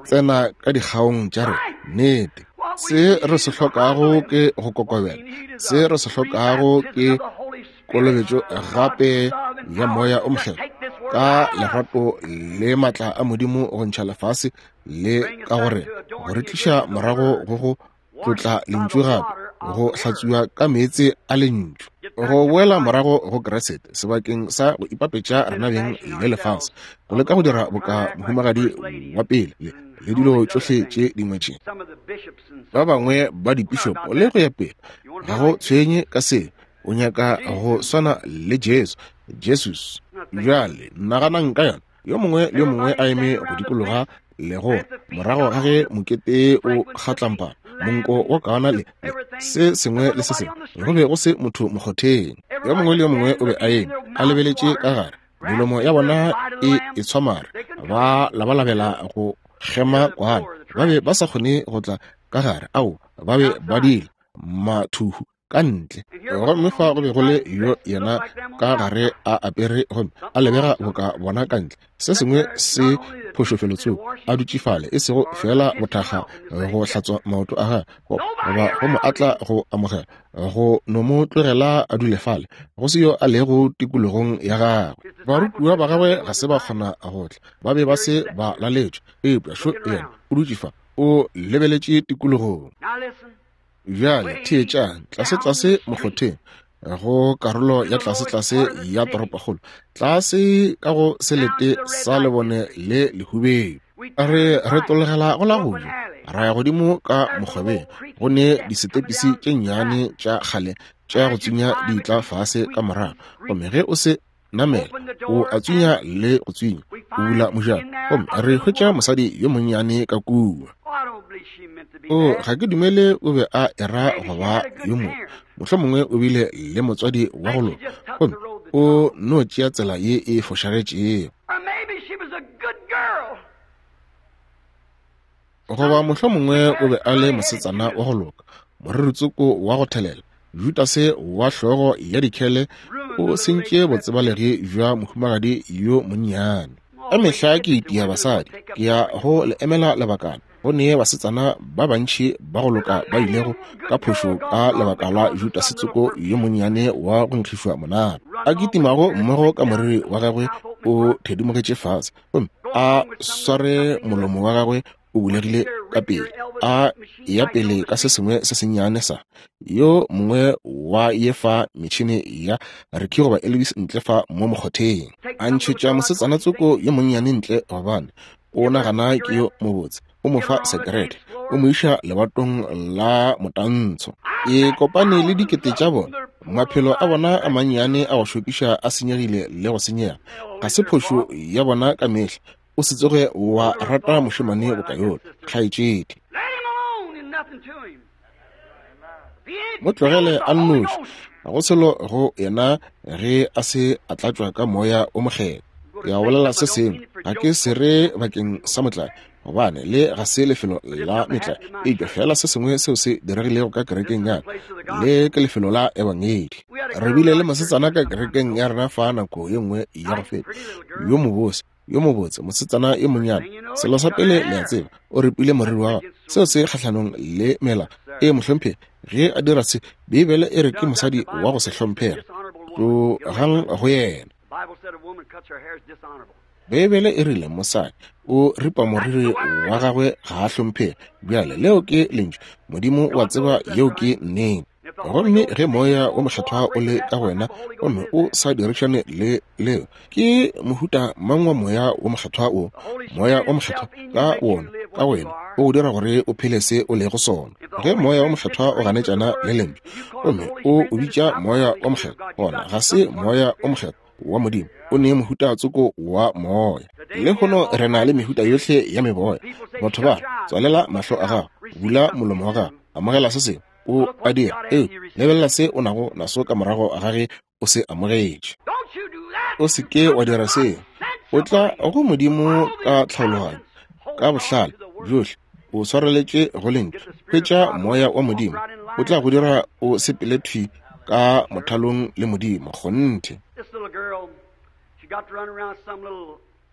tsena ka dikgaong tša re nnete. Se re se hlokago ke go kokobela. Se re se hlokago ke kolobetšo gape ya Moya o Mokgethwa ka lerato le matla a Modimo go ntšha lefase le ka gore go re tliša morago go go tlotla lentšu gape, go hlatswiwa ka meetse a lentšu, go boela morago go Kriste sebakeng sa go ipapetša rena beng le lefase, go leka go dira boka mohumagadi wa pele le le dilo tšohle tše dingwe tše. Ba bangwe ba dipišopo le go ya pele, ga go tshwenye ka se. O nyaka go swana le Jesu. Jesus. Bjale naganang ka yona. Yo mongwe le yo mongwe a eme go dikologa le go morago ga ge mokete o kgatlampana, monko wa kaona le se sengwe le se sengwe, go be go se motho mokgotheng. Yo mongwe le yo mongwe o be a eme a lebeletše ka gare. Melomo ya bona e e tshwamare, ba labalabela go kgema kwana. Ba be ba sa kgone go tla ka gare, ao, ba be ba dila mathuhu ka ntle. Gomme fa go be go le yo yena ka gare a apere gomme a lebega boka bona ka ntle. Se sengwe se phošofelotsoko a dutše fale, e sego fela bothakga go hlatswa maoto a gagwe goba go mo atla go amogela, go no mo tlogela a dule fale, go se yo a lego tikologong ya gagwe. Barutiwa ba gagwe ga se ba kgona go tla, ba be ba se ba laletšwe, eupša šo yena o dutše fa, o lebeletše tikologong. Bjale theetšang, tlase-tlase mokgotheng, go karolo ya tlase-tlase ya toropokgolo, tlase ka go selete sa lebone le lehubedu. Re retologela go la go ja, ra ya godimo ka mokgobeng, go ne disetepisi tše nnyane tša kgale tša go tsunya di tla fase ka morago, gomme ge o se namela o a tsunya le go tsunya, o bula mojako, gomme re hwetša mosadi yo monnyane ka kua. O, ga ke dumele o be a era go ba yo mongwe, mohlomongwe o bile le motswadi wa go loka, gomme o no tšea tsela ye e fošagetšego. Goba mohlomongwe o be a le mosetsana wa go loka, moriritsoko wa go thelela, Judase wa hlogo ya dikhele o sentše botsebalegi bja mohumagadi yo monnyane. Ka mehla ke itia basadi, ke ya go le emela lebakana. Go ne basetsana ba bantši ba go loka ba ilego ka phošo ka lebaka la Judase tsoko yo monnyane wa go nkgišwa monate, a kitimago mmogo ka moriri wa gagwe o thedimogetše fase, gomme a sware molomo wa gagwe o bulegile ka pele, a ya pele ka se sengwe se sennyane sa yo mongwe wa ye fa metšhene ya Ricky goba Elvis ntle fa mo mokgotheng, a ntšhetša mosetsana tsoko yo monnyane ntle gobane o nagana ke yo mobotse, o mo fa sekerete, o mo iša lebatong la motantsho. E kopane le dikete tša bona, maphelo a bona a mannyane a go šokiša a senyegile le go senyega. Ga se phošo ya bona ka mehla. O se tsoge wa rata mošemane boka yola, kgaetšedi. Mo tlogele a nnoši, ga go selo go yena ge a se a tlatšwa ka moya o mokgethwa. Ke ya bolela se sengwe, ga ke se re bakeng sa motlae, gobane le ga se lefelo la metlae, eupša fela se sengwe seo se diregilego ka kerekeng ya ka, le ke lefelo la ebangedi. Re bile le mosetsana ka kerekeng ya rena fa nako ye nngwe ya go feta, yo mobose, yo mobotse, mosetsana yo monnyane. Selo sa pele le a tseba, o ripile moriri wa gagwe, seo se kgahlanong le mela e mohlomphegi. Ge a dira se, Beibele e re ke mosadi wa go se hlomphege, tlogang go yena. Beibele e rile mosadi o ripa moriri wa gagwe ga a hlomphege. Bjale leo ke lentšu, Modimo wa tseba yeo ke nnete. Gomme ge moya o mokgethwa o le ka wena gomme o sa dirišane le leo, ke mohuta mang wa moya o mokgethwa o? Moya o mokgethwa ka wona ka wena o go dira gore o phele se o lego sona. Ge moya o mokgethwa o ganetšana le lentšu gomme o o bitša moya o mokgethwa, gona ga se moya o mokgethwa wa Modimo, o ne mohuta tsoko wa moya. Lehono re na le mehuta yohle ya meboya. Batho ba tswalela mahlo a gago, bula molomo wa gago, amogela se sengwe o a dira, ee, lebelela se o nago naso ka morago ga ge o se amogetše. O se ke wa dira seo. O tla go Modimo ka tlhaologanyo, ka bohlale bjohle, o swareletše go lentšu. Hwetša moya wa Modimo, o tla go dira o sepele thwi ka mothalong le Modimo. Kgonthe.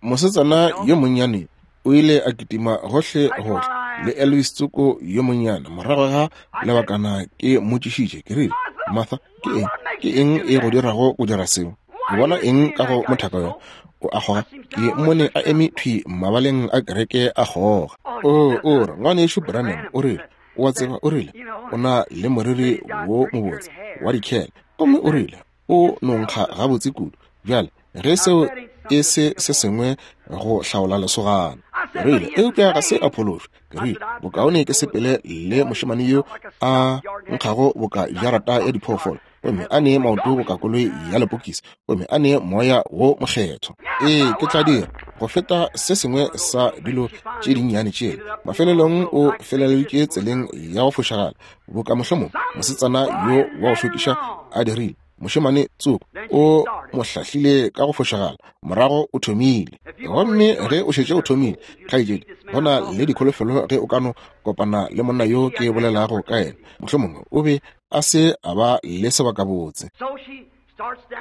Mosetsana yo monnyane o ile a kitima gohle gohle le Elvis tsoko yo monnyane. Morago ga lebakana ke mmotšišitše, ke rile, Martha, ke eng ke eng e go dirago go dira seo? O bona eng ka go mothaka yo? O a kgoga. Ke mmone a eme thwi mabaleng a kereke a kgoga. O o re, ngwanešu Branham, o rile, o a tseba, o rile, o na le moriri wo mobotse wa dikhele, gomme o rile, o nonkga gabotse kudu. Bjale ge seo e se se sengwe go hlaola lesogana, ke rile, eupša ga se a phološwa. Ke rile, bokaone ke sepele le mošemane yo a nkgago boka jarata ya diphoofolo, gomme a ne maoto boka koloi ya lepokisi, gomme a ne moya wo mokgethwa. Ee, ke tla dira go feta se sengwe sa dilo tše dinnyane tšela. Mafelelong o feleleditše tseleng ya go fošagala, boka mohlomong mosetsana yo wa go šokiša a dirile. Mošemane tsoko o mo hlahlile ka go fošagala, morago o thomile. Gomme ge o šetše o thomile, kgaetšedi, go na le dikholofelo ge o ka no kopana le monna yo ke bolelago ka yena. Mohlomongwe o be a se a ba le sebakabotse.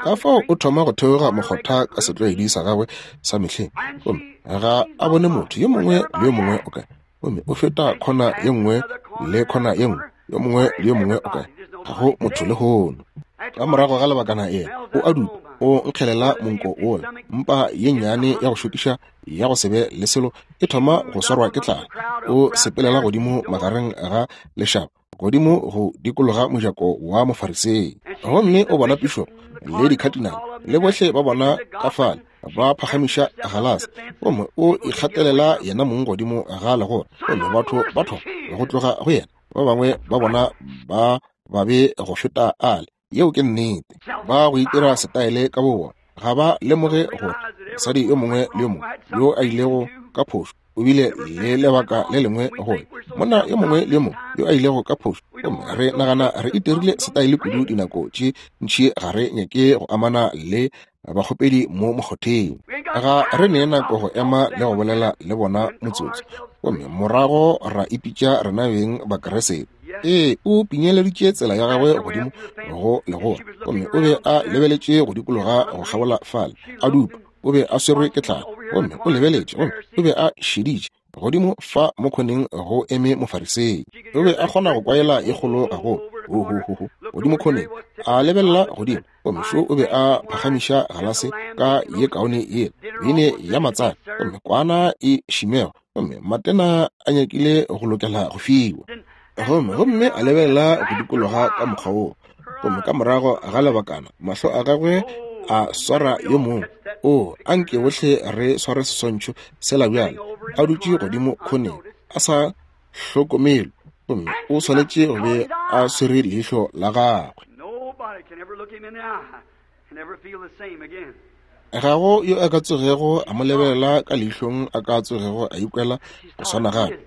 Ka fao o thoma go theoga mokgotha ka setlwaedi sa gagwe sa mehleng, gomme ga a bone motho yo mongwe le yo mongwe o kae. Gomme o feta khona ye nngwe le khona ye nngwe, yo mongwe le yo mongwe o kae, ga go motho le hono. Ka morago ga lebakana yena o a dupa, o nkgelela monko wola, mpa ye nnyane ya go šokiša ya go se be le selo e thoma go swarwa ke tlala. O sepelela godimo magareng ga lešaba, godimo go dikologa mojako wa Mofarisei. Gomme o bona pišopo le dikhatinale le bohle ba bona ka fale ba phagamiša galase, gomme o ikgatelela yena mong godimo ga legora. Gomme batho ba thoma go tloga go yena, ba bangwe ba bona ba babe go feta ale. Yeo ke nnete. Ba go itira setaele ka bobona, ga ba lemoge gore mosadi yo mongwe le yo mongwe yo a ilego ka phošo o bile le lebaka le lengwe gore monna yo mongwe le yo mongwe yo a ilego ka phošo. Gomme re nagana re itirile setaele kudu dinako tše ntši, ga re nyake go amana le bakgopedi mo mokgotheng. Ga re nee nako go ema le go bolela le bona motsotso, gomme morago ra ipitša rena beng Bakeresete. Ee, o pinyeleditše tsela ya gagwe godimo go legora, gomme o be a lebeletše go dikologa go kgabola fale, a dupa. O be a swerwe ke tlala, gomme o lebeletše, gomme o be a šeditše godimo fa mo khoneng go eme Mofarisei. O be a kgona go kwaela ye kgolo gagolo, ho ho ho ho, godimo khoneng, a lebelela godimo, gomme šo o be a phagamiša galase ka ye kaone yela, beine ya matsana, gomme kwana e šimego, gomme matena a nyakile go lokela go fiwa. Gomme gomme a lebelela go dikologa ka mokgwa woo, gomme ka morago ga lebakana mahlo a gagwe a swara yo mongwe. O anke bohle re sware seswantšho sela bjale, a dutše godimo khoneng a sa hlokomelwe, gomme o swanetše go be a swere leihlo la gagwe. Ga go yo a ka tsogego a mo lebelela ka leihlong a ka tsogego a ikwela go swana gape.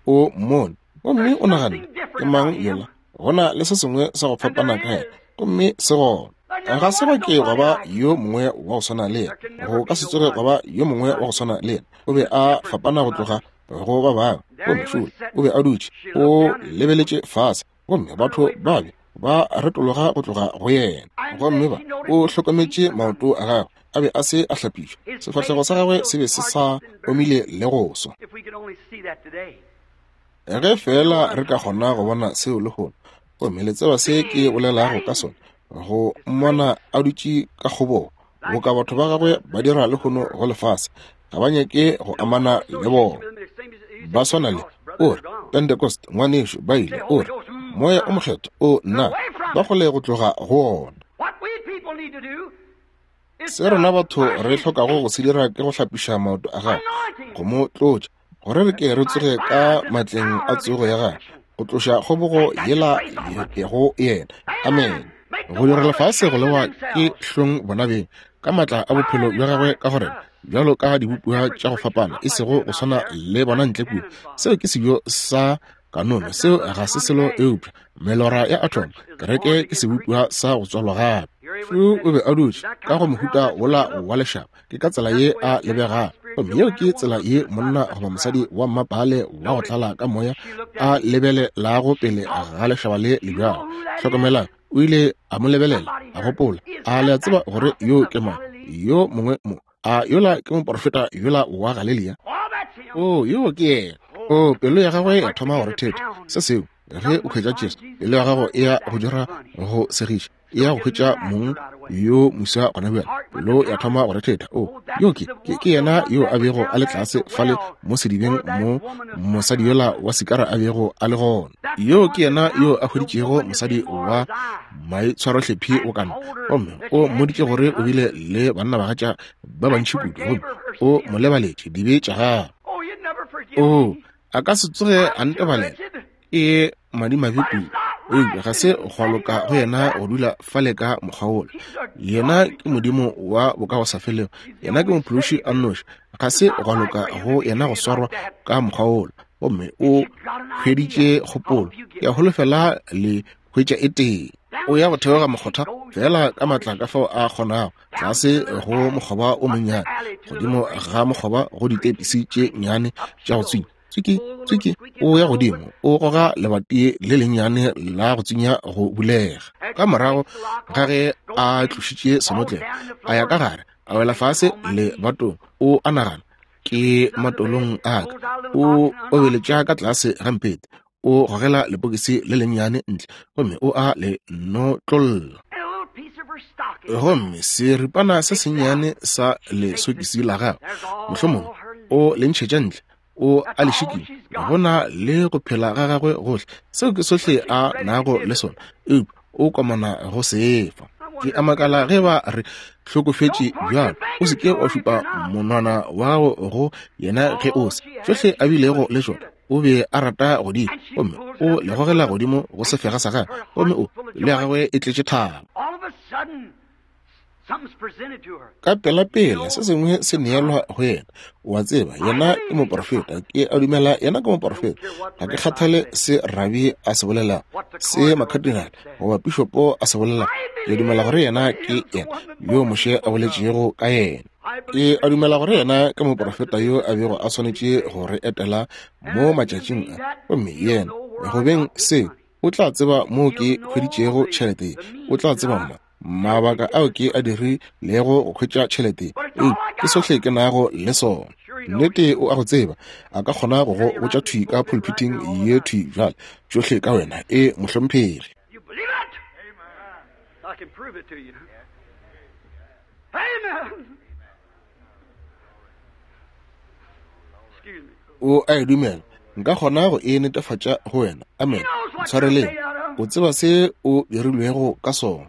O mmone, gomme o naganne, ke mang yola? Go na le se sengwe sa go fapana ka yena, gomme se gona. Ga se ba ke gwa ba yo mongwe wa go swana le yena, go ka se tsoge gwa ba yo mongwe wa go swana le yena. O be a fapana go tloga go ba bangwe. Gomme šole o be a dutše, o lebeletše fase, gomme batho ba be ba retologa go tloga go yena. Gomme ba o hlokometše maoto a gagwe, a be a se a hlapišwa, sefahlego sa gagwe se be se sa omile le go swa. Ge fela re ka kgona go bona seo lehono, gomme le tseba se ke bolelago ka sona, go mmona a dutše ka kgobogo boka batho ba gagwe ba dira lehono go lefase, ga ba nyake go amana le bona. Ba swana le o re Pentecost, ngwanešu, ba ile o re Moya o Mokgethwa, o nna ba kgole go tloga go ona. Se rena batho re hlokago go se dira ke go hlapiša maoto a gagwe, go mo tlotša, gore re ke re tsoge ka matleng a tsogo ya gagwe, go tloša kgobogo yela go yena. Amen. Go dira lefase go lewa ke hlong bona beng ka matla a bophelo bja gagwe ka gore bjalo ka dibopiwa tša go fapana, e sego go swana le bona ntle kua. Seo ke sejo sa kanono, seo ga se selo eupša melora ya atom. Kereke ke sebopiwa sa go tswalwa gape. Šo o be a dutše ka go mohuta wola wa lešaba, ke ka tsela ye a lebegago. Gomme yeo ke tsela ye monna goba mosadi wa mmapale wa go tlala ka moya a lebelelago pele ga lešaba le le bjalo. Hlokomelang, o ile a mo lebelela, a gopola, a le a tseba gore yo ke mang, yo mongwe mo, a yola ke moporofeta yola wa Galilea? O yo ke yena. O pelo ya gagwe ya thoma go rethetha. Se seo, ge o hwetša Jesu, pelo ya gago e ya go dira go segiša, e ya go hwetša mong yo moswa gona bjale. Pelo ya thoma go rethetha. O yo ke ke yena yo a bego a le tlase fale mo sedibeng mo mosadi yola wa Sikara a bego a le gona. Yo ke yena yo a hweditšego mosadi wa maitshwarohlephi o kana, gomme o mmoditše gore o bile le bannabagatša ba bantši kudu, gomme o mo lebaletše dibe tša gagwe. O a ka se tsoge a ntebalela, e madimabe kudu. Eupša ga se gwa loka go yena go dula fale ka mokgwa wola. Yena ke Modimo wa bokagosafelego, yena ke Mophološi a nnoši. Ga se gwa loka go yena go swarwa ka mokgwa wola. Gomme o hweditše kgopolo, ke a holofela le hwetša e tee. O ya go theoga mokgotha Fela ka matla ka fao a kgonago, tlase go mokgoba o monnyane, godimo ga mokgoba go ditepisi tše nnyane tša go tswinya. Tswiki, tswiki, o ya godimo, o goga lebati le lennyane la go tswinya go bulega. Ka morago ga ge a tlošitše senotlelo, a ya ka gare, a wela fase lebatong. O a nagana, ke matolong a ka. O obeletša ka tlase ga mpete, o gogela lepokisi le lennyane ntle, gomme o a le notlolla. Gomme seripana se sennyane sa lesokisi la gagwe, mohlomongwe o le ntšhetša ntle, o a le šikinya, go na le go phela ga gagwe gohle. Seo ke sohle a nago le sona, eupša o komana go sefa. Ke a makala ge ba re hlokofetše bjalo. O se ke wa šupa monwana wa gago go yena ge o se. Tšohle a bilego le tšona, o be a rata go di, gomme o le gogela godimo go sefega sa gagwe, gomme o le ya gagwe e tletše thabo. Ka pelapela se sengwe se neelwa go yena. O a tseba, yena ke moprofeta. Ke a dumela yena ke moprofeta. Ga ke kgathale se rabi a se bolelago, se makadinale goba pišopo a se bolelago. Ke dumela gore yena ke yena yo Moshe a boletšego ka yena. Ke a dumela gore yena ke moprofeta yo a bego a swanetše go re etela mo matšatšing a. Gomme yena, go beng se, o tla tseba moo ke hweditšego tšhelete. O tla tseba mma mabaka ao ke a dirilego go hwetša tšhelete. Ee, ke sohle ke nago le sona. Nnete o a go tseba, a ka kgona go go botša thwi ka pulpiting ye thwi bjale, tšohle ka wena. E mohlomphegi. O a e dumela, nka kgona go e netefatša go wena. Amen. Ntshwareleng. O tseba se o dirilwego ka sona.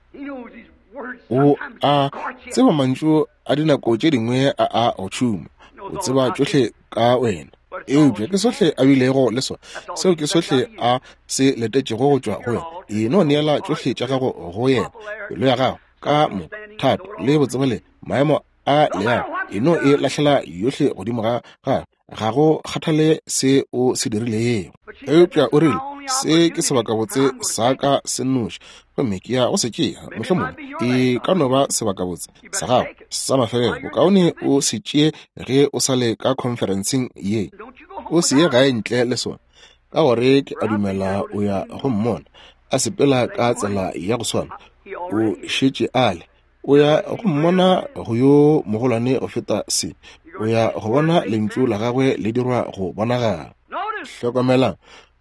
O a tseba mantšu a dinako tše dingwe a a go tšhuma. O tseba tšohle ka wena. Eupša ke sohle a bilego le sona. Seo ke sohle a se letetšego go tšwa go wena. E no neela tšohle tša gago go yena, pelo ya gago ka moka, thato le botsebale, maemo a leago. E no e lahlela yohle godimo ga gagwe. Ga go kgathale se o se dirilego. Eupša o rile, se ke sebakabotse sa ka se nnoši, gomme ke ya go se tšea. Mohlomongwe e ka no ba sebakabotse sa gago sa mafelelo. Bokaone o se tšee ge o sa le ka khonferenseng ye. O se ye gae ntle le sona, ka gore ke a dumela o ya go mmona a sepela ka tsela ya go swana. O šetše a le. O ya go mmona go yo mogolwane go feta se. O ya go bona lentšu la gagwe le dirwa go bonagala. Hlokomelang.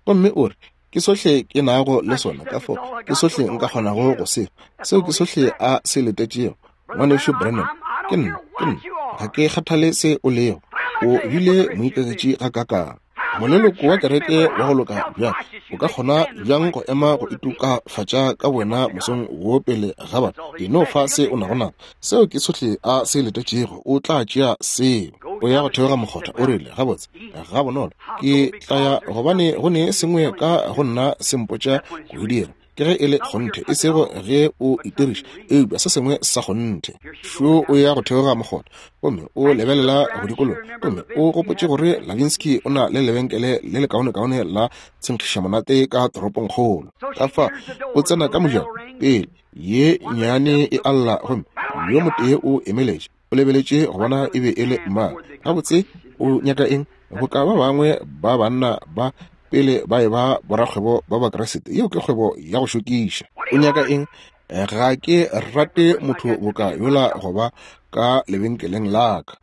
Gomme o re, ke sohle ke nago le sona, ka fao ke sohle nka kgonago go se. Seo ke sohle a se letetšego. Ngwanešu Branham, ke nna, ke nna. Ga ke kgathale se o lego. O bile moikaketši gakakang. Moleloko wa kereke wa go loka bjang, o ka kgona bjang go ema go itokafatša ka wena mosong wo pele ga batho? E no fa se o nago naso. Seo ke sohle a se letetšego. O tla tšea seo. O ya go theoga mokgotha. O rile, gabotse, ga bonolo ke tla ya, gobane go ne sengwe ka go nna se mpotša go e dira. Ke ge e le kgonthe, e sego ge o itiriša, eupša se sengwe sa kgonthe. Šo o ya go theoga mokgotha, gomme o lebelela go dikologa, gomme o gopotše gore Lavinsky o na le lebenkele le lekaonekaone la tshenkgišamonate ka toropongkgolo. Ka fa o tsena ka mojako, pele ye nnyane e alla, gomme yo motee o emeletše. O lebeletše go bona e be e le mang. Gabotse, o nyaka eng? Boka ba bangwe ba banna ba pele ba e ba borakgwebo ba Bakriste. Yeo ke kgwebo ya go šokiša. O nyaka eng? Ga ke rate motho boka yola go ba ka lebenkeleng la ka.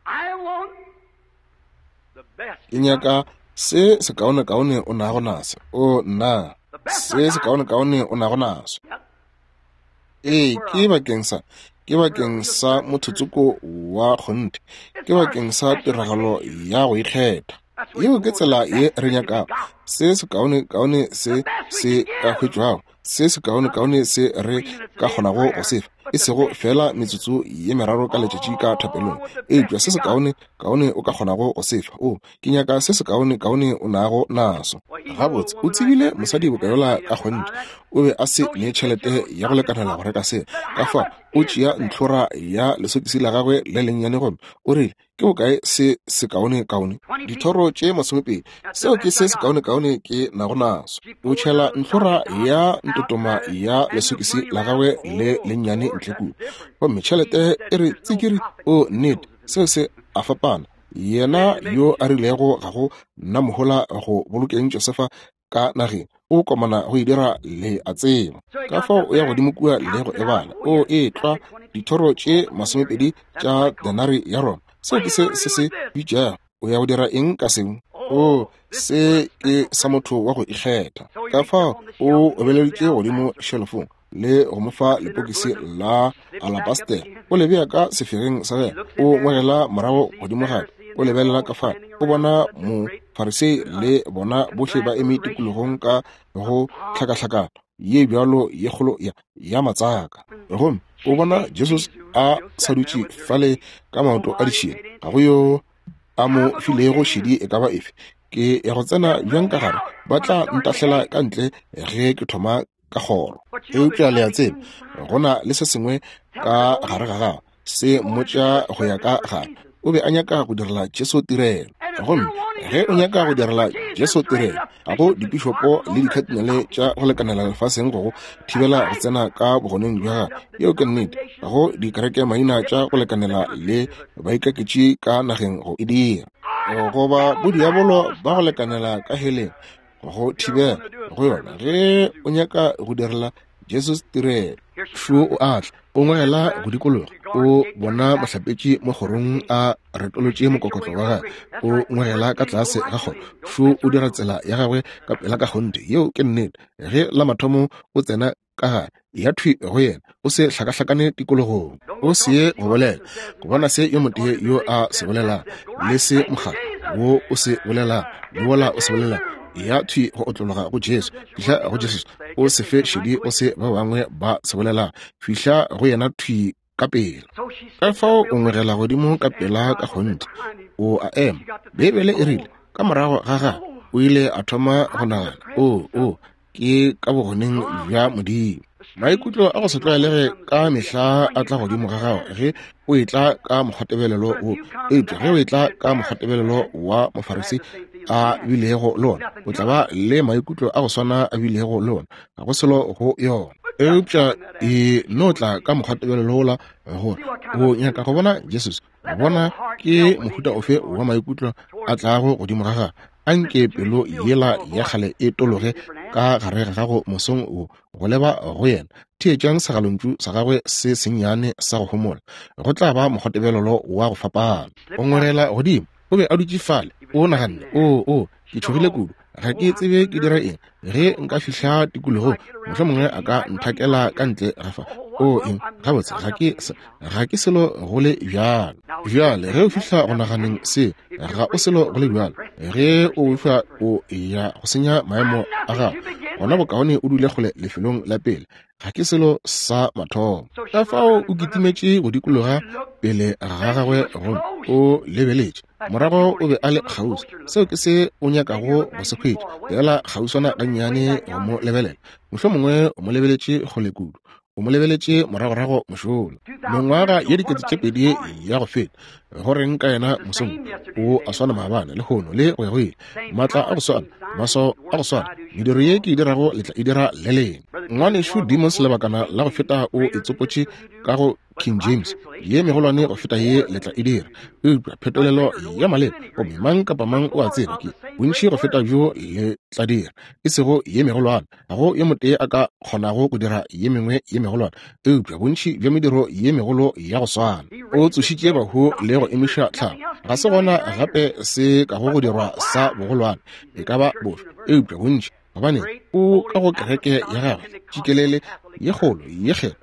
Ke nyaka se sekaonekaone o nago naso. O nna, se sekaonekaone o nago naso. Ee, ke bakeng sa, ke bakeng sa mothotsoko wa kgonthe. Ke bakeng sa tiragalo ya go ikgetha. Yeo ke tsela ye re nyakago. Se sekaonekaone se se ka hwetšwago, se sekaonekaone se re ka kgonago go se fa, e sego fela metsotso ye meraro ka letšatši ka thapelong, eupša se sekaonekaone o ka kgonago go se fa. O, ke nyaka se sekaonekaone o nago naso. Gabotse, o tsebile mosadi bokayola ka kgonthe. O be a se ne tšhelete ya go lekanela go reka se. Ka fao o tšea ntlhora ya lesokisi la gagwe le lennyane, gomme o rile, Ke bokae se sekaonekaone? Dithoro tše masomepedi. Seo ke se sekaonekaone ke nago naso. O tšhela ntlhora ya ntotoma ya lesokisi la gagwe le lennyane ntle kua. Gomme tšhelete e re tsikiri, o nnete, seo se a fapana. Yena yo a rilego ga go nna mohola go bolokeng Josefa ka nageng, o komana go e dira le a tseba. Ka fao o ya godimo kua le go e bala. O e tlwa dithoro tše masomepedi tša denari ya Roma. Seo ke se se se bitšago. O ya go dira eng ka seo? O, se ke sa motho wa go ikgetha. Ka fao o obeleditše godimo shelofong le go mo fa lepokisi la alabastere. O le bea ka sefegeng sa gagwe. O ngwegela morago godimo gape. O lebelela ka fa. O bona Mofarisei le bona bohle ba eme tikologong ka go hlakahlakana ye bjalo ye kgolo ya, ya matsaka. Gomme o bona Jesus a sa dutše fale ka maoto a ditšhila. Ga go yo a mo filego šedi e ka ba efe. Ke ya go tsena bjang ka gare, ba tla ntahlela ka ntle ge ke thoma ka kgoro. Eupša le a tseba, go na le se sengwe ka gare ga gagwe se mmotša go ya ka gare. O be a nyaka go direla Jesu tirelo. Gomme ge o nyaka go direla Jesu tirelo, ga go dipišopo le dikhatinale tša go lekanela lefaseng go go thibela go tsena ka bogoneng bja gagwe. Yeo ke nnete. Ga go dikereke maina tša go lekanela le baikaketši ka nageng go e dira, goba bodiabolo ba go lekanela ka heleng go thibela go yona. Ge o nyaka go direla Jesus tirelo, šo o a tla, o ngwegela go dikologa, o bona mohlapetši mo kgorong a retolotše mokokotlo wa gagwe, o ngwegela ka tlase ga kgoro. Šo o dira tsela ya gagwe ka pela ka kgonthe. Yeo ke nnete. Ge la mathomo o tsena ka gare, ya thwi go yena, o se hlakahlakane tikologong, o se ye go bolela, go bona se yo motee yo a se bolelang, le se mokgatlo wo o se bolelang, le wola o se bolelang. Ya thwi go otlologa go Jesu. Fihla go Jesu, o se fe šedi o se ba bangwe ba se bolelang. Fihla go yena thwi ka pela. Ka fao o ngwegela godimo ka pela ka kgonthe. O a ema. Beibele e rile ka morago ga gagwe o ile a thoma go nagana, o o ke ka bogoneng bja Modimo. Maikutlo a go se tlwaelege ka mehla a tla godimo ga gago ge o etla ka mokgwatebelelo wo. Eupša ge o etla ka mokgwatebelelo wa Mofarisi a bilego le ona, o tla ba le maikutlo a go swana a bilego le ona. Ga go selo go yona. Eupša e no tla ka mokgwatebelelo wola gore o nyaka go bona Jesus, bona ke mohuta ofe wa maikutlo a tlago godimo ga gagwe. Anke pelo yela ya kgale e tologe ka gare ga gago mosong wo go leba go yena. Theetšang segalontšu sa gagwe se sennyane sa go homola. Go tla ba mokgwatebelelo wa go fapana. O ngwegela godimo. O be a dutše fale. O naganne, o o ke tšhogile kudu, ga ke tsebe ke dira eng. Ge nka fihla tikologong, mohlomongwe a ka nthakela ka ntle ga fa. O eng, gabotse ga ke ga ke selo go le bjalo. Bjale ge o fihla go naganeng se, ga o selo go le bjalo. Ge o fihla o ya go senya maemo a gago, gona bokaone o dule kgole lefelong la pele. Ga ke selo sa mathomo. Ka fao o kitimetše go dikologa pele ga gagwe gomme o lebeletše. Morago o be a le kgauswi. Seo ke se o nyakago go se hwetša, fela kgauswana gannyane go mo lebelela. Mohlomongwe o mo lebeletše kgole kudu. O mo lebeletše moragorago mošola. Mengwaga ye dikete tše pedi ya go feta, go reng ka yena mosong o a swana maabane, lehono le go ya go ile. Maatla a go swana, maswao a go swana, mediro ye ke e dirago le tla e dira le lena. Ngwanešu Demos lebakana la go feta o e tsopotše ka go King James, ye megolwane go feta ye le tla e dira. Eupša phetolelo ya maleba, gomme mang kapa mang o a tseba ke bontši go feta bjo le tla dira, e sego ye megolwane. Ga go yo motee a ka kgonago go dira ye mengwe ye megolwane, eupša bontši bja mediro ye megolo ya go swana. O tsošitše bahu le go emiša tlhago. Ga se gona gape se kago go dirwa sa bogolwane, e ka ba bofe, eupša bontši, gobane o ka go kereke ya gagwe tšikelele ye kgolo ye kgethwa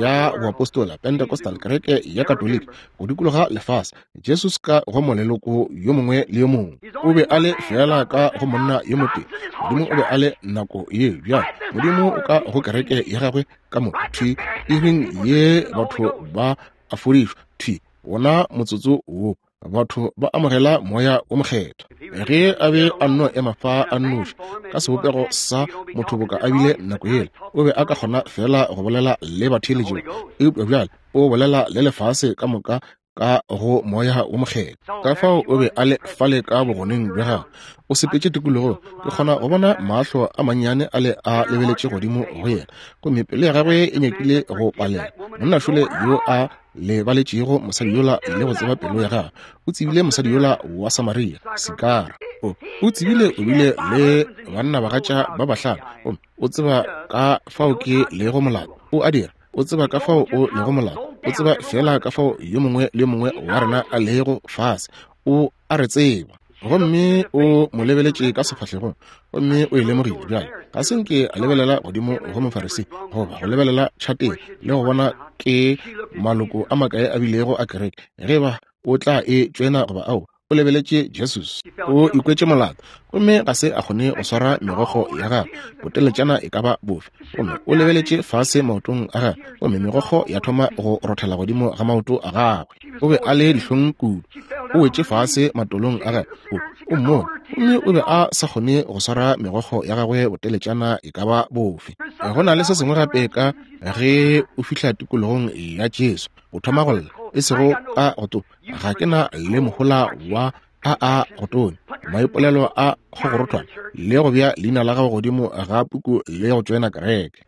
ya boapostola, Pentecostal, kereke ya Katolika go dikologa lefase. Jesus ka go moleloko yo mongwe le yo mongwe. O be a le fela ka go monna yo motee. Modimo o be a le nako ye bjalo. Modimo o ka go kereke ya gagwe ka moka thwi iring ye batho ba a fodišwa thwi wona motsotso wo batho ba amogela moya o mokgethwa. Ge a be a nno ema fa a nnoši ka sebopego sa motho boka a bile nako yela, o be a ka kgona fela go bolela le batheeletši, eupša bjale o bolela le lefase ka moka ka go Moya wo Mokgethwa. Ka fao o be a le fale ka bogoneng bja gagwe, o sepetše tikologong. Ke kgona go bona mahlo a mannyane a le a lebeletše godimo go yena, gomme pelo ya gagwe e nyakile go palela. Monna šole yo a lebaletšego mosadi yola le go tseba pelo ya gagwe, o tsebile mosadi yola wa Samaria, Sikara. O, o tsebile o bile le bannabagatša ba bahlano, gomme o tseba ka fao ke lego molato. O a dira, o tseba ka fao o lego molato, o tseba fela ka fao yo mongwe le yo mongwe wa rena a lego fase. O a re tseba. Gomme o mo lebeletše ka sefahlegong, gomme o e lemogile. Bjale ga se nke a lebelela godimo go Mofarisi goba go lebelela tšhateng le go bona ke maloko a makae a bilego a kereke, ge ba o tla e tšwena goba ao. O lebeletše Jesus, o ikwetše molato, gomme ga se a kgone go swara megokgo ya gagwe boteletšana e ka ba bofe. Gomme o lebeletše fase maotong a gagwe, gomme megokgo ya thoma go rothela godimo ga maoto a gagwe. O be a le dihlong kudu, o wetše fase matolong a gagwe, o, o mmone, gomme o be a sa kgone go swara megokgo ya gagwe boteletšana e ka ba bofe. Go na le se sengwe gape ka ge o fihla tikologong ya Jesu, o thoma go lla, e sego ka go to ga ke na le mohola wa a a go tone maipolelo a kgogorothwana le go bea leina la gago godimo ga puku le go tšoena kereke.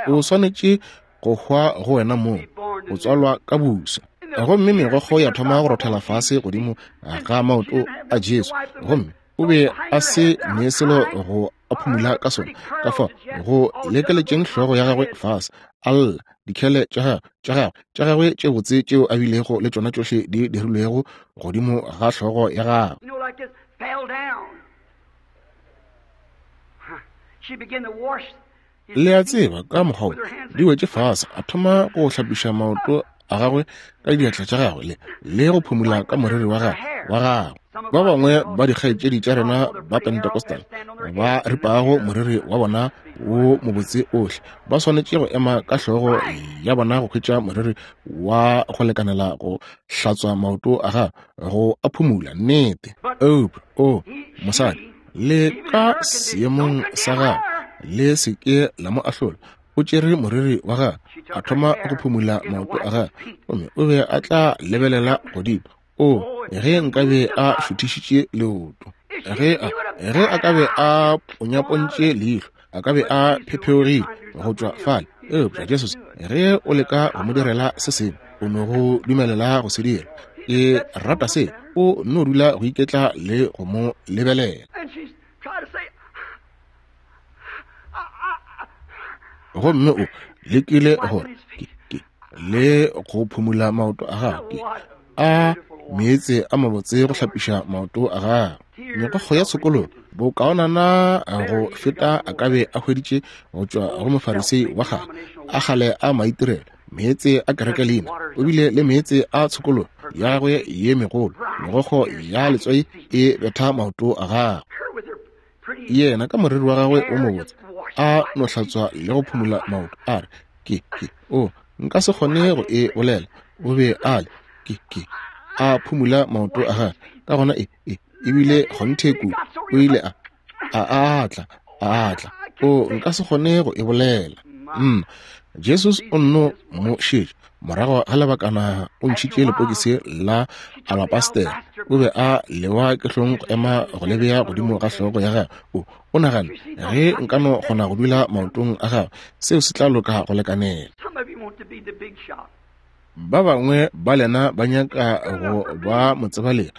O swanetše go hwa go wena mong, o tswalwa ka busa. Gomme megokgo ya thoma go rothela fase godimo ga maoto a Jesu, gomme o be a se ne selo go a phumula ka sona. Ka fao go lekeletšeng hlogo ya gagwe fase, a lla, dikhele tša gagwe tša gagwe tša gagwe tše botse tšeo a bilego le tšona tšohle di dirilwego godimo ga hlogo ya gagwe. Le a tseba, ka mokgwa di wetše fase, a thoma go hlapiša maoto a gagwe ka diatla tša gagwe le le go phumula ka moriri wa gagwe wa gagwe. Ba bangwe ba dikgaetšedi tša rena ba Pentecostal ba ripago moriri wa bona wo mobotse ohle, ba swanetše go ema ka hlogo ya bona go hwetša moriri wa go lekanela go hlatswa maoto a gagwe go a phumula. Nnete. Eupša o mosadi, le ka seemong sa gagwe, le se ke la mo ahlola. O tšere moriri wa gagwe, a thoma go phumula maoto a gagwe, gomme o be a tla lebelela godimo. O, ge nkabe a šuthišitše leoto, ge a ge a ka be a ponyapontše leihlo, a ka be a phepheogile go tšwa fale. Eupša Jesus, ge o leka go mo direla se sengwe, o no go dumelela go se dira. Ke rata se, o no dula go iketla le go mo lebelela. Gomme o lekile gore ke, ke, le go phumula maoto a gagwe, a meetse a mabotse go hlapiša maoto a gagwe. Megokgo ya tshokologo bokaonana go feta a ka be a hweditše go tšwa go Mofarisei wa kgale a kgale a maitirelo, meetse a kereke leina. O bile le meetse a tshokologo ya gagwe ye megolo, megokgo ya letswai e betha maoto a gagwe. Yena ka moriri wa gagwe o mobotse a no hlatswa le go phumula maoto, a re, ke, ke, o, nka se kgone go e bolela. O be a le, ke, ke, a phumula maoto a gagwe. Ka gona e, e, ebile kgonthe kudu, o ile a, a atla, a atla. O, nka se kgone go e bolela. Mm. Jesus o nno mo šetše. Morago ga lebakana o ntšhitše lepokisi la alapastere. O be a lewa ke hlong go ema go le bea godimo ga hlogo ya gagwe. O, o nagana, ge nka no kgona go dula maotong a gagwe, seo se tla loka go lekanela. Ba bangwe ba lena ba nyaka go ba motsebalegi.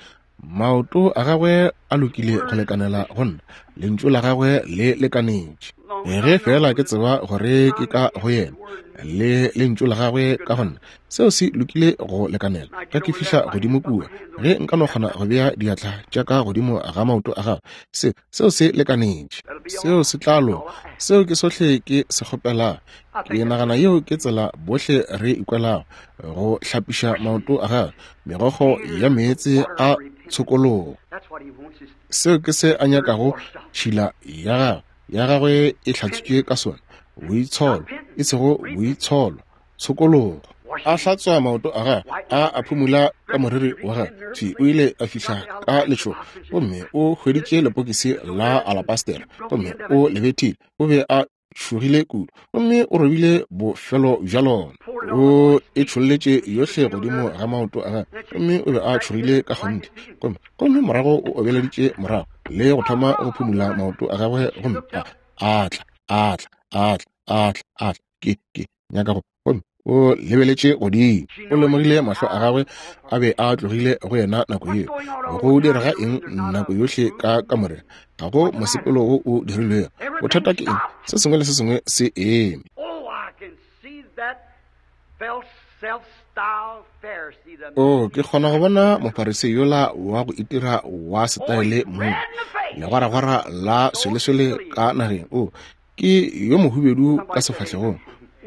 Maoto a gagwe a lokile go lekanela go nna, lentšu la gagwe le lekanetše. Ge fela ke tseba gore ke ka go yena le lentšu la gagwe ka go nna, seo se lokile go lekanela. Ge ke fihla godimo kua, ge nka no kgona go bea diatla tša ka godimo ga maoto a gagwe, se seo se lekanetše, seo se tla loka. Seo ke sohle ke se kgopelago. Ke nagana yeo ke tsela bohle re ikwelago go hlapiša maoto a gagwe, megokgo ya meetse a tshokologo. Seo ke se a nyakago tšhila ya gagwe ya gagwe e hlatswitšwe ka sona, boitsholo, e sego boitsholo, tshokologo. A hlatswa maoto a gagwe, a a phumula ka moriri wa gagwe. Thwi o ile a fihla ka letšhogo, gomme o hweditše lepokisi la alapastere, gomme o le bethile. O be a tšhogile kudu, gomme o robile bofelo bja lona. O e tšholletše yohle godimo ga maoto a gagwe, gomme o be a tšhogile ka kgonthe. Gomme gomme morago o obeleditše morago le go thoma go phumula maoto a gagwe, gomme a a tla a tla a tla a tla a tla ke ke nyaka go. Gomme o lebeletše godimo, o lemogile mahlo a gagwe a be a tlogile go yena nako yeo. Go direga eng nako yohle ka kamoreng? Ga go mosepelo wo o dirilwego. Bothata ke eng? Se sengwe le se sengwe se eme. O, ke kgona go bona Mofarisei yola wa go itira wa setaele mo legwaragwara la sweleswele ka nageng. O, ke yo mohubedu ka sefahlegong,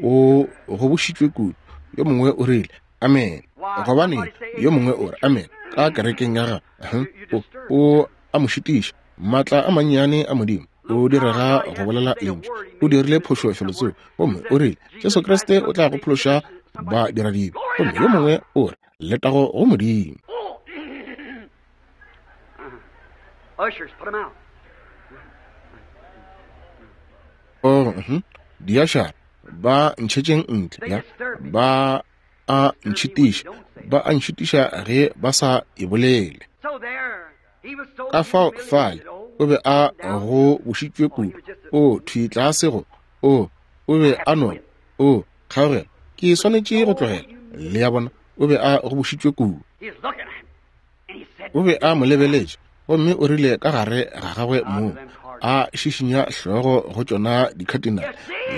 o gobošitšwe kudu. Yo mongwe o rile amen, gobane yo mongwe o re amen ka kerekeng ya gagwe. O, o a mo šitiša. Maatla a mannyane a Modimo o direga go bolela lentšu. O dirile phošo felotsoko, gomme o rile Jesu Kriste o tla go phološa ba diradibe, gomme yo mongwe o re letago go Modimo. Oh, diašara ba ntšhetšeng ntle, ya ba a ntšhitiša, ba a ntšhitiša ge ba sa e bolele. Ka fao fale o be a go bošitšwe kudu, o thwi tlase go o o be a no o kgaogela, ke swanetše go tlogela. Le a bona, o be a go bošitšwe kudu. O be a mo lebeletše, gomme o rile ka gare ga gagwe moo, a šišinya hlogo go tšona dikhatinale.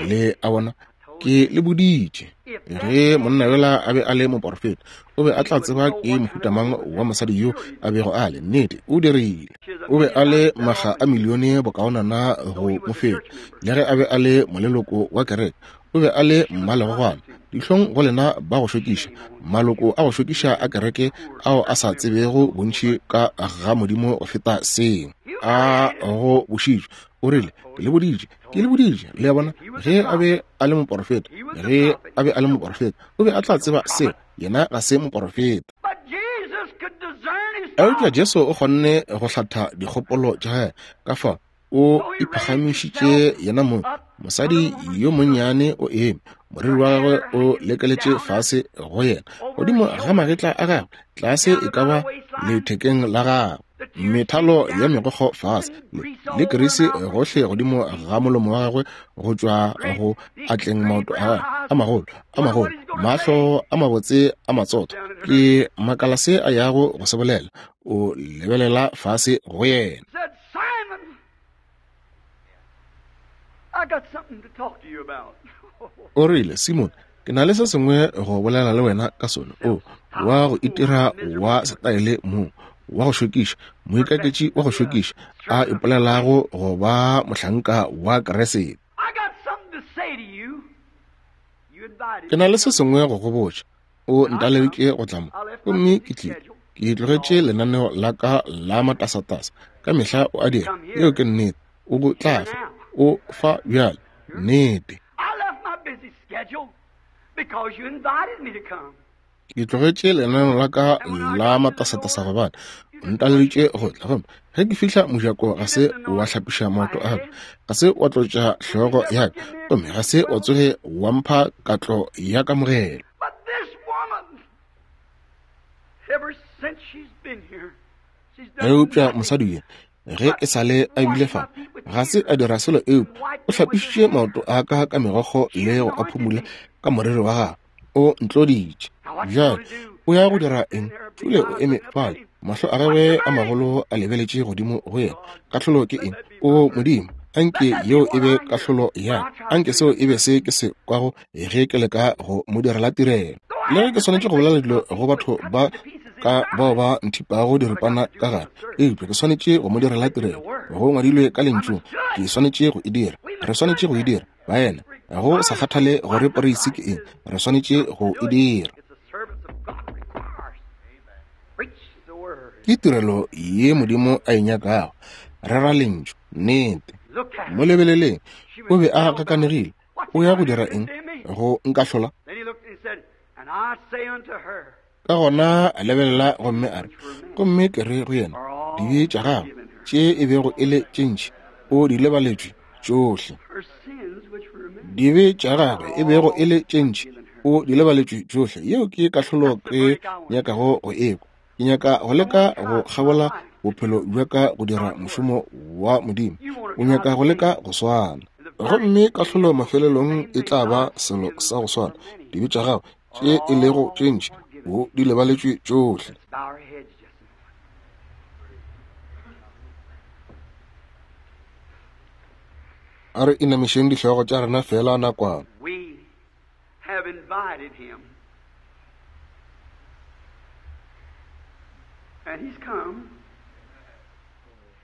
Le a bona, ke le boditše ge monna yola a be a le moporofeta, o be a tla tseba ke mohuta mang wa mosadi yo a bego a le. Nnete, o dirile. O be a le maga a milione bokaonana go mo feta, le ge a be a le moleloko wa kereke. O be a le mmalegogwana. Dihlong go lena ba go šokiša, maloko a go šokiša a kereke ao a sa tsebego bontši ka ga Modimo go feta seo. A go bošitšwe. O rile, ke le boditše, ke le boditše. Le a bona, ge a be a le moporofeta, ge a be a le moporofeta, o be a tla tseba seo. Yena ga se moporofeta. Eupša Jesu o kgonne go hlatha dikgopolo tša gagwe. Ka fao o iphagamišitše yena mong. Mosadi yo monnyane o eme, moriri wa gagwe o lekeletše fase go yena, godimo ga magetla a gagwe, tlase e ka ba lethekeng la gagwe, methalo ya megokgo fase le, le kerisi gohle godimo ga molomo wa gagwe, go tšwa go atleng maoto a gagwe a magolo a magolo, mahlo a mabotse a matsotho. Ke makala se a yago go se bolela. O lebelela fase go yena. O rile, Simon, ke na le se sengwe go bolela le wena ka sona. O wa go itira wa setaele mo, wa go šokiša, moikaketši wa go šokiša, a ipolelago go ba mohlanka wa Kriste. Ke na le se sengwe go go botša. O ntaleditše go tla mo, gomme ke tlile. Ke tlogetše lenaneo la ka la matasatasa. Ka mehla o a dira. Yeo ke nnete. O tla fa. O fa bjale. Nnete. Ke tlogetše lenaneo la ka la matasatasa gobane o ntaleditše go tla. Gomme ge ke fihla mojako, ga se wa hlapiša maoto a ka, ga se wa tlotša hlogo ya ka, gomme ga se wa tsoge wa mpha katlo ya kamogelo. Eupša mosadi yo, ge e sa le a bile fa, ga se a dira selo eupša o hlapišitše maoto a ka ka megokgo le go a phumula ka moriri wa gagwe. O ntloditše. Bjale o ya go dira eng? Thule o eme fale, mahlo a gagwe a magolo a lebeletše godimo go yena. Kahlolo ke eng? O Modimo, anke yeo e be kahlolo ya ka, anke seo e be se ke se kwago ge ke leka go mo direla tirelo. Le ge ke swanetše go bolela dilo go batho ba ka bao ba nthipago diripana ka gare, eupša ke swanetše go mo direla tirelo. Go ngwadilwe ka lentšung, ke swanetše go e dira. Re swanetše go e dira, baena. Go sa kgathale gore poreisi ke eng, re swanetše go e dira. Ke tirelo ye Modimo a e nyakago. Rera lentšu, nnete. Mo lebeleleng, o be a gakanegile. O ya go dira eng? Go nkahlola? Ka gona a lebelela gomme a re, gomme ke re go yena, dibe tša gagwe tše e bego e le tše ntši o di lebaletšwe tšohle. Dibe tša gagwe e bego e le tše ntši, o di lebaletšwe tšohle. Yeo ke kahlolo ke nyakago go ekwa. Ke nyaka go leka go kgabola bophelo bja ka go dira mošomo wa Modimo. O nyaka go leka go swana. Gomme kahlolo mafelelong e tla ba selo sa go swana. Dibe tša gago tše e lego tše ntši, o di lebaletšwe tšohle. A re inamišeng dihlogo tša rena fela nakwana. We have invited him. And he's come.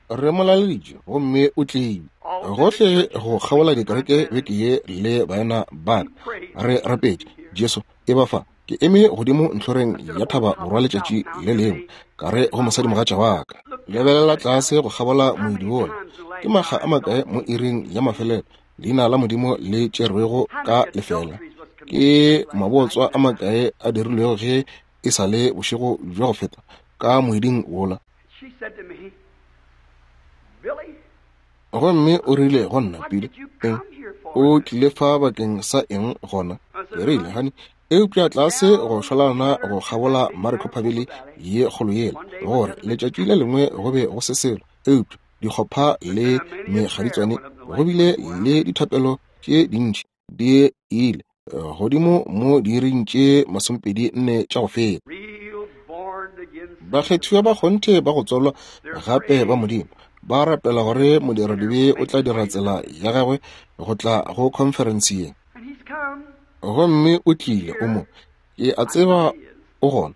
Re mo laleditše gomme o tlile. Gohle go kgabola dikereke beke ye le baena ba ka. Re rapetše, Jesu, e ba fa. Ke eme godimo ntlhoreng ya thaba borwa letšatši le lengwe, ka re go mosadimogatša wa ka, lebelela tlase go kgabola moedi wola. Ke makga a makae mo iring ya mafelelo leina la Modimo le tšerwego ka lefela? Ke mabotswa a makae a dirilwego ge e sa le bošego bja go feta ka moeding wola? She said to me, Billy, Gomme o rile go nna, Billy, eng o tlile fa bakeng sa eng gona? Ke rile, honey, eupša tlase go šwalana go kgabola Maricopa Valley ye kgolo yela, gore letšatši le lengwe go be go se selo eupša dikgopha le mekgaditswane, go bile le dithapelo tše dintši di ile godimo mo diiring tše masomepedi nne tša go feta. real born again Bakgethiwa ba kgonthe ba go tswalwa gape ba Modimo ba rapela gore modiradibe o tla dira tsela ya gagwe go tla go conference ye. And he's come. Gomme o tlile, o mo. Ke a tseba o gona.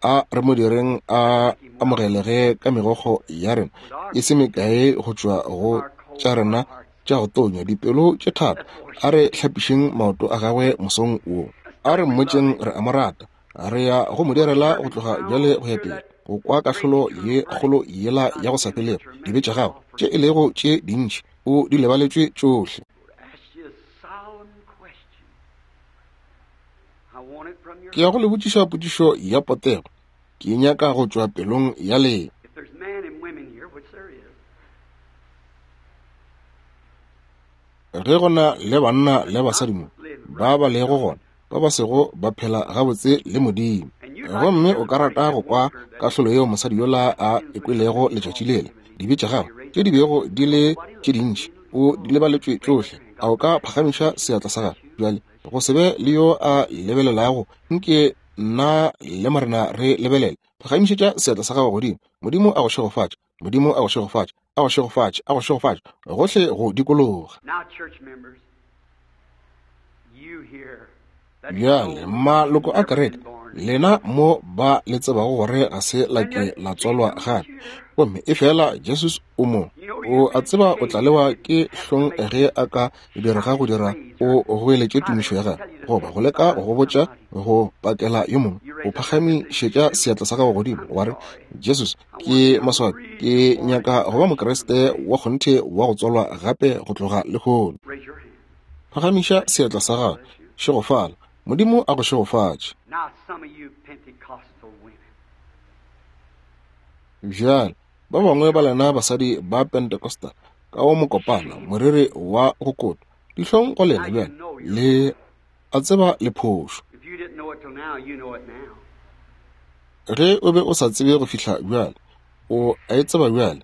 A re mo direng a amogelege ka megokgo ya rena e se mekae go tšwa go tša rena tša go tonya, dipelo tše thata. A re hlapišeng maoto a gagwe mosong wo. A re mmotšeng re a mo rata. Re ya go mo direla go tloga bjale go ya pele, go kwa kahlolo ye kgolo yela ya go sa felego. Dibe tša gago tše e lego tše dintši o di lebaletšwe tšohle. Ask you a solemn question. I want it from your Ke ya go le botšiša potšišo ya potego. Ke nyaka go tšwa pelong ya lena. If there's men and women here, which there is, Ge go na le banna le basadi mo ba ba lego gona, ba ba sego ba phela gabotse le Modimo, gomme o ka rata go kwa kahlolo yeo mosadi yola a e kwelego letšatši lela, dibe tša gagwe tše di bego di le tše dintši o di lebaletšwe tšohle, a o ka phagamiša seatla sa gagwe bjale? Go se be le yo a lebelelago, nke nna le Morena re lebelele. Phagamišetša seatla sa gago godimo. Modimo a go šegofatše. Modimo a go šegofatše. A go šegofatše. A go šegofatše. Gohle go dikologa. Now, church members, you here that Bjale know maloko a never kereke, been born lena mo ba le tsebago gore ga se la ke la tswalwa gape, gomme e fela Jesus o mo, o a tseba o tla lewa ke hlong ge a ka direga go dira o goeletše tumišo ya gagwe, goba go leka go botša go pakela yo mongwe. O phagamišetša seatla sa gago godimo wa re, Jesus, ke maswabi, ke nyaka go ba Mokriste wa kgonthe wa go tswalwa gape go tloga lehono. Raise your hand. Phagamiša seatla sa gago. Šegofala. Modimo a go šegofatše. Now, some of you Pentecostal women, Bjale ba bangwe ba lena basadi ba Pentecostal ka wo mokopana, moriri wa go kotwa, dihlong go lena bjale, le a tseba le phošo. if you didn't know it till now, you know it now. Ge o be o sa tsebe go fihla bjale, o a e tseba bjale.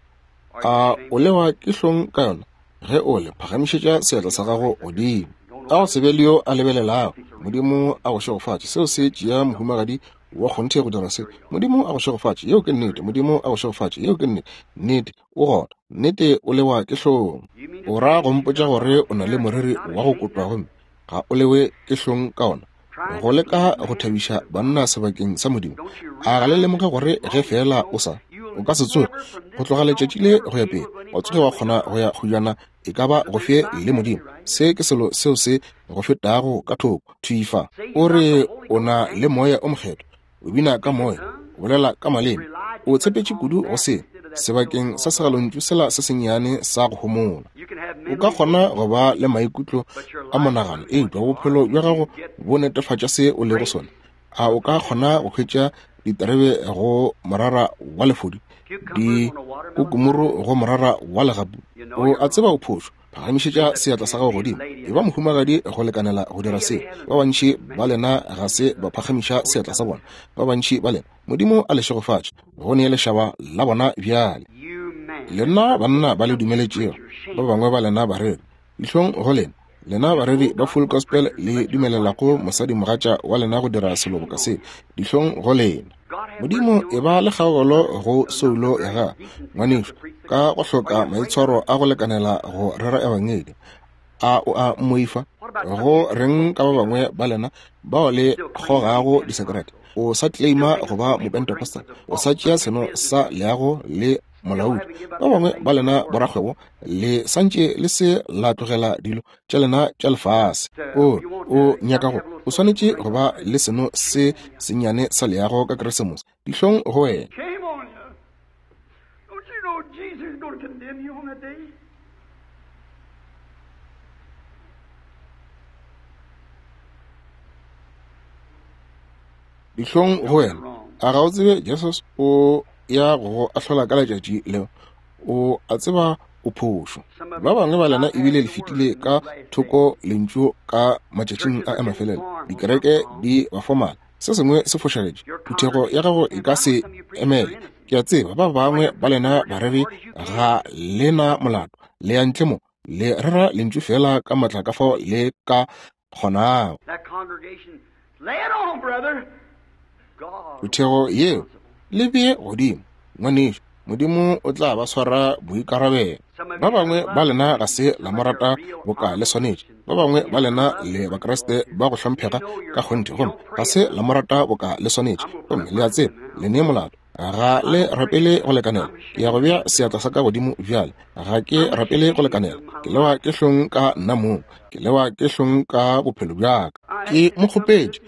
Are you A ashamed? o lewa ke hlong ka yona? Ge o le, phagamišetša seatla sa gago godimo. A go se be le yo a lebelelago. Modimo a go šegofatše. Seo se tšea mohumagadi wa kgonthe go dira se. Modimo a go šegofatše. Yeo ke nnete. Modimo a go šegofatše. Yeo ke nnete. Nnete o gona. Nnete o lewa ke hlong. You mean to O ra say go that you mpotša got gore o na le moriri not wa go ashamed kotwa of it? gomme ga o lewe ke hlong ka ona? Trying Go to leka please go man thabiša instead of God. banna sebakeng sa Modimo. Don't you A ga le realize lemoge that gore as ge long as you fela o don't, sa, o you'll ka se tsoge never from go this tloga day on letšatši le ever go ya be pele able to go any wa tsoge further wa with kgona God? go ya kgojana e ka ba The go big fe five le has Modimo. you, right? Se ke selo seo se go fetago ka thoko. Thwi fa. Say O you got re the Holy o Ghost na and le moya o mokgethwa, o bina ka speak in moya, tongues, o bolela ka maleme, relied o too much tshepetše on kudu go that se instead of that sebakeng sa so-called love. segalontšu sela se sennyane sa go homola. You can have O mental ka kgona emotions, go ba le maikutlo but your a life monagano, proves what eupša you are. bophelo bja Can gago you get bo netefatša se o lego grapes sona. A o from ka the kgona go hwetša diterebe go morara wa lefodi, cucumbers on a watermelon dikukumuru vine? go morara wa legapu? You know O you're a tseba wrong. o phošo. Phagamišetša seatla sa gago godimo. E ba mohumagadi go lekanela go dira seo. Ba bantši ba lena ga se ba phagamiša seatla sa bona. Ba bantši ba lena, Modimo a le šegofatše go nee lešaba la bona bjale. Lena banna ba le dumeletšego, ba bangwe ba lena bareri, dihlong go lena. Lena bareri ba full gospel le dumelelago mosadimogatša wa lena go dira selo boka se, dihlong go lena. Modimo e ba le kgaogelo go soulo ya gago, ngwanešu, ka go hloka maitshwaro a go lekanela go rera ebangedi. A o a mmoifa? Go reng ka ba bangwe ba lena bao le kgogago disekerete? O sa claima go ba mopentecostal, o sa tšea seno sa leago le molaodi. Ba bangwe ba lena borakgwebo le santše le se la tlogela dilo tša lena tša lefase. O o nyaka go, o swanetše go ba le seno se sennyane sa leago ka Keresemose. Dihlong go wena. Shame on you. Don't you know Jesus is going to condemn you on that day? Dihlong go wena. A ga o tsebe Jesus o ya go ahlola ka letšatši leo? O a tseba o phošo. Ba bangwe ba lena ebile le fetile ka thoko lentšu ka matšatšing a a mafelelo. Dikereke di ba formal. Se sengwe se fošagetše. Phuthego ya gago e ka se emele. Ke a tseba ba bangwe ba lena bareri ga lena molato. Le ya ntle mo, le rera lentšu fela ka matla ka fao le ka kgonago. That congregation, lay it on, brother. God. Phuthego yeo le bee godimo, ngwanešu. Modimo o tla ba swara boikarabelo. Ba bangwe ba lena ga se la mo rata boka le swanetše. Ba bangwe ba lena le Bakriste ba go hlomphega ka kgonthe, gomme ga se la mo rata boka le swanetše. Gomme le a tseba le ne molato. Ga le rapele go lekanela. Ke ya go bea seatla sa ka godimo bjale. Ga ke rapele go lekanela. Ke lewa ke hlong ka nna mong. Ke lewa ke hlong ka bophelo bja ka. Ke mo kgopetše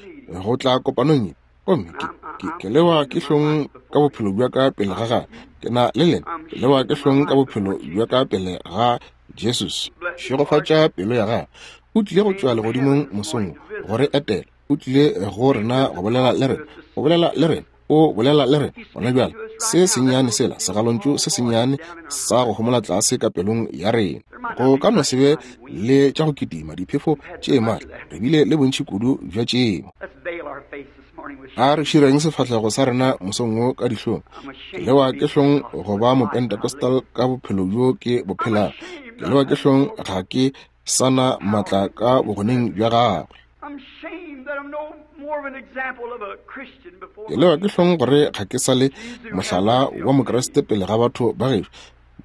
go tla kopanong ye, gomme ke, ke, ke lewa ke hlong ka bophelo bja ka pele ga gagwe. Ke na le lena. Ke lewa ke hlong ka bophelo bja ka pele ga Jesus. Šegofatša pelo ya gagwe. O tlile go tšwa legodimong mosong wo go re etela. O tlile go rena go bolela le rena. Go bolela le rena. O bolela le rena gona bjale. Se sennyane sela, segalontšu se sennyane sa go homola tlase ka pelong ya rena. Go ka no se be le tša go kitima diphefo tše matla. Re bile le bontši kudu bja tšeo. Let's veil our face this morning with A re šireng sefahlego sa rena mosong wo ka dihlong. I'm Ke ashamed lewa to be ke hlong Pentecostal go with ba the life I live. mopentecostal ka bophelo bjo ke bo I'm phelago. ashamed Ke that lewa I ke have hlong no ga ke sa na matla ka bogoneng bja gagwe. I'm ashamed that I'm no more of an example of a Christian before Ke my lewa ke people. hlong gore ga ke sa le Jesus have mohlala mercy wa on me. Mokriste pele ga batho ba gešo.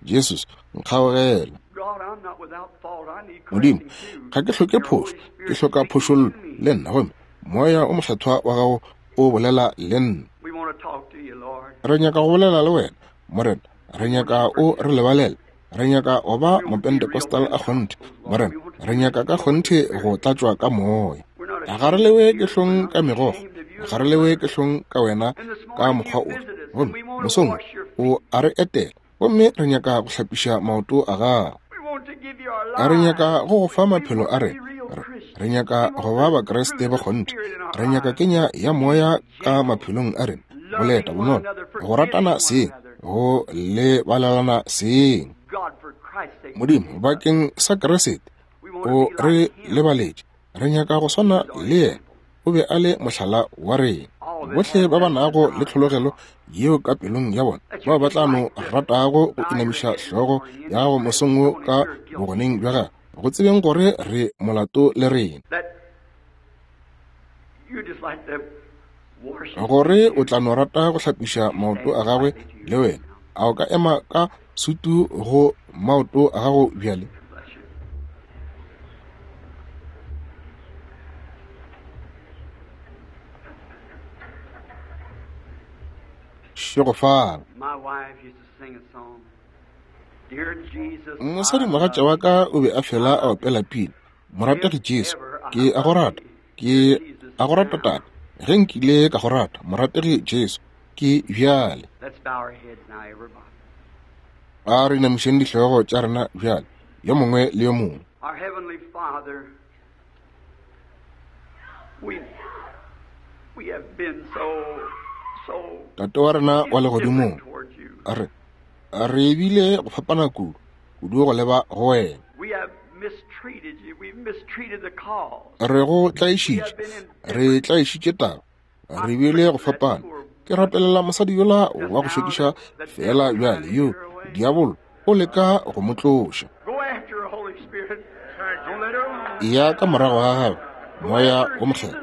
Jesus, nkgaogela. God, I'm not without fault. I need Modimo, correcting too. ga ke hloke Your phošo, Holy ke Spirit hloka speaking phošollo to me. le nna, gomme moya o mokgethwa wa gago o bolela le nna. We want to talk to you, Lord. Re nyaka go bolela le wena, Morena. Re We want nyaka your o re forgiveness. lebalele. Re nyaka go ba We want to be real mopentecostal a kgonthe, Pentecostals, Lord. Morena. We want to Re be nyaka ka filled with the kgonthe go Spirit. tlatšwa ka moya. We're not Ga re ashamed lewe of ke you. We're hlong not ka megokgo. ashamed of you Ga as re a lewe brother. ke hlong ka wena And this ka morning mokgwa you ofe. visit us, and Gomme we want to mosong wash your wo feet. o a re etela, gomme re nyaka go hlapiša maoto a gago. We want to give you our Re lives. nyaka go go fa We maphelo want a to be rena. real Re, re Christians. nyaka We go want ba the Bakriste fruit ba of the kgonthe. Spirit in our Re nyaka lives. kenya ya moya ka Gentle, maphelong a rena. Boleta, loving one bonolo, another, go ratana forgiving one seng, another. go lebalelana seng. God, for Christ's sake, Modimo, forgive us. bakeng sa Kriste, We want to o be re like Him. lebaletše. Re nyaka go swana He's our le yena. example. O be a le mohlala wa rena. All that Bohle have ba ba that nago le desire, tlhologelo God, yeo ka pelong ya bona, that bao you ba just tla no like to ratago go bow your inamiša head this hlogo morning in ya His gago presence, mosong wo knowing ka you're guilty, bogoneng bja gagwe, go tsebeng gore re molato le rena, that you just like to wash His gore feet o too. tla no rata go hlapiša Would you maoto stand a gagwe quietly to le your feet wena. now? A o ka ema ka sutu go maoto a gago bjale? Bless you. Šegofala. My wife used to sing a song. Dear Jesus, I Mosadimogatša love wa thee. ka o be a fela I a love opela thee. pina. Morategi If Jesu, ever I ke a go love rata. thee, Ke dear Jesus, a go rata now. tate. Ge nkile ka go rata, morategi Jesu, ke bjale. Let's bow our heads now, everybody. A re inamišeng dihlogo tša rena bjale, yo mongwe le yo mongwe. Our Heavenly Father, we we have been so so Tate wa rena wa indifferent legodimong, towards you. a re re bile go fapana kudu, kudu go leba go wena. We have Re go tlaišitše, re tlaišitše taba, re bile go fapana. Ke rapelela mosadi yola wa go šokiša feela bjale yo diabolo o leka go mo tloša. Ya ka morago ga gagwe, Moya wo Mokgethwa,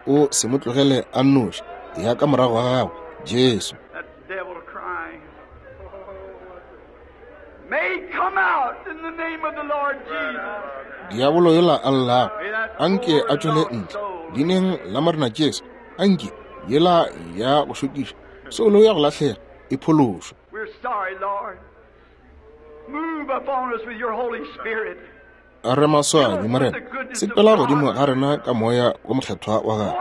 o se mo tlogele a nnoši. Ya ka morago ga gagwe, Jesu. Diabolo yola a llago, anke a tšwele ntle leineng la Morena Jesu. Anke yela ya go šokiša soulo ya go lahlega e phološwe. Re maswabi, Morena, sepela godimo ga rena ka Moya wo Mokgethwa wa gago,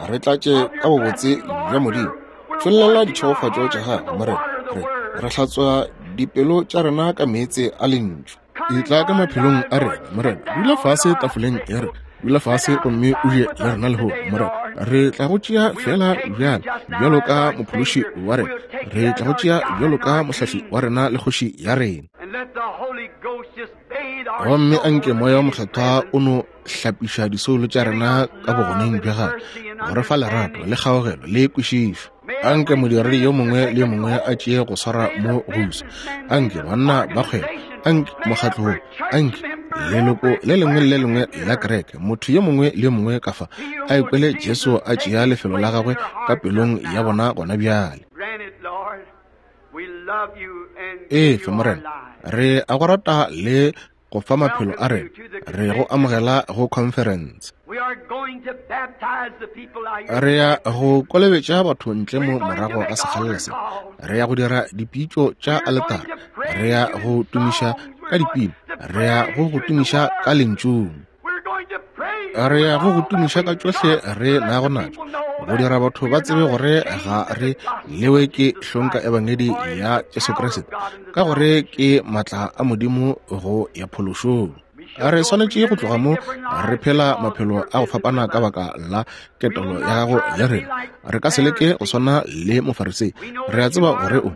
re tlatše ka bobotse bja Modimo. Tšhollela ditšhegofatšo tša gago, Morena. Re re hlatswa dipelo tša rena ka meetse a lentšu. Etla ka maphelong a rena, Morena. Dula fase tafoleng ya rena, dula fase gomme o je le rena lehono, Morena. Re tla go tšea fela bjale bjalo ka mophološi wa rena, re tla go tšea bjalo ka mohlahli wa rena le kgoši ya rena. Gomme anke Moya wo Mokgethwa o no hlapiša disoulo tša rena ka bogoneng bja gagwe, go re fa lerato le kgaogelo le kwešišo. Anke modiredi yo mongwe le yo mongwe a tšee go swara mo go usa. Anke banna ba kgwebo, anke mokgatlo wo, anke leloko le lengwe le le lengwe la kereke, motho yo mongwe le yo mongwe ka fa a ikwele Jesu a tšea lefelo la gagwe ka pelong ya bona gona bjale. Efe, Morena, re a go rata le go fa maphelo a rena, re go amogela go conference. Re ya go kolobetša batho ntle mo morago ga sekgalela se. Re ya go dira dipitšo tša aletara, re ya go tumiša ka dipina, re ya go go tumiša ka lentšung, re ya go go tumiša ka tšohle re nago natšo, go dira batho ba tsebe gore ga re lewe ke hlong ka ebangedi ya Jesu Kriste, ka gore ke maatla a Modimo go ya phološong. Re swanetše go tloga mo re phela maphelo a go fapana ka baka la ketelo ya gago le rena. Re ka se leke go swana le Mofarisei. Re a tseba gore o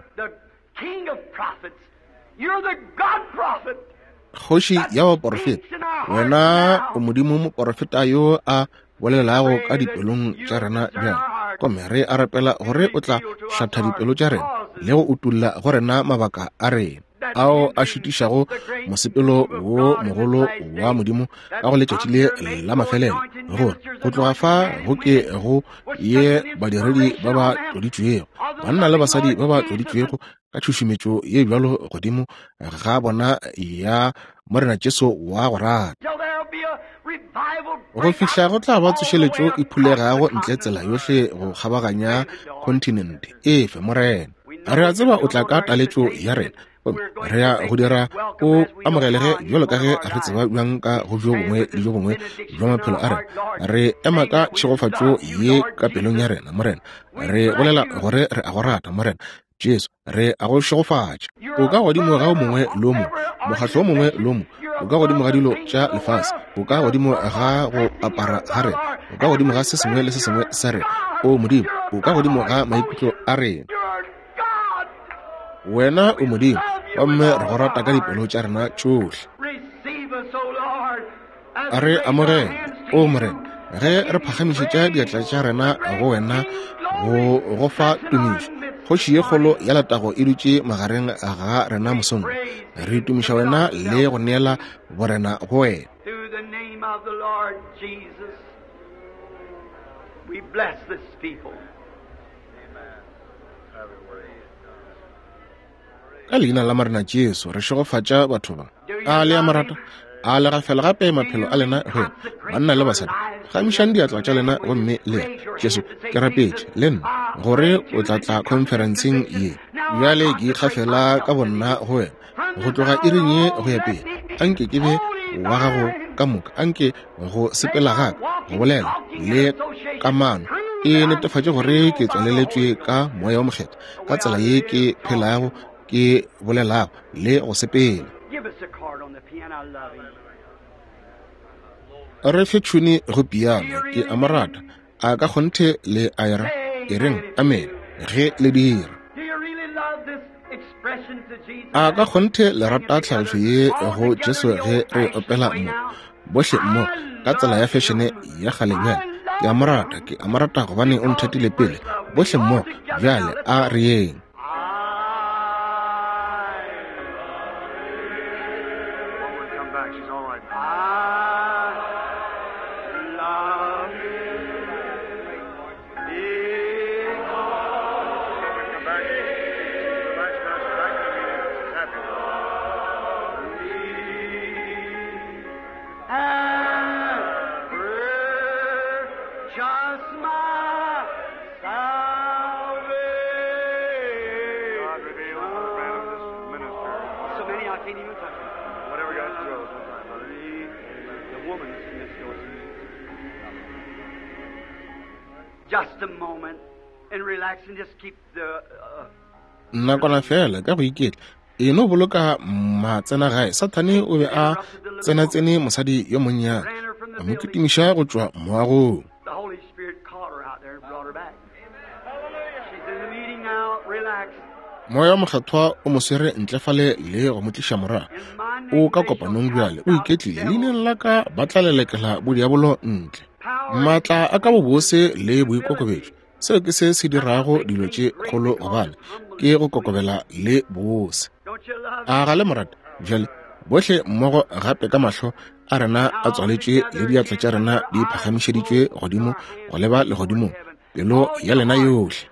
kgoši ya baporofeta, wena o Modimo moporofeta yo a bolelago ka dipelong tša rena bjale. Gomme re a rapela gore o tla hlatha dipelo tša rena le go utulla go rena mabaka a rena ao a šitišago mosepelo wo mogolo wa Modimo ka go letšatši le la mafelelo, gore go tloga fa go ke go ye badiredi ba ba tloditšwego, banna le basadi ba ba tloditšwego ka tšhušumetšo ye bjalo godimo ga bona ya Morena Jesu wa go rata. Go fihla go tla ba tsošeletšo e phulegago ntle tsela yohle go kgabaganya kontinente. Efe, Morena, re a tseba o tla ka taletšo ya rena, re ya go dira o amogelege bjalo ka ge re tseba bjang ka go bjo bongwe le bjo bongwe bja maphelo a rena. Re ema ka tšhegofatšo ye ka pelong ya rena, Morena. Re bolela gore re a go rata, Morena Jesu, re a go šegofatša. O ka godimo ga o mongwe le o mongwe, mokgatlo o mongwe le o mongwe, o ka godimo ga dilo tša lefase, o ka godimo ga go apara ga rena, o ka godimo ga se sengwe le se sengwe sa rena. O Modimo, o ka godimo ga maikutlo a rena. Wena o Modimo, gomme re go rata ka dipelo tša rena tšohle. Re amogele, o Morena, ge re phagamišetša diatla tša rena go wena go go fa tumišo. Kgoši ye kgolo ya letago e dutše magareng ga rena mosong. Re tumiša wena le go neela borena go wena. Ka leina la Morena Jesu re šegofatša batho ba. A le a mo rata? A le gafela gape maphelo a lena go yena, banna le basadi. Gamišang diatla tša lena gomme le re, Jesu, ke rapetše le nna gore o tla tla conferenceng ye. Bjale ke ikgafela ka bonna go wena go tloga iring ye go ya pele. Anke ke be wa gago ka moka, anke go sepela gaka, go bolela le kamano e netefatše gore ke tswaleletšwe ka Moya wo Mokgethwa ka tsela ye ke phelago, ke bolelago le go sepela. Re fe tšhune go piano, ke a mo rata. A ka kgonthe le a era? E reng amen ge le dira. A ka kgonthe le rata tlhaloso ye go Jesu ge re opela mo bohle mo ka tsela ya fešene ya kgalenyana? Ke a mo rata, ke a mo rata gobane o nthatile pele. Bohle mo bjale a re yeng. Nakwana fela ka go iketla e no boloka matsena gae. Sathane o be a tsenatsene mosadi yo monnyane, a mo kitimiša go tšwa moagong. Moya wa Mokgethwa o mo swere ntle fale le go mo tliša morago. O ka kopanong bjale, o iketlile. Leineng la ka ba tla lelekela bodiabolo ntle. Maatla a ka bobose le boikokobetšo, seo ke se se dirago dilo tše kgolo, gobane ke go kokobela le bose. A ga le morata? Bjale bohle mmogo gape ka mahlo a rena a tswaletšwe le diatla tša rena di phagamišeditšwe godimo go leba legodimong, pelo ya lena yohle.